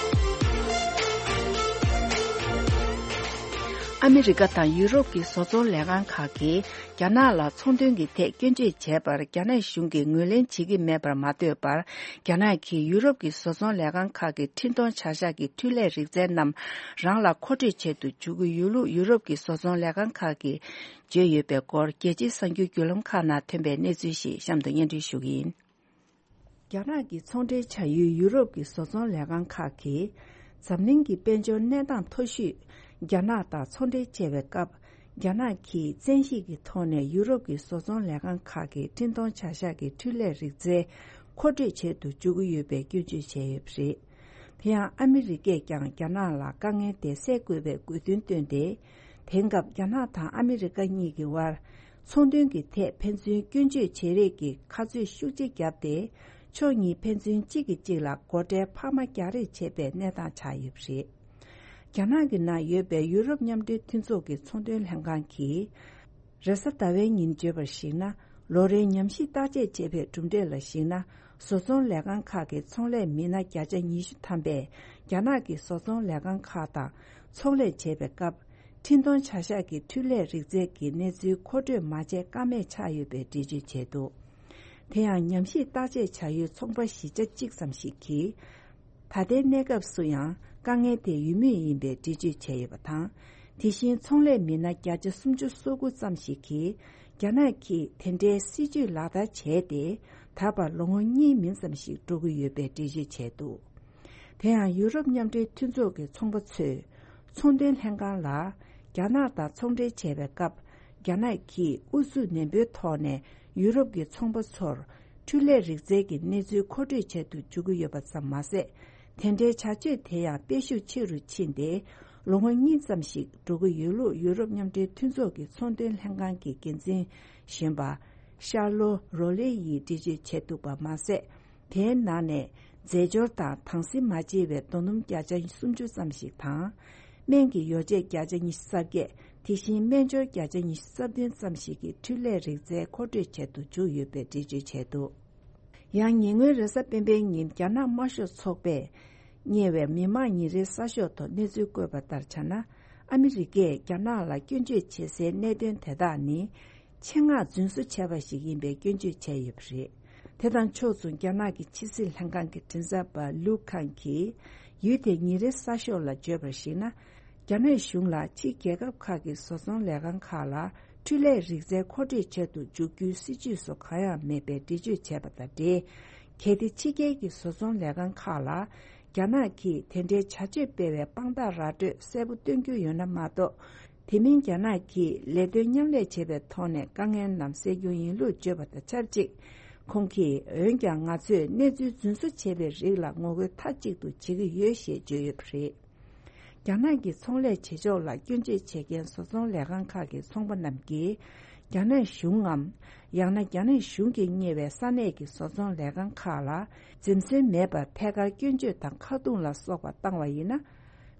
ཨ་མི་རི་ཀ་དང་ཡུ་རོབ་ཀྱི་བཟོ་ཚོང་ལས་ཁང་ཁག་གིས་རྒྱ་ནག་ལ་ཚོང་དོན་གྱི་ཐད་སྐྱོན་བརྗོད་བྱས་པར་རྒྱ་ནག་གཞུང་གིས་ངོས་ལེན་བྱེད་ཀྱི་མེད་པར་མ་ལྟོས་པར། རྒྱ་ནག་གིས་ཡུ་རོབ་ཀྱི་བཟོ་ཚོང་ལས་ཁང་ཁག་གི་འཕྲིན་གཏོང་བྱ་གཞག་གི་འཕྲུལ་ལས་རིག་རྩལ་རྣམས་རང་ལ་མཁོ་སྤྲོད་བྱེད་དུ་འཇུག་གི་ཡོད་ལུགས་ཡུ་རོབ་ཀྱི་བཟོ་ཚོང་ལས་ཁང་ཁག་གིས་བརྗོད་ཡོད་པའི་སྐོར། རྒྱལ་སྤྱིའི་གསར་འགྱུར་བརྒྱུད་ལམ་ཁག་ནང་ཐོན་པའི་གནས་ཚུལ་ཞིག་གཤམ་དུ་སྙན་སྒྲོན་ཞུ་གི་ཡིན། རྒྱ་ནག་གི་ཚོང་འབྲེལ་བྱ་ཡུལ་ཡུ་རོབ་ཀྱི་བཟོ་ཚོང་ལས་ཁང་ཁག་གིས། འཛམ་གླིང་གི་དཔལ་འབྱོར་གནས་སྟངས་མཐོ་ཤོས་རྒྱ་ནག་དང་ཚོང་འབྲེལ་བྱེད་པའི་སྐབས། རྒྱ་ནག་གིས་བཙན་ཤེད་ཀྱི་ཐོག་ནས་ཡུ་རོབ་ཀྱི་བཟོ་ཚོང་ལས་ཁང་ཁག་གི་འཕྲིན་གཏོང་བྱ་གཞག་གི་འཕྲུལ་ལས་རིག་རྩལ་མཁོ་སྤྲོད་བྱེད་དུ་འཇུག་གི་ཡོད་པའི་སྐྱོན་བརྗོད་བྱས་ཡོད་པ་རེད། དེ་ཡང་ཨ་མི་རི་ཀས་ཀྱང་རྒྱ་ནག་ལ་དཀའ་ངལ་དེ་སེལ་དགོས་པའི་དགོས་འདུན་བཏོན་ཏེ། དེང་སྐབས་རྒྱ་ནག་དང་ཨ་མི་རི་ཀ་གཉིས་ཀྱི་དབར། ཚོང་དོན་གྱི་ཐད་ཕན་ཚུན་སྐྱོན་བརྗོད་བྱེད་རེས་ཀྱི་ཁ་རྩོད་ཤུགས་ཆེ་བརྒྱབ་སྟེ། ཕྱོགས་གཉིས་ཕན་ཚུན་གཅིག་གིས་གཅིག་ལ་སྒོ་ཁྲལ་འཕར་མ་རྒྱག་རེས་བྱེད་པའི་གནས་སྟངས་ཆགས་ཡོད་པ་རེད། རྒྱ་ནག་གི་ནང་ཡོད་པའི་ཡུ་རོབ་མཉམ་འབྲེལ་མཐུན་ཚོགས་ཀྱི་ཚོང་དོན་ལྷན་ཁང་གིས། རེས་གཟའ་ཟླ་བའི་ཉིན་བརྗོད་པར་གཞིགས་ན། ལོ་རེའི་ཉམས་ཞིབ་བརྟག་དཔྱད་བྱས་པའི་གྲུབ་འབྲས་ལ་གཞིགས་ན། བཟོ་ཚོང་ལས་ཁང་ཁག་གི་ཚོང་ལས་མི་སྣ་བརྒྱ་ཆ་ཉི་ཤུ་ཐམ་པས་རྒྱ་ནག་གི་བཟོ་ཚོང་ལས་ཁང་ཁག་དང་ཚོང་ལས་བྱེད་པའི་སྐབས། འཕྲིན་གཏོང་བྱ་གཞག་གི་འཕྲུལ་ལས་རིག་རྩལ་གྱི་གནས་ཚུལ་མཁོ་སྤྲོད་མ་བྱས་ཀ་མེད་ཆགས་ཡོད་པའི་འགྲེལ་བརྗོད་བྱས་འདུག། དེ་ཡང་ཉམས་ཞིབ་བརྟག་དཔྱད་བྱ་ཡུལ་ཚོང་པ་བཞི་ཆ་གཅིག་ཙམ་ཞིག་གིས། ད་ལྟའི་གནས་སྐབས་སུ་ཡང་དཀའ་ངལ་དེ་ཡོད་མུས་ཡིན་པའི་འགྲེལ་བརྗོད་བྱས་ཡོད་པ་དང་། དེ་བཞིན་ཚོང་ལས་མི་སྣ་བརྒྱ་ཆ་སུམ་ཅུ་སོ་དགུ་ཙམ་ཞིག་གིས་རྒྱ་ནག་གིས་དེ་འདྲའི་སྲིད་ཇུས་ལག་བསྟར་བྱས་ཏེ། ད་བར་ལོ་ངོ་གཉིས་མིན་ཙམ་ཞིག་འགྲོ་གི་ཡོད་པའི་འགྲེལ་བརྗོད་བྱས་འདུག། དེ་ཡང་ཡུ་རོབ་མཉམ་འབྲེལ་མཐུན་ཚོགས་ཀྱི་ཚོང་པ་ཚོས་ཚོང་དོན་ལྷན་ཁང་ལ་རྒྱ་ནག་དང་ཚོང་འབྲེལ་བྱས་པའི་སྐབས། རྒྱ་ནག་གིས་ཨུ་ཚུགས་ནན་པོའི་ཐོག་ནས་ཡུ་རོབ་ཀྱི་ཚོང་པ་ཚོར་འཕྲུལ་ལས་རིག་རྩལ་གྱི་གནས་ཚུལ་མཁོ་སྤྲོད་བྱེད་དུ་འཇུག་གི་ཡོད་པ་ཙམ་མ་ཟད། དེ་འདྲའི་བྱ་སྤྱོད་དེ་ཡང་སྤེལ་ཤུགས་ཆེ་རུ་ཕྱིན་ཏེ། ལོ་ངོ་གཉིས་ཙམ་ཞིག་འགྲོ་གི་ཡོད་ལུགས་ཡུ་རོབ་མཉམ་འབྲེལ་མཐུན་ཚོགས་ཀྱི་ཚོང་དོན་ལྷན་ཁང་གི་འགན་འཛིན་གཞོན་པ་ཤར་ལོ་རོ་ལེ་ཡིས་འགྲེལ་བརྗོད་བྱས་འདུག་པ་མ་ཟད། དེའི་ནང་ནས་རྫས་སྦྱོར་དང་དྭངས་བསིལ་མ་བརྗེ་བའི་རྡོ་སྣུམ་བརྒྱ་ཆ་སུམ་ཅུ་ཙམ་ཞིག་དང་། སྨན་གྱི་ཡོ་བྱད་བརྒྱ་ཆ་ཉི་ཤུ་རྩ་བརྒྱད། དེ་བཞིན་སྨན་སྦྱོར་བརྒྱ་ཆ་ཉི་ཤུ་རྩ་བདུན་ཙམ་ཞིག་གི་འཕྲུལ་ལས་རིག་རྩལ་མཁོ་སྤྲོད་བྱེད་དུ་བཅུག་ཡོད་པའི་འགྲེལ་བརྗོད་བྱས་འདུག། ཡང་ཉེ་སྔོན་རེས་གཟའ་སྤེན་པའི་ཉིན་རྒྱ་ནག་དམར་ཤོག་ཚོགས་པས་གཉེར་བའི་མི་དམངས་ཉིན་རེའི་གསར་ཤོག་ཐོག་གནས་ཚུལ་བཀོད་པ་ལྟར་ཆ་ན། ཨ་མི་རི་ཀས་རྒྱ་ནག་ལ་སྐྱོན་བརྗོད་བྱེད་སའི་གནད་དོན་དེ་དག་ནི། ཆེད་མངགས་རྫུན་བཟོ་བྱས་པ་ཞིག་ཡིན་པའི་སྐྱོན་བརྗོད་བྱས་ཡོད་པ་རེད། དེ་དང་ཕྱོགས་མཚུངས་རྒྱ་ནག་གི་ཕྱི་སྲིད་ལྷན་ཁང་གི་མགྲིན་ཚབ་པ་ལུའུ་ཁང་གིས་ཡུལ་དེའི་ཉིན་རེའི་གསར་ཤོག་ལ་བརྗོད་པར་གཞིགས་ན། རྒྱ་ནག་གཞུང་ལ་ཕྱིའི་རྒྱལ་ཁབ་ཁག་གི་བཟོ་ཚོང་ལས་ཁང་ཁག་ལ་འཕྲུལ་ལས་རིག་རྩལ་མཁོ་སྤྲོད་བྱེད་དུ་འཇུག་རྒྱུའི་སྲིད་ཇུས་སུ་གང་ཡང་མེད་པའི་འགྲེལ་བརྗོད་བྱས་པ་དང་འབྲེལ། གལ་ཏེ་ཕྱི་རྒྱལ་གྱི་བཟོ་ཚོང་ལས་ཁང་ཁག་ལ་རྒྱ་ནག་གིས་དེ་འདྲའི་བྱ་སྤྱོད་སྤེལ་བའི་དཔང་རྟགས་ར་སྤྲོད་གསལ་པོ་སྟོན་རྒྱུ་ཡོད་ན་མ་གཏོགས། དེ་མིན་རྒྱ་ནག་གིས་ལས་དོན་མཉམ་ལས་བྱེད་པའི་ཐོག་ནས་དཀའ་ངལ་རྣམས་སེལ་རྒྱུ་ཡིན་ལུགས་བརྗོད་པ་དང་ཆབས་ཅིག། ཁོང་གིས་འོན་ཀྱང་ང་ཚོས་གནས་ཚུལ་རྫུན་བཟོ་བྱས་པའི་རིགས་ལ་ངོ་རྒོལ་མཐའ་གཅིག་ཏུ་བྱེད་ཀྱི་ཡོད་ཞེས་བརྗོད་ཡོད་པ་རེད། རྒྱ་ནག་གི་ཚོང་ལས་བྱེད་ཕྱོགས་ལ་སྐྱོན་བརྗོད་བྱེད་མཁན་བཟོ་ཚོང་ལས་ཁང་ཁག་གི་ཚོང་པ་རྣམས་ཀྱིས། རྒྱ་ནག་གཞུང་ངམ། ཡང་ན་རྒྱ་ནག་གཞུང་གིས་གཉེར་བའི་ས་གནས་ཀྱི་བཟོ་ཚོང་ལས་ཁང་ཁག་ལ་འཛེམ་ཟོན་མེད་པར་ཐད་ཀར་སྐྱོན་བརྗོད་དང་ཁ་རྡུང་ལ་སོགས་པ་བཏང་བ་ཡིན་ན།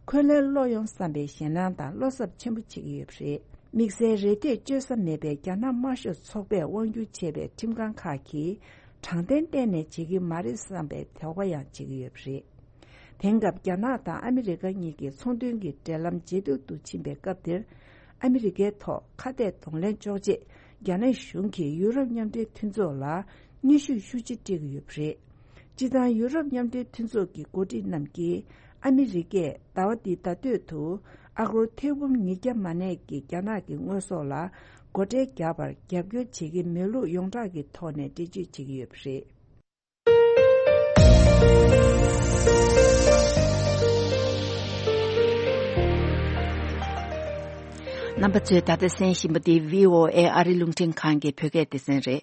འཁོན་ལན་སློག་ཡོང་བསམ་པའི་ཞེད་སྣང་དང་བློ་འཚབ་ཆེན་པོ་བྱེད་ཀྱི་ཡོད་པ་རེད། དམིགས་བསལ་རེ་ལྟོས་བཅོལ་ས་མེད་པའི་རྒྱ་ནག་དམར་ཤོག་ཚོགས་པས་དབང་སྒྱུར་བྱེད་པའི་ཁྲིམས་ཁང་ཁག་གིས་དྲང་བདེན་གཏན་ནས་བྱེད་ཀྱི་མ་རེད་བསམ་པའི་དོགས་པ་ཡང་བྱེད་ཀྱི་ཡོད་པ་རེད། དེང་སྐབས་རྒྱ་ནག་དང་ཨ་མི་རི་ཀ་གཉིས་ཀྱི་ཚོང་དོན་གྱི་འབྲེལ་ལམ་ཇེ་སྡུག་ཏུ་ཕྱིན་པའི་སྐབས་འདིར། ཨ་མི་རི་ཀའི་ཐོག་ཁ་གཏད་གདོང་ལེན་གཅོག་ཆེད། རྒྱ་ནག་གཞུང་གིས་ཡུ་རོབ་མཉམ་འབྲེལ་མཐུན་ཚོགས་ལ་གནོན་ཤུགས་ཤུགས་ཆེ་སྤྲད་ཀྱི་ཡོད་པ་རེད། སྤྱིར་བཏང་ཡུ་རོབ་མཉམ་འབྲེལ་མཐུན་ཚོགས་ཀྱི་འགོ་ཁྲིད་རྣམས་ཀྱིས། ཨ་མི་རི་ཀས་ཟླ་བ་འདིའི་ཟླ་སྟོད་དུ། ཨ་སྒོར་ཐེར་འབུམ་ཉིས་བརྒྱ་མ་གནས་ཀྱི་རྒྱ་ནག་གི་དངོས་ཟོག་ལ་སྒོ་ཁྲལ་བརྒྱབ་པར་རྒྱབ་སྐྱོར་བྱེད་ཀྱི་མེད་ལུགས་ཡོངས་གྲགས་ཀྱི་ཐོག་ནས་འགྲེལ་བརྗོད་བྱེད་ཀྱི་ཡོད་པ་རེད། རྣམ་པ་ཚོས་ད་ལྟ་གསན་བཞིན་པ་འདི་བྷི་ཨོ་ཨེ་ཨ་རི་རླུང་འཕྲིན་ཁང་གི་བོད་སྐད་སྡེ་ཚན་རེད།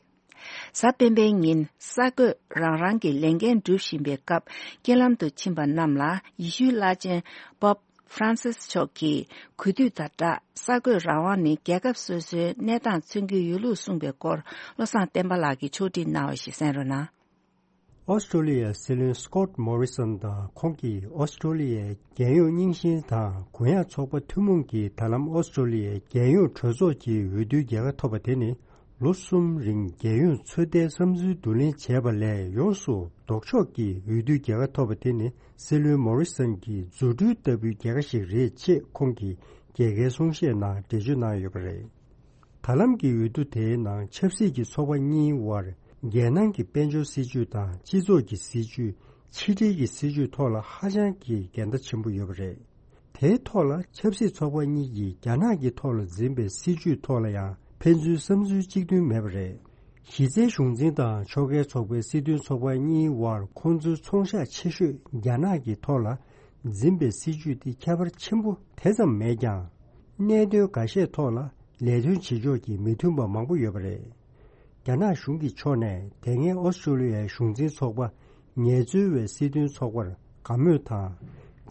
གཟའ་སྤེན་པའི་ཉིན་གསར་འགོད་རང་རང་གི་ལས་འགན་སྒྲུབ་བཞིན་པའི་སྐབས་རྐྱེན་ལམ་དུ་ཕྱིན་པ་རྣམས་ལ་ཡེ་ཤུའི་བླ་ཆེན་Pope ཧྥ་རན་སིས་མཆོག་གིས་གུས་འདུད་དང་སྦྲགས་གསར་འགོད་རང་དབང་ནི་རྒྱལ་ཁབ་སོ་སོའི་གནས་སྟངས་མཚོན་གྱི་ཡོད་ལུགས་གསུངས་པའི་སྐོར། བློ་བཟང་བསྟན་པ་ལགས་ཀྱིས་ཕྱོགས་སྒྲིག་གནང་བ་ཞིག་གསན་རོགས་གནང་། ཨོ་སི་ཀྲོ་ལི་ཡའི་སྲིད་བློན་སི་ཀོཊ་མོ་རི་སོན་དང་ཁོང་གིས་ཨོ་སི་ཀྲོ་ལི་ཡའི་རྒྱལ་ཡོངས་རྙིང་ཞེན་དང་གུ་ཡངས་ཚོགས་པ་ཐུན་མོང་གིས་ད་ལམ་ཨོ་སི་ཀྲོ་ལི་ཡའི་རྒྱལ་ཡོངས་གྲོས་ཚོགས་ཀྱི་འོས་བསྡུའི་རྒྱལ་ཁ་ཐོབ་པ་དེ་ནི། ལོ་གསུམ་རིང་རྒྱལ་ཡོངས་ཚོད་ལྟའི་བསམ་ཚུལ་བསྡུ་ལེན་བྱས་པ་ལས་ཡོངས་སུ་ལྡོག་ཕྱོགས་ཀྱི་འོས་བསྡུའི་རྒྱལ་ཁ་ཐོབ་པ་དེ་ནི་སྲིད་བློན་མོ་རི་སོན་གྱི་རྫུ་འཕྲུལ་ལྟ་བུའི་རྒྱལ་ཁ་ཞིག་རེད་ཅེས་ཁོང་གིས་རྒྱལ་ཁའི་གསུང་བཤད་ནང་འགྲེལ་བརྗོད་གནང་ཡོད་པ་རེད། ད་ལམ་གྱི་འོས་བསྡུ་དེའི་ནང་ཆབ་སྲིད་ཀྱི་ཚོགས་པ་གཉིས་དབར་རྒྱལ་ནང་གི་དཔལ་འབྱོར་སྲིད་ཇུས་དང་སྤྱི་ཚོགས་ཀྱི་སྲིད་ཇུས། ཕྱི་འབྲེལ་གྱི་སྲིད་ཇུས་ཐོག་ལ་ཧ་ཅང་གི་འགལ་ཟླ་ཆེན་པོ་ཡོད་པ་རེད། དེའི་ཐོག་ལ་ཆབ་སྲིད་ཚོགས་པ་གཉིས་ཀྱིས་རྒྱ་ནག་གི་ཐོག་ལ་འཛིན་པའི་སྲིད་ཇུས་ཐོག་ལ་ཡང་ཕན་ཚུན་བསམ་ཚུལ་གཅིག་མཐུན་མེད་པ་རེད། གཞི་རྩའི་གཞུང་འཛིན་དང་ཕྱོགས་འགལ་ཚོགས་པའི་སྲིད་དོན་ཚོགས་པ་གཉིས་དབར་ཁོང་ཚོའི་ཚོང་ཤག་ཆེ་ཤོས་རྒྱ་ནག་གི་ཐོག་ལ་འཛིན་པའི་སྲིད་ཇུས་དེ་ཁྱད་པར་ཆེན་པོ་དེ་ཙམ་མེད་ཀྱང་། གནད་དོན་འགའ་ཤས་ཐོག་ལ་ལས་དོན་བྱེད་ཕྱོགས་ཀྱི་མི་མཐུན་པ་མང་པོ་ཡོད་པ་རེད། རྒྱ་ནག་གཞུང་གི་ཕྱོགས་ནས་དེ་སྔའི་ཨོ་སི་ཀྲོ་ལི་ཡའི་གཞུང་འཛིན་ཚོགས་པ་ངལ་རྩོལ་བའི་སྲིད་དོན་ཚོགས་པར་དགའ་མོས་དང་།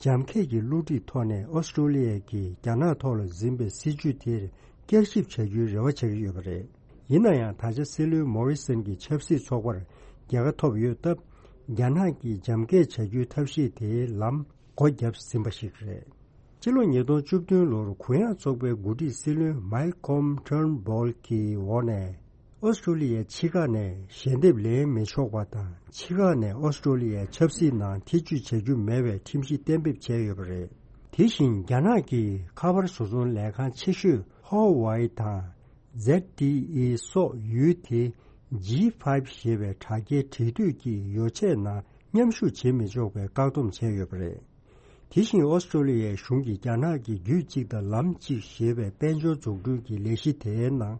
འཇམ་འཁེལ་གྱི་བསླུ་བྲིད་ཐོག་ནས་ཨོ་སི་ཀྲོ་ལི་ཡ་གིས་རྒྱ་ནག་ཐོག་ལ་འཛིན་པའི་སྲིད་ཇུས་དེར་བསྐྱར་ཞིབ་བྱ་རྒྱུའི་རེ་བ་བྱ་གི་ཡོད་པ་རེད། ཡིན་ན་ཡང་ད་ཆ་སྲིད་བློན་མོ་རི་སོན་གྱི་ཆབ་སྲིད་ཚོགས་པར་རྒྱལ་ཁ་ཐོབ་ཡོད་སྟབས། རྒྱ་ནག་གིས་འཇམ་འཁེལ་བྱ་རྒྱུའི་ཐབས་ཤེས་དེའི་ལམ་སྒོ་བརྒྱབ་ཟིན་པ་ཞིག་རེད། སྤྱི་ལོ་ཉིས་སྟོང་བཅུ་བདུན་ལོར་གུ་ཡངས་ཚོགས་པའི་འགོ་ཁྲིད་སྲིད་བློན་མའི་ཁོམ་ཊརན་བྷོལ་གྱི་འོག་ནས། ཨོ་སི་ཀྲོ་ལི་ཡའི་ཕྱི་ཁག་ནས་ཞལ་འདེབས་ལེན་མི་ཆོག་པ་དང་། ཕྱི་ཁག་ནས་ཨོ་སི་ཀྲོ་ལི་ཡའི་ཆབ་སྲིད་ནང་ཐེ་ཇུས་བྱ་རྒྱུ་མེད་པའི་ཁྲིམས་གཞི་གཏན་འབེབས་བྱས་ཡོད་པ་རེད། དེ་བཞིན་རྒྱ་ནག་གི་ཁ་པར་བཟོ་ཚོང་ལས་ཁང་ཆེ་ཤོས་ཧོ་ཝའི་དང་ཛེད་ཊི་ཨི་སོགས་ཡུལ་དེ་ཇི་ཕའི་བ་ཞེས་པའི་དྲ་རྒྱའི་འབྲེལ་མཐུད་ཀྱི་ཡོ་ཆས་ནང་མཉམ་ཞུགས་བྱེད་མི་ཆོག་པའི་བཀག་སྡོམ་བྱས་ཡོད་པ་རེད། དེ་བཞིན་ཨོ་སི་ཀྲོ་ལི་ཡའི་གཞུང་གིས་རྒྱ་ནག་གི་རྒྱུད་གཅིག་དང་ལམ་གཅིག་ཞེས་པའི་དཔལ་འབྱོར་འཛུགས་སྐྲུན་གྱི་ལས་གཞི་དེའི་ནང་།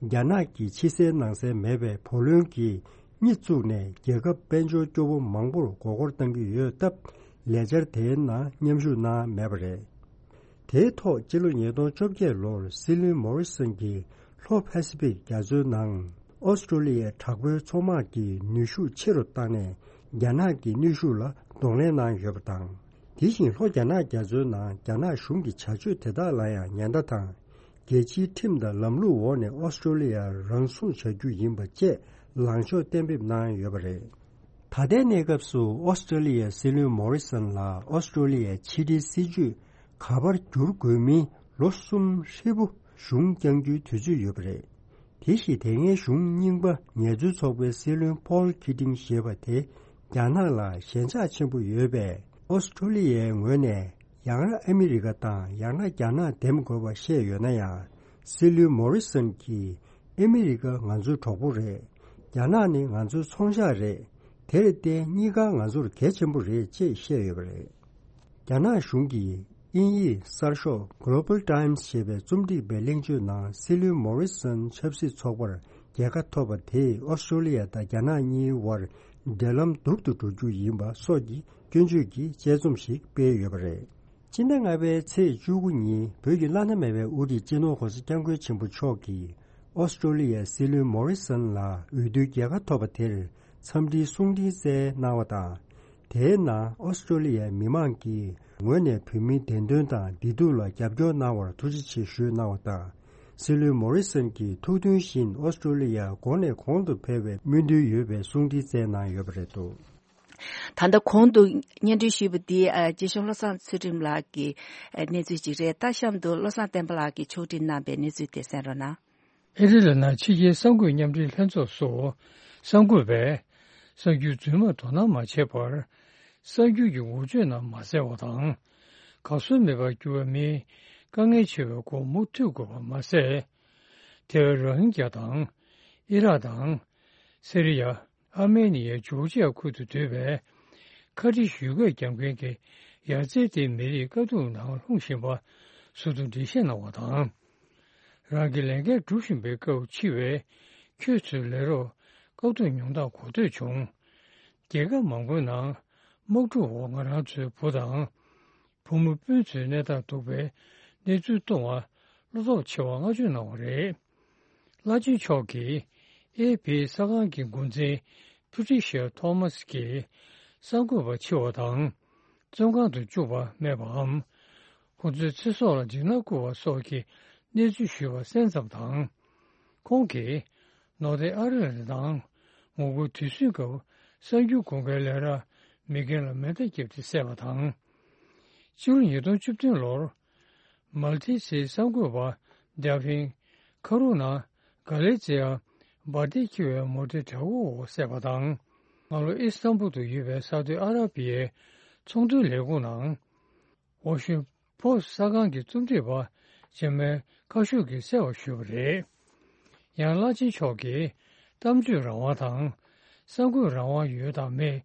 རྒྱ་ནག་གི་ཕྱི་གསལ་ནང་གསལ་མེད་པའི་བུ་ལོན་གྱི་གཉེར་བཙུགས་ནས་རྒྱལ་ཁབ་དཔལ་འབྱོར་སྐྱོ་པོ་མང་པོར་མགོ་སྐོར་གཏང་གི་ཡོད་སྟབས། ལས་འཆར་དེའི་ནང་མཉམ་ཞུགས་གནང་མེད་པ་རེད། དེའི་ཐོག་སྤྱི་ལོ་ཉིས་སྟོང་བཅོ་བརྒྱད་ལོར་སྲིད་བློན་མོ་རི་སོན་གྱིས་ལྷོ་པ་སི་ཕིག་རྒྱ་མཚོའི་ནང་ཨོ་སི་ཀྲོ་ལི་ཡའི་དྲག་པོའི་མཚོ་དམག་གི་ནུས་ཤུགས་ཆེ་རུ་བཏང་ནས། རྒྱ་ནག་གི་ནུས་ཤུགས་ལ་གདོང་ལེན་གནང་ཡོད་པ་དང་། དེ་བཞིན་ལྷོ་རྒྱ་ནག་རྒྱ་མཚོའི་ནང་རྒྱ་ནག་གཞུང་གི་བྱ་སྤྱོད་དེ་དག་ལ་ཡང་ཉེན་བརྡ་དང་། རྒྱལ་སྤྱིའི་ཁྲིམས་དང་ལམ་ལུགས་འོག་ནས་ཨོ་སི་ཀྲོ་ལི་ཡ་རང་སྲུང་བྱ་རྒྱུ་ཡིན་པ་བཅས་ལངས་ཕྱོགས་གཏན་འབེབས་གནང་ཡོད་པ་རེད། ད་ལྟའི་གནས་སྐབས་སུ་ཨོ་སི་ཀྲོ་ལི་ཡའི་སྲིད་བློན་མོ་རི་སོན་ལ་ཨོ་སི་ཀྲོ་ལི་ཡའི་ཕྱི་འབྲེལ་སྲིད་ཇུས་ག་པར་བསྒྱུར་དགོས་མིན་ལོ་གསུམ་ཧྲིལ་པོ་གཞུང་བསྐྱང་རྒྱུའི་དུས་ཚོད་ཡོད་པ་རེད། དེ་བཞིན་དེ་སྔའི་གཞུང་རྙིང་པ་ངལ་རྩོལ་ཚོགས་པའི་སྲིད་བློན་ཕོལ་ཁི་ཏིང་ཞེས་པ་དེ་རྒྱ་ནག་ལ་ཞེན་ཆགས་ཆེན་པོ་ཡོད་པས། ཨོ་སི་ཀྲོ་ལི་ཡའི་ངོས་ནས་ཡང་ན་ཨ་མི་རི་ཀ་དང་ཡང་ན་རྒྱ་ནག་འདེམས་དགོས་པ་བཤད་ཡོད་ན་ཡང་། སྲིད་བློན་མོ་རི་སོན་གྱིས། ཨ་མི་རི་ཀ་ང་ཚོའི་གྲོགས་པོ་རེད། རྒྱ་ནག་ནི་ང་ཚོའི་ཚོང་ཤག་རེད། དེར་བརྟེན་གཉིས་ཀ་ང་ཚོར་གལ་ཆེན་པོ་རེད་ཅེས་བཤད་ཡོད་པ་རེད། རྒྱ་ནག་གཞུང་གིས་དབྱིན་ཡིག་གསར་ཤོག་Global Times ཞེས་པའི་རྩོམ་སྒྲིག་པའི་གླེང་བརྗོད་ནང་སྲིད་བློན་མོ་རི་སོན་ཆབ་སྲིད་ཚོགས་པར་རྒྱལ་ཁ་ཐོབ་པ་དེས་ཨོ་སི་ཀྲོ་ལི་ཡ་དང་རྒྱ་ནག་གཉིས་དབར་འབྲེལ་ལམ་སྡུག་ཏུ་འགྲོ་རྒྱུ་ཡིན་པ་སོགས་ཀྱི་སྐྱོན་བརྗོད་ཀྱི་དཔྱད་རྩོམ་ཞིག་སྤེལ་ཡོད་པ་རེད། སྤྱི་ཟླ་ལྔ་པའི་ཚེས་བཅུ་དགུ་ཉིན་བོད་ཀྱི་བླ་ན་མེད་པའི་དབུ་ཁྲིད་སྤྱི་ནོར་༸གོང་ས་༸སྐྱབས་མགོན་ཆེན་པོ་མཆོག་གིས་ཨོ་སི་ཀྲོ་ལི་ཡའི་སྲིད་བློན་མོ་རི་སོན་ལ་འོས་བསྡུའི་རྒྱལ་ཁ་ཐོབ་པ་དེར་འཚམས་འདྲིའི་གསུང་འཕྲིན་སྩལ་གནང་བ་དང་། དེའི་ནང་ཨོ་སི་ཀྲོ་ལི་ཡའི་མི་མང་གི་ངོས་ནས་བོད་མིའི་བདེན་དོན་དང་བདེ་སྡུག་ལ་རྒྱབ་སྐྱོར་གནང་བར་ཐུགས་རྗེ་ཆེ་ཞུས་གནང་བ་དང་། སྲིད་བློན་མོ་རི་སོན་གྱིས་ཐུགས་མཐུན་བཞིན་ཨོ་སི་ཀྲོ་ལི་ཡར་གོང་ནས་གོང་དུ་འཕེལ་བའི་སྨོན་འདུན་ཡོད་པའི་གསུང་འཕྲིན་སྩལ་གནང་ཡོད་པ་རེད་འདུག། ད་ལྟ་གོང་དུ་སྙན་སྒྲོན་ཞུས་པ་འདི་ཨ་རྗེ་གཞུང་བློ་བཟང་ཚུལ་ཁྲིམས་ལགས་ཀྱི་ཨ་གནས་ཚུལ་ཅིག་རེད། ད་གཤམ་དུ་བློ་བཟང་བསྟན་པ་ལགས་ཀྱིས་ཕྱོགས་སྒྲིག་གནང་པའི་གནས་ཚུལ་དེ་གསན་རོགས་གནང་། ཨེ་རི་ལ་ནང་ཕྱི་རྒྱལ་གསར་འགོད་མཉམ་འབྲེལ་ལྷན་ཚོགས་སུ་གསར་འགོད་པས་གསར་འགྱུར་རྫུན་མར་དོ་སྣང་མ་བྱས་པར་གསར་འགྱུར་གྱི་འགོ་བརྗོད་ནང་མ་གསལ་བ་དང་། གར་སོང་མེད་པར་གྱུར་བ་མིའི་དཀའ་ངལ་ཆེ་བའི་སྐོར་མུ་མཐུད་དགོས་པ་མ་ཟད། ཐེ་ཝན་རོ་ཧིན་གྱ་དང་། ཨི་རག་དང་། སི་རི་ཡ། ཨར་མེ་ནི་ཡའི་ཇོར་ཇི་ཡ་ཁུལ་དུ་སྡོད་པའི་ཁ་ཏི་ཞུས་སྐད་རྒྱག་མཁན་གྱི་ཡ་རྩེ་དེའི་མི་རིགས་དཀའ་སྡུག་ནང་ལྷུང་བཞིན་པ་ཟུར་དུ་འགྲེལ་བཤད་གནང་བ་དང་། རང་གི་ལས་འགན་སྒྲུབ་བཞིན་པའི་སྐབས་འཆི་བས་ཁྱོད་ཚོའི་ལས་རོགས་དཀའ་སྡུག་མྱོང་སྟངས་གོ་ཐོས་བྱུང་། རྒྱལ་ཁབ་མང་པོའི་ནང་དམག་འཁྲུག་འོག་ང་རང་ཚོའི་བུ་དང་། བུ་མོ་སྤུན་ཚོའི་གནས་སྟངས་སྡུག་པའི་གནས་ཚུལ་གཏོང་བར་བློ་སྟོབས་ཆེ་བ་བསྔགས་བརྗོད་གནང་བ་རེད། བླ་ཆེན་མཆོག་གིས་ཨེ་ཕི་གསར་ཁང་གི་འགོ་འཛིན་པུ་ཊི་ཤར་ཐོ་མཱ་སི་ཀྱིས་གསར་འགོད་པ་འཆི་བ་དང་བཙོན་ཁང་དུ་བཅུག་པ་སྨྲས་པའམ། ཁོ་ཚོའི་ཚེ་སྲོག་ལ་འཇིགས་སྣང་བསྐུལ་བ་སོགས་ཀྱི་གནས་ཚུལ་ཞུས་པ་གསན་ཙམ་དང་། ཁོང་གིས་ནོར་ཐེན་ཨ་རི་རི་དང་ངོ་རྒོལ་དུས་ཟིང་སྐབས་གསར་འགྱུར་དགོན་ཁའི་ལས་ར་མེ་རྐྱེན་ལ་མེ་མདའ་བརྒྱབ་སྟེ་བསད་པ་དང་། ཕྱི་ལོ་ཉིས་སྟོང་བཅུ་བདུན་ལོར་མལ་ཏི་སིའི་གསར་འགོད་པ་ཌེ་ཕིན་ཁ་རུ་ན་ག་ལེ་ཛི་ཡ་འབར་མདེལ་འཁྱེར་བའི་མོ་ཊའི་བྲག་འོག་བསད་པ་དང་། སྔ་ལོ་ཨི་སི་ཐན་བུལ་དུ་ཡོད་པའི་ས་འཐུས་ཨ་ར་པི་ཡའི་ཚོང་དོན་ལས་ཁུངས་ནང་ཝ་ཤིང་པོ་སི་གསར་ཁང་གི་རྩོམ་སྒྲིག་པ་ཇར་མན་ཁ་ཤུ་གིས་གསལ་བར་ཞུས་པ་རེད། ཡང་བླ་ཆེན་མཆོག་གིས་གཏམ་བརྗོད་རང་དབང་དང་། གསར་འགོད་རང་དབང་ཡོད་དང་མེད།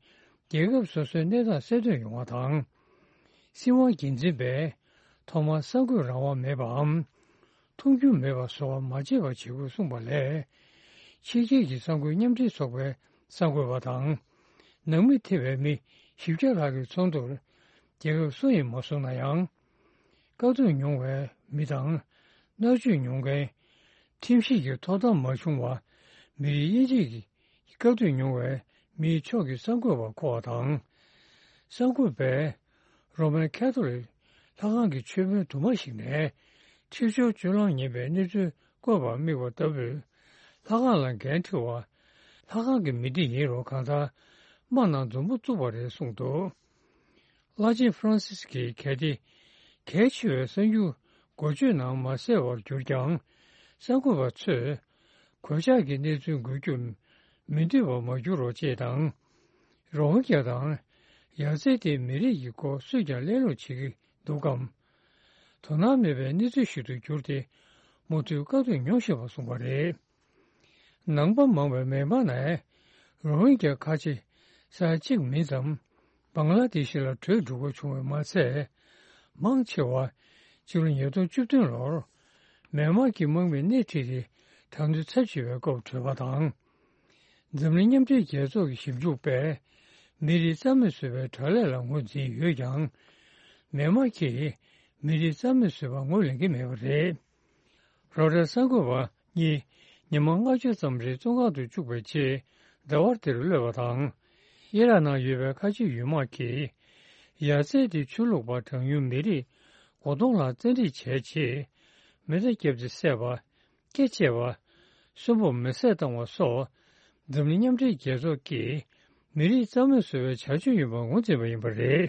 རྒྱལ་ཁབ་སོ་སོའི་གནས་སྟངས་གསལ་སྟོན་ཡོང་བ་དང་། སྲིད་དབང་སྒེར་འཛིན་པས་ཐོག་མར་གསར་འགོད་རང་དབང་མེད་པའམ། མཐོང་རྒྱུ་མེད་པ་བཟོ་བ་མ་བྱེད་པ་བྱེད་དགོས་གསུངས་པ་ལས། ཕྱི་རྒྱལ་གྱི་གསར་འགོད་མཉམ་འབྲེལ་ཚོགས་པའི་གསར་འགོད་པ་དང་། ནང་མི་ཐེ་བའི་མི་བཞི་བརྒྱ་ལྷག་གི་ཚོགས་འདུར་རྒྱལ་ཁབ་སུ་ཡིན་མ་གསུངས་ན་ཡང་། བཀག་སྡོམ་མྱོང་བའི་མི་དང་། མནར་གཅོད་མྱོང་མཁན། ཁྲིམས་ཞིབ་ཀྱི་ཐོབ་ཐང་མ་བྱུང་བ། མི་རིགས་དབྱེ་འབྱེད་ཀྱི་བཀག་སྡོམ་མྱོང་བའི་མིའི་ཕྱོགས་ཀྱི་གསར་འགོད་པ་མཁོ་བ་དང་། གསར་འགོད་པས་རོ་མན་ཁ་ཐོ་ལིག་ལྷ་ཁང་གི་མཆོད་དཔོན་དུ་མ་ཞིག་ནས་འཁྲིག་སྦྱོར་སྤྱོད་ལམ་ངན་པའི་གནས་ཚུལ་བཀོད་པར་དམིགས་པ་ལྟ་བུས་ལྷ་ཁང་ལ་འགན་འཁྲི་བ། ལྷ་ཁང་གི་མི་སྡེ་ཡིན་རུང་གང་ལྟར་དམག་ནང་མཛུབ་མོ་བཙུགས་པ་རེད་གསུངས་འདུག་བླ་ཆེན་ཧྥ་རན་སིས་ཀྱིས་གལ་ཏེ་གལ་ཆེ་བའི་གསར་འགྱུར་འགོ་བརྗོད་ནང་མ་གསལ་བར་གྱུར་ཀྱང་། གསར་འགོད་པ་ཚོས་གོད་ཆག་གི་གནས་ཚུལ་འགོད་རྒྱུར་མི་འདོད་པ་མ་འགྱུར་རོགས་ཅེས་དང་། རོ་ཧིན་གྱ་དང་ཡ་ཙེ་ཏི་མི་རིགས་ཀྱི་སྐོར་སུས་ཀྱང་གླེང་སློང་བྱེད་ཀྱི་འདུག་གམ། དོ་སྣང་མེད་པའི་གནས་ཚུལ་ཞིག་ཏུ་གྱུར་ཏེ། མུ་མཐུད་བཀག་སྡོམ་མྱོང་བཞིན་པ་གསུངས་པ་རེད། ནང་པ་མང་བའི་མེན་མར་ནས་རོ་ཧིན་གྱ་ཁ་ཆེ་ས་ཡ་གཅིག་མིན་ཙམ་བང་ལ་དེ་ཤི་ལ་བྲོས་འགྲོ་དགོས་བྱུང་བས་མ་ཚད། མང་ཆེ་བ་ཕྱི་ལོ་ཉིས་སྟོང་བཅུ་བདུན་ལོར་མེན་མར་གྱི་དམག་མིས་སྣེ་ཁྲིད་དེ་དྲག་གནོན་ཚབས་ཆེ་བའི་སྐབས་བྲོས་པ་དང་། འཛམ་གླིང་མཉམ་འབྲེལ་རྒྱལ་ཚོགས་ཀྱི་ཞིབ་འཇུག་པས་མི་རིགས་རྩ་མེད་བཟོ་བའི་དྲག་ལས་ལ་ངོས་འཛིན་ཡོད་ཀྱང་། མེན་མར་གྱིས་མི་རིགས་རྩ་མེད་བཟོ་བར་ངོས་ལེན་གྱི་མེད་པ་རེད། རོའི་ཊར་གསར་འགོད་པ་གཉིས་ཉི་མ་ལྔ་བཅུ་ཙམ་རིང་བཙོན་ཁང་དུ་བཅུག་པའི་རྗེས་ཟླ་བ་འདིར་གློད་པ་དང་། ཨི་རག་ནང་ཡོད་པའི་ཁ་ཆེ་ཡུལ་དམག་གིས་ཡ་ཙེ་ཏི་ཆོས་ལུགས་པ་གྲངས་ཉུང་མི་རིགས་མགོ་སྟོང་ལ་བཙན་ཁྲིད་བྱས་རྗེས། མེ་མདའ་བརྒྱབ་སྟེ་བསད་པ། སྐེ་བཅད་པ། གསོན་པོར་མེ་བསྲེགས་བཏང་བ་སོགས། འཛམ་གླིང་མཉམ་འབྲེལ་རྒྱལ་ཚོགས་ཀྱིས་མི་རིགས་རྩ་མེད་བཟོ་བའི་བྱ་སྤྱོད་ཡིན་པར་ངོས་འཛིན་པ་ཡིན་པ་རེད།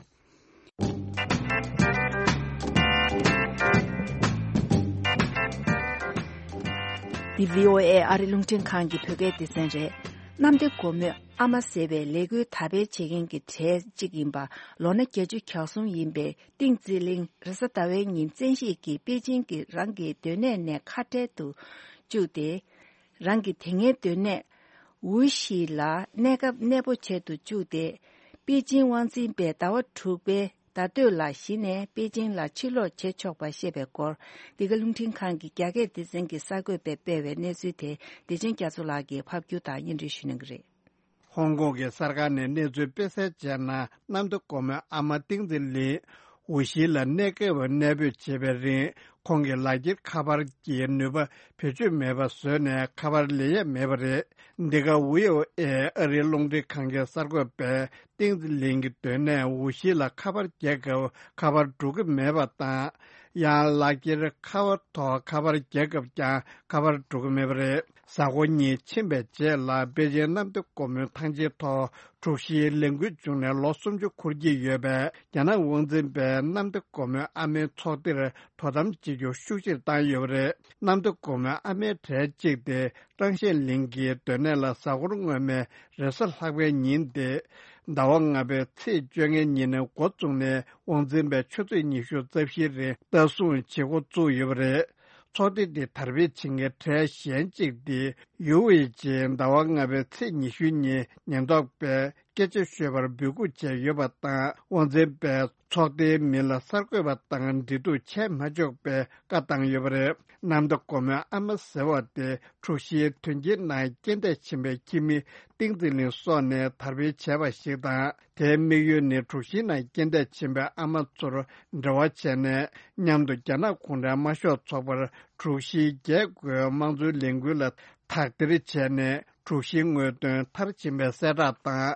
འདི་བྷི་ཨོ་ཨེ་ཨ་རི་རླུང་འཕྲིན་ཁང་གི་བོད་སྐད་སྡེ་ཚན་རེད། གནམ་བདེ་སྒོ་མོའི་ཨ་མ་ཟེར་བའི་ལས་འགུལ་དར་སྤེལ་བྱེད་མཁན་གྱི་གྲས་གཅིག་ཡིན་པ། ལོ་ན་བརྒྱད་ཅུ་གྱ་གསུམ་ཡིན་པའི་ཏིང་ཙི་ལིང་རེས་གཟའ་ཟླ་བའི་ཉིན་བཙན་ཤེད་ཀྱིས་པེ་ཅིང་གི་རང་གི་སྡོད་གནས་ནས་ཁ་བྲལ་དུ་བཅུག་སྟེ། རང་གི་དེ་སྔའི་སྡོད་གནས་ཝུ་ཤི་ལ་གནས་སྐབས་གནས་སྤོ་བྱེད་དུ་བཅུག་སྟེ། པེ་ཅིང་དབང་འཛིན་པས་ཟླ་བ་དྲུག་པའི་ཟླ་སྟོད་ལ་གཞི་ནས་པེ་ཅིང་ལ་ཕྱིར་ལོག་བྱེད་ཆོག་པ་བཤད་པའི་སྐོར། འདི་ག་རླུང་འཕྲིན་ཁང་གི་རྒྱ་སྐད་སྡེ་ཚན་གྱི་གསར་འགོད་པས་སྤེལ་བའི་གནས་ཚུལ་དེ་བདེ་ཆེན་རྒྱ་མཚོ་ལགས་ཀྱིས་ཕབ་སྒྱུར་དང་སྙན་སྒྲོན་ཞུ་གནང་གི་རེད། ཧོང་ཀོང་གི་གསར་ཁང་ནས་གནས་ཚུལ་སྤེལ་གསལ་བྱས་ན། གནམ་བདེ་སྒོ་མོའི་ཨ་མ་ཏིང་ཙི་ལིན་ཝུ་ཤི་ལ་གནས་སྐབས་གནས་སྤོས་བྱེད་པའི་རིང་། ཁོང་གི་ལག་འཁྱེར་ཁ་པར་གྱི་ནུས་པ་བེད་སྤྱོད་མེད་པ་བཟོས་ནས་ཁ་པར་ལེན་ཡས་མེད་པ་རེད། འདི་ག་བྷི་ཨོ་ཨེ་ཨ་རིའི་རླུང་འཕྲིན་ཁང་གི་གསར་འགོད་པས་ཏིང་ཙི་ལིན་གྱི་སྡོད་གནས་ཝུ་ཤི་ལ་ཁ་པར་རྒྱག་སྐབས་ཁ་པར་འགྲོ་གི་མེད་པ་དང་། ཡང་ལག་འཁྱེར་ཁ་པར་ཐོག་ཁ་པར་རྒྱག་སྐབས་ཀྱང་ཁ་པར་འགྲོ་གི་མེད་པ་རེད། གཟའ་འཁོར་གཉིས་ཕྱིན་པའི་རྗེས་ལ་པེ་ཅིང་གནམ་བདེ་སྒོ་མོའི་ཐང་ཆེན་ཐོག་འཁྲུག་གཞིའི་ལས་འགུལ་བྱུང་ནས་ལོ་སུམ་ཅུ་འཁོར་གྱི་ཡོད་པས། རྒྱ་ནག་དབང་འཛིན་པས་གནམ་བདེ་སྒོ་མོའི་ཨ་མའི་ཚོགས་སྡེར་དོ་དམ་བྱེད་རྒྱུ་ཤུགས་ཆེར་བཏང་ཡོད་པ་རེད། གནམ་བདེ་སྒོ་མོའི་ཨ་མའི་གྲས་གཅིག་སྟེ་ཀྲང་ཤན་ལིང་གི་སྡོད་གནས་ལ་གཟའ་འཁོར་སྔོན་མའི་རེས་གཟའ་ལྷག་པའི་ཉིན་ཏེ། ཟླ་བ་ལྔ་པའི་ཚེས་བཅོ་ལྔའི་ཉིན་ནས་འགོ་བཙུགས་ནས་དབང་འཛིན་པས་ཆུ་ཚོད་ཉི་ཤུ་རྩ་བཞིའི་རིང་ལྟ་སྲུང་བྱེད་འགོ་བཙུགས་ཡོད་པ་རེད། ཚོགས་སྡེ་འདི་དར་སྤེལ་བྱེད་མཁན་གྲས་གཞན་གཅིག་སྟེ་ཡུའུ་ཝེ་ཅིས་ཟླ་བ་ལྔ་པའི་ཚེས་ཉི་ཤུའི་ཉིན་ཉེན་རྟོག་པས་སྐད་ཆ་ཤོད་པར་འབོད་སྐུལ་བྱས་ཡོད་པ་དང་། དབང་འཛིན་པས་ཚོགས་སྡེའི་མི་ལ་གསར་འགོད་པ་དང་འབྲེལ་གཏུག་བྱས་མ་ཆོག་པའི་བཀའ་བཏང་ཡོད་པ་རེད། གནམ་བདེ་སྒོ་མོའི་ཨ་མ་ཟེར་བ་དེ་འཁྲུག་གཞིའི་དོན་རྐྱེན་ནང་རྐྱེན་འདས་ཕྱིན་པའི་ཁྱིམ་མི་ཏིང་ཙི་ལིན་སོགས་ནས་དར་སྤེལ་བྱས་པ་ཞིག་དང་། དེའི་དམིགས་ཡུལ་ནི་འཁྲུག་གཞིའི་ནང་རྐྱེན་འདས་ཕྱིན་པའི་ཨ་མ་ཚོར་འབྲེལ་བ་བྱས་ནས། མཉམ་དུ་རྒྱ་ནག་གུང་ཁྲན་དམར་ཤོག་ཚོགས་པར་འཁྲུག་གཞིའི་རྒྱས་བཀོད་དམངས་གཙོའི་ལས་འགུལ་ལ་དག་ཐེར་བྱས་ནས། འཁྲུག་གཞིའི་དངོས་དོན་མཐར་ཕྱིན་པའི་གསལ་བསྒྲགས་དང་།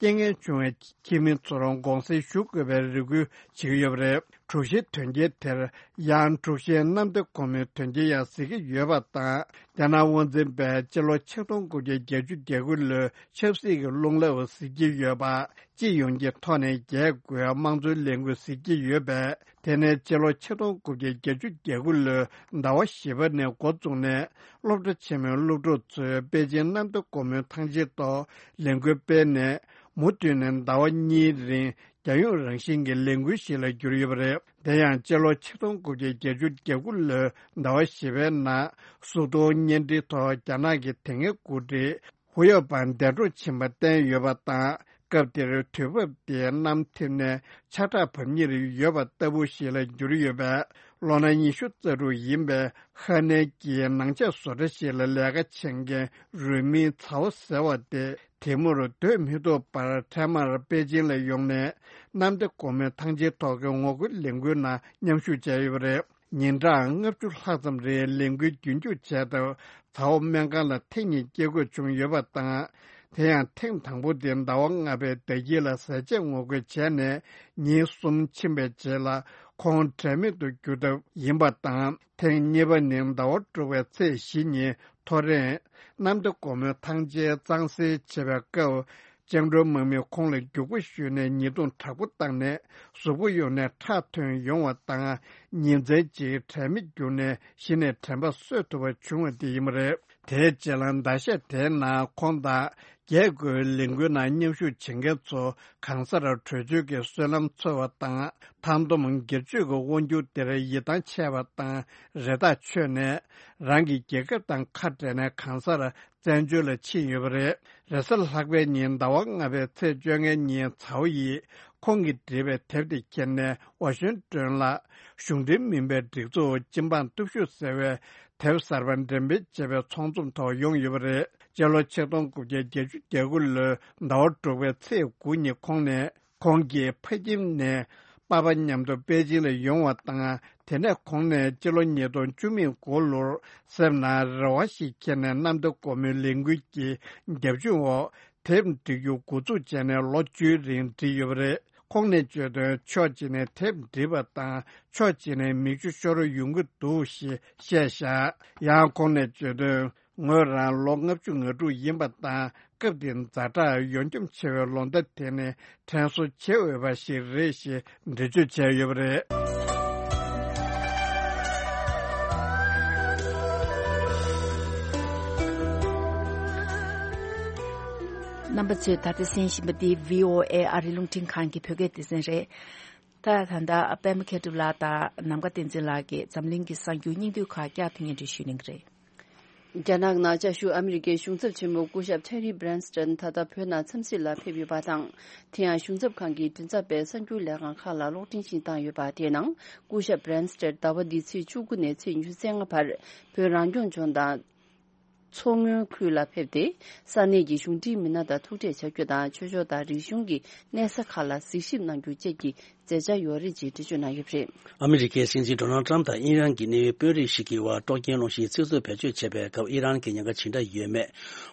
རྐྱེན་ངན་བྱུང་བའི་ཁྱིམ་མི་ཚོར་དགོངས་སེལ་ཞུ་དགོས་པའི་རེ་སྐུལ་བྱེད་ཀྱི་ཡོད་པ་རེད། དྲུག་བཞིའི་དོན་རྐྱེན་དེར་ཡང་དྲུག་བཞིའི་གནམ་བདེ་སྒོ་མོའི་དོན་རྐྱེན་ཡང་ཟེར་གྱི་ཡོད་པ་དང་། རྒྱ་ནག་དབང་འཛིན་པས་སྤྱི་ལོ་ཆིག་སྟོང་དགུ་བརྒྱ་བརྒྱད་ཅུ་གྱ་དགུ་ལོའི་ཆབ་སྲིད་ཀྱི་རླུང་རླབས་ཟེར་གྱི་ཡོད་པ། སྤྱི་ཡོངས་ཀྱི་ཐོག་ནས་རྒྱས་དགོས་དམངས་གཙོའི་ལས་འགུལ་ཟེར་གྱི་ཡོད་པས། དེ་ནས་སྤྱི་ལོ་ཆིག་སྟོང་དགུ་བརྒྱ་བརྒྱད་ཅུ་གྱ་དགུ་ལོའི་ཟླ་བ་བཞི་པ་ནས་འགོ་བཙུགས་ནས། སློབ་གྲྭ་ཆེན་མོའི་སློབ་ཕྲུག་ཚོས་པེ་ཅིང་གནམ་བདེ་སྒོ་མོའི་ཐང་ཆེན་ཐོག་ལས་འགུལ་སྤེལ་ནས། མུ་མཐུད་ནས་ཟླ་བ་གཉིས་རིང་རྒྱལ་ཡོངས་རང་བཞིན་གྱི་ལས་འགུལ་ཞིག་ལ་གྱུར་ཡོད་པ་རེད། དེ་ཡང་སྤྱི་ལོ་ཆིག་སྟོང་དགུ་བརྒྱ་བརྒྱད་ཅུ་གྱ་དགུ་ལོའི་ཟླ་བ་བཞི་པའི་ནང་། གཟུགས་མཐོང་བརྙན་འཕྲིན་ཐོག་རྒྱ་ནག་གི་དེ་སྔའི་འགོ་ཁྲིད་ཧུའུ་ཡའོ་པན་འདས་གྲོངས་ཕྱིན་པ་བསྟན་ཡོད་པ་དང་། སྐབས་དེར་དུས་བབ་དེའི་གནམ་ཐིབས་ནས་ཆར་དྲག་བབས་ཉེར་ཡོད་པ་ལྟ་བུ་ཞིག་ལ་གྱུར་ཡོད་པས། ལོ་ན་ཉི་ཤུ་རྩ་དྲུག་ཡིན་པའི་ཧ་ནན་གྱིས་ནང་ཆས་བཟོ་གྲྭ་ཞིག་ལ་ལས་ཀ་བྱེད་མཁན་རུས་མིང་ཚའོ་ཟེར་བ་དེ། དེ་མུར་སྡོད་མི་ཐུབ་པར་འཕྲལ་མར་པེ་ཅིང་ལ་ཡོང་ནས། གནམ་བདེ་སྒོ་མོའི་ཐང་ཆེན་ཐོག་གི་ངོ་རྒོལ་ལས་འགུལ་ནང་མཉམ་ཞུགས་བྱས་ཡོད་པ་རེད། ཉིན་གྲངས་ལྔ་བཅུ་ལྷག་ཙམ་རིང་ལས་འགུལ་རྒྱུན་སྐྱོང་བྱས་སྟབས། ཚའོ་སྨན་ཁང་ལ་ཐེངས་གཉིས་སྐྱེལ་དགོས་བྱུང་ཡོད་པ་དང་། དེ་ཡང་ཐེངས་དང་པོ་དེ་ཟླ་བ་ལྔ་པའི་ཟླ་དཀྱིལ་ལ་ཟས་བཅད་ངོ་རྒོལ་བྱས་ནས། ཉིན་གསུམ་ཕྱིན་པའི་རྗེས་ལ་ཁོང་དྲན་མེད་དུ་གྱུར་སྟབས་ཡིན་པ་དང་། ཐེངས་གཉིས་པ་ནི་ཟླ་བ་དྲུག་པའི་ཚེས་བཞི་ཉིན་ཐོ་རེངས་གནམ་བདེ་སྒོ་མོའི་ཐང་ཆེན་གཙང་སེལ་བྱེད་པའི་སྐབས། བཅིངས་འགྲོལ་དམག་མིས་ཁོང་ལ་རྒྱུག་པ་གཞུས་ནས་ཉེས་རྡུང་དྲག་པོ་བཏང་ནས། གཟུགས་པོ་ཡོངས་ནས་ཁྲག་ཐོན་ཡོང་བ་དང་། ཉིན་མཚན་གཅིག་དྲན་མེད་གྱུར་ནས་གཞི་ནས་དྲན་པ་གསོས་ཐུབ་པ་བྱུང་བ་དེ་ཡིན་པ་རེད། དེའི་རྗེས་ལ་ཟླ་ཤས་དེའི་ནང་ཁོང་དང་རྒྱས་དགོས་ལས་འགུལ་ནང་མཉམ་ཞུགས་བྱེད་མཁན་ཚོ་གང་སར་བྲོས་བྱོལ་གྱི་བསོད་ནམས་འཚོལ་བ་དང་། མཐའ་སྡོམ་སྒེར་གཅོད་ཀྱི་དབང་སྒྱུར་དེར་ཡིད་ཐང་ཆད་པ་དང་། རེ་ཐག་ཆོད་ནས། རང་གི་རྒྱལ་ཁབ་དང་ཁ་བྲལ་ནས་གང་སར་བཙན་བྱོལ་ལ་ཕྱིན་ཡོད་པ་རེད། རེས་གཟའ་ལྷག་པའི་ཉིན་ཟླ་བ་ལྔ་པའི་ཚེས་བཅོ་ལྔའི་ཉིན་ཚའོ་ཡིས་ཁོང་གིས་བྲིས་པའི་དེབ་དེ་ཁྱེར་ནས་ཝ་ཤིང་ཏོན་ལ་གཞུང་འབྲེལ་མིན་པའི་སྒྲིག་འཛུགས་སྤྱི་འབངས་སྟོབས་ཤུགས་ཟེར་བའི་དེབ་གསར་པ་འགྲེམས་སྤེལ་བྱེད་པའི་ཚོགས་འཛོམས་ཐོག་ཡོང་ཡོད་པ་རེད། སྤྱི་ལོ་ཆིག་སྟོང་དགུ་བརྒྱ་བརྒྱད་ཅུ་གྱ་དགུ་ལོའི་ཟླ་བ་དྲུག་པའི་ཚེས་དགུ་ཉིན་ཁོང་ནས། ཁོང་གིས་ཕ་ཁྱིམ་ནས་པ་ཕ་མཉམ་དུ་པེ་ཅིང་ལ་ཡོང་བ་དང་། དེ་ནས་ཁོང་ནས་སྤྱི་ལོ་ཉིས་སྟོང་བཅུ་མེད་དགུ་ལོར་སེམས་ནང་རེ་བ་ཞིག་འཁྱེར་ནས་གནམ་བདེ་སྒོ་མོའི་ལས་འགུལ་གྱི་རྒྱབ་ལྗོངས་འོག་དེབ་འབྲི་རྒྱུ་འགོ་འཛུགས་བྱས་ནས་ལོ་བཅུའི་རིང་བྲིས་ཡོད་པ་རེད། ཁོང་ནས་བརྗོད་དོན། ཕྱོགས་གཅིག་ནས་དེབ་འབྲི་བ་དང་། ཕྱོགས་གཅིག་ནས་མིག་ཆུ་ཤོར་ཡོང་གི་འདུག་ཞེས་བཤད་བཞག་ཡང་ཁོང་ནས་བརྗོད་དོན། ངོས་རང་ལོ་ལྔ་བཅུ་ང་དྲུག་ཡིན་པ་དང་། སྐབས་དེར་ཛ་དྲག་ཡོན་སྐྱོབ་ཆེ་བའི་ལོ་ཟླ་དེ་ནི་དྲན་གསོ་བྱེད་འོས་པ་ཞིག་རེད་ཞེས་འགྲེལ་བརྗོད་བྱས་ཡོད་པ་རེད། རྣམ་པ་ཚོས་ད་ལྟ་གསན་བཞིན་པ་འདི་བྷི་ཨོ་ཨེ་ཨ་རིའི་རླུང་འཕྲིན་ཁང་གི་བོད་སྐད་སྡེ་ཚན་རེད། ད་ད་ལྟ་པད་མ་མཁས་གྲུབ་ལགས་དང་ནམ་མཁའ་བསྟན་འཛིན་ལགས་ཀྱིས་འཛམ་གླིང་གི་གསར་འགྱུར་སྙིང་བསྡུས་ཁག་བསྐྱར་ཕུལ་སྙན་སྒྲོན་ཞུ་གནང་གི་རེད། རྒྱ་ནག་ནང་བཅའ་བཞུགས་ཨ་མི་རི་ཀའི་གཞུང་ཚབ་ཆེན་མོ་སྐུ་ཞབས་ཐེ་རི་སྦྲན་སྟན་ད་ལྟ་བོད་ནང་འཚམས་གཟིགས་ལ་ཕེབས་ཡོད་པ་དང་། དེ་ཡང་གཞུང་ཚབ་ཁང་གི་མགྲིན་ཚབ་པས་གསར་འགྱུར་ལས་ཁང་ཁག་ལ་གློག་འཕྲིན་ཞིག་བཏང་ཡོད་པ་དེའི་ནང་སྐུ་ཞབས་སྦྲན་སྟན་ཟླ་བ་འདིའི་ཚེས་བཅུ་དགུ་ནས་ཚེས་ཉི་ཤུ་རྩ་ལྔ་བར་བོད་རང་སྐྱོང་ལྗོངས་དང་། མཚོ་སྔོན་ཁུལ་ལ་ཕེབས་ཏེ། ས་གནས་ཀྱི་གཞུང་འབྲེལ་མི་སྣ་དང་ཐུག་འཕྲད་བྱ་རྒྱུ་དང་། ཆོས་ཕྱོགས་དང་རིག་གཞུང་གི་གནས་ས་ཁག་ལ་གཟིགས་ཞིབ་གནང་རྒྱུ་བཅས་ཀྱི་མཛད་འཆར་ཡོད་རེད་ཅེས་འགྲེལ་བརྗོད་གནང་ཡོད་པ་རེད། ཨ་མི་རི་ཀའི་སྲིད་འཛིན་ཌོ་ནལ་ཊམ་དང་ཨི་རན་གྱི་གནད་ཡོད་དཔོན་རིགས་ཤིག་གིས་དབར་སྲོག་སྐྱོན་སློང་གཞིའི་ཚིག་མཛོད་བེད་སྤྱོད་བྱས་པའི་སྐབས། ཨི་རན་གྱི་ཉེན་ཁ་ཇི་འདྲ་ཡོད་མེད་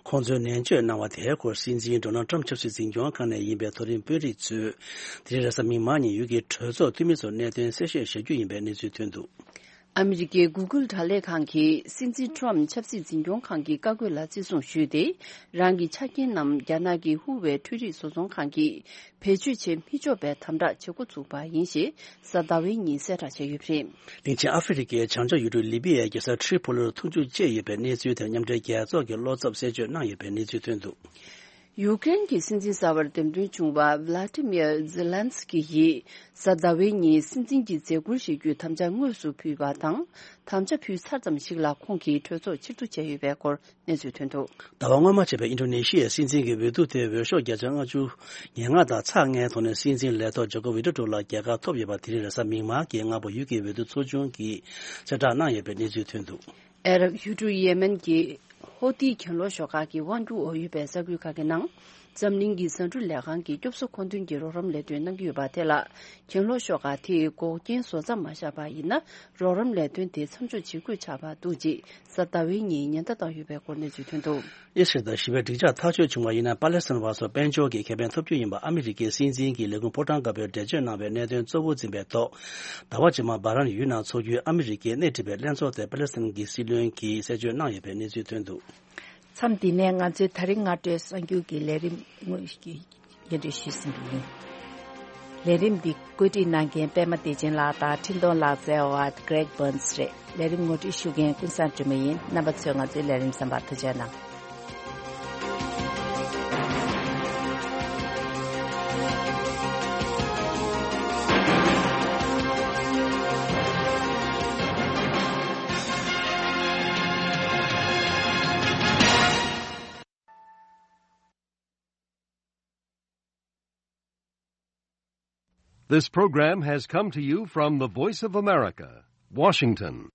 ཁོང་ཚོས་ནན་བརྗོད་གནང་བ་དེའི་སྐོར། སྲིད་འཛིན་ཌོ་ནལ་ཊམ་ཆབ་སྲིད་འཛིན་སྐྱོང་ཁང་ནས་ཡིན་པའི་མཐོ་རིམ་དཔོན་རིགས་ཚོས་དེ་རིང་རེས་གཟའ་མིག་དམར་ཉིན་ཡུལ་གྱི་གྲོས་ཚོགས་འཐུས་མི་ཚོར་གནད་དོན་གསལ་བཤད་བྱ་རྒྱུ་ཡིན་པའི་གནས་ཚུལ་ཐོན་འདུག་ཨ་མི་རི་ཀའི་གུ་གུལ་དྲ་ལས་ཁང་གིས་སྲིད་འཛིན་ཊམ་ཆབ་སྲིད་འཛིན་སྐྱོང་ཁང་གི་བཀའ་བཀོད་ལ་བརྩི་སྲུང་ཞུས་ཏེ། རང་གི་ཆ་རྐྱེན་རྣམས་རྒྱ་ནག་གི་ཧུ་ཝེ་འཕྲུལ་རིག་བཟོ་ཚོང་ཁང་གིས་བེད་སྤྱོད་བྱེད་མི་ཆོག་པའི་དམ་དྲག་བྱེད་འགོ་ཚུགས་པ་ཡིན་ཞེས་གཟའ་ཟླ་བའི་ཉིན་གསལ་བསྒྲགས་བྱས་ཡོད་པ་རེད། དེང་ཆེན་ཨ་ཧྥེ་རི་ཁའི་བྱང་ཕྱོགས་ཡུལ་གྲུ་ལི་པི་ཡའི་རྒྱལ་ས་ཁྲི་པོ་ལིར་འཐུང་ཆུ་བཅད་ཡོད་པའི་གནས་ཚུལ་དེར་མཉམ་འབྲེལ་རྒྱལ་ཚོགས་ཀྱི་བློ་འཚབ་གསལ་བརྗོད་གནང་ཡོད་པའི་གནས་ཚུལ་ཐོན་འདུག་ཡུ་ཀེ་རེན་གྱི་སྲིད་འཛིན་གསར་པར་འདེམས་ཐོན་བྱུང་བ་ཝི་ལ་ཏི་མིར་ཛེ་ལན་སི་ཀི་ཡིས་གཟའ་ཟླ་བའི་ཉིན་སྲིད་འཛིན་གྱི་མཛད་ཁུར་བཞེས་རྒྱུའི་དམ་བཅའ་དངོས་སུ་ཕུལ་བ་དང་། དམ་བཅའ་ཕུལ་ཚར་ཙམ་ཞིག་ལ་ཁོང་གིས་གྲོས་ཚོགས་ཕྱིར་བསྡུ་བྱས་ཡོད་པའི་སྐོར་གནས་ཚུལ་ཐོན་འདུག་ཟླ་བ་སྔོན་མ་ཆད་པའི་ཨིན་ཌོ་ནེ་ཤི་ཡའི་སྲིད་འཛིན་གྱི་འོས་བསྡུ་དེ་འོས་ཤོག་བརྒྱ་ཆ་ལྔ་བཅུ་ང་ལྔ་དང་ཚེག་ལྔའི་ཐོག་ནས་སྲིད་འཛིན་ལས་ཐོག་ཇོ་ཀོ་ཝི་ཌོ་ཌོ་ལ་རྒྱལ་ཁ་ཐོབ་ཡོད་པ། དེ་རིང་རེས་གཟའ་མིག་དམར་གྱི་སྔ་པོ་ཡུལ་གྱི་འོས་བསྡུ་ཚོགས་ཆུང་གིས་གསལ་བསྒྲགས་གནང་ཡོད་པའི་གནས་ཚུལ་ཐོན་འདུག་ཨ་རབ་ཡུལ་གྲུ་ཡེ་མེན་གྱི་ཧོ་ཏི་གྱེན་ལོག་ཤོག་ཁག་གི་དབང་སྒྱུར་འོག་ཡོད་པའི་ས་ཁུལ་ཁག་གི་ནང་། འཛམ་གླིང་གི་ཟ་འབྲུ་ལས་ཁང་གིས་སྐྱོབ་གསོ་མཁོ་འདོན་གྱི་རོགས་རམ་ལས་དོན་གནང་གི་ཡོད་པ་དེ་ལ། གྱེན་ལོག་ཤོག་ཁག་དེས་འགོག་རྐྱེན་བཟོ་མཚམས་མ་བཞག་པ་ཡིན་ན། རོགས་རམ་ལས་དོན་དེ་མཚམས་འཇོག་བྱེད་དགོས་ཆགས་པ་འདུག་ཅེས་གཟའ་ཟླ་བའི་ཉིན་ཉེན་བརྡ་བཏང་ཡོད་པའི་སྐོར་གནས་ཚུལ་ཐོན་འདུག་ཨི་སི་རལ་དང་ཞི་བའི་འགྲིག་འཇགས་ཐག་གཅོད་བྱུང་བ་ཡིན་ན། པ་ལེ་སི་ཐན་བ་སོགས་དཔལ་འབྱོར་གྱི་ཁེ་ཕན་ཐོབ་རྒྱུ་ཡིན་པ་ཨ་མི་རི་ཀའི་སྲིད་འཛིན་གྱིས་ལས་ཁུངས་ཕོ་བྲང་དཀར་པོའི་འགྲེལ་བརྗོད་གནང་བའི་གནད་དོན་གཙོ་བོ་འཛིན་པའི་ཐོག་ཟླ་བ་རྗེས་མ་བྷ་རན་ཡུལ་ནང་འཚོགས་རྒྱུའི་ཨ་མི་རི་ཀའི་སྣེ་ཁྲིད་པའི་ལྷན་ཚོགས་དེར་པ་ལེ་སི་ཐན་གྱི་སྲིད་བློན་གྱིས་གསལ་བརྗོད་གནང་ཡོད་པའི་གནས་ཚུལ་ཐོན་འདུག་མཚམས་འདི་ནས་ང་ཚོའི་ད་རིང་སྔ་དྲོའི་གསར་འགྱུར་གྱི་ལས་རིམ་དངོས་ཀྱི་སྙན་སྒྲོན་ཞུས་ཟིན་པ་ཡིན། ལས་རིམ་འདི་བཀོད་སྒྲིག་གནང་མཁན་པད་མ་བདེ་ཆེན་ལགས་དང་འཕྲིན་གཏོང་ལག་རྩལ་བ་Greg Burns་རེད། ལས་རིམ་ངོ་སྤྲོད་ཞུ་མཁན་ཀུན་བཟང་སྒྲོལ་མ་ཡིན། རྣམ་པ་ཚོས་ང་ཚོའི་ལས་རིམ་གསན་པར་ཐུགས་རྗེ་གནང་། This program has come to you from the Voice of America, Washington.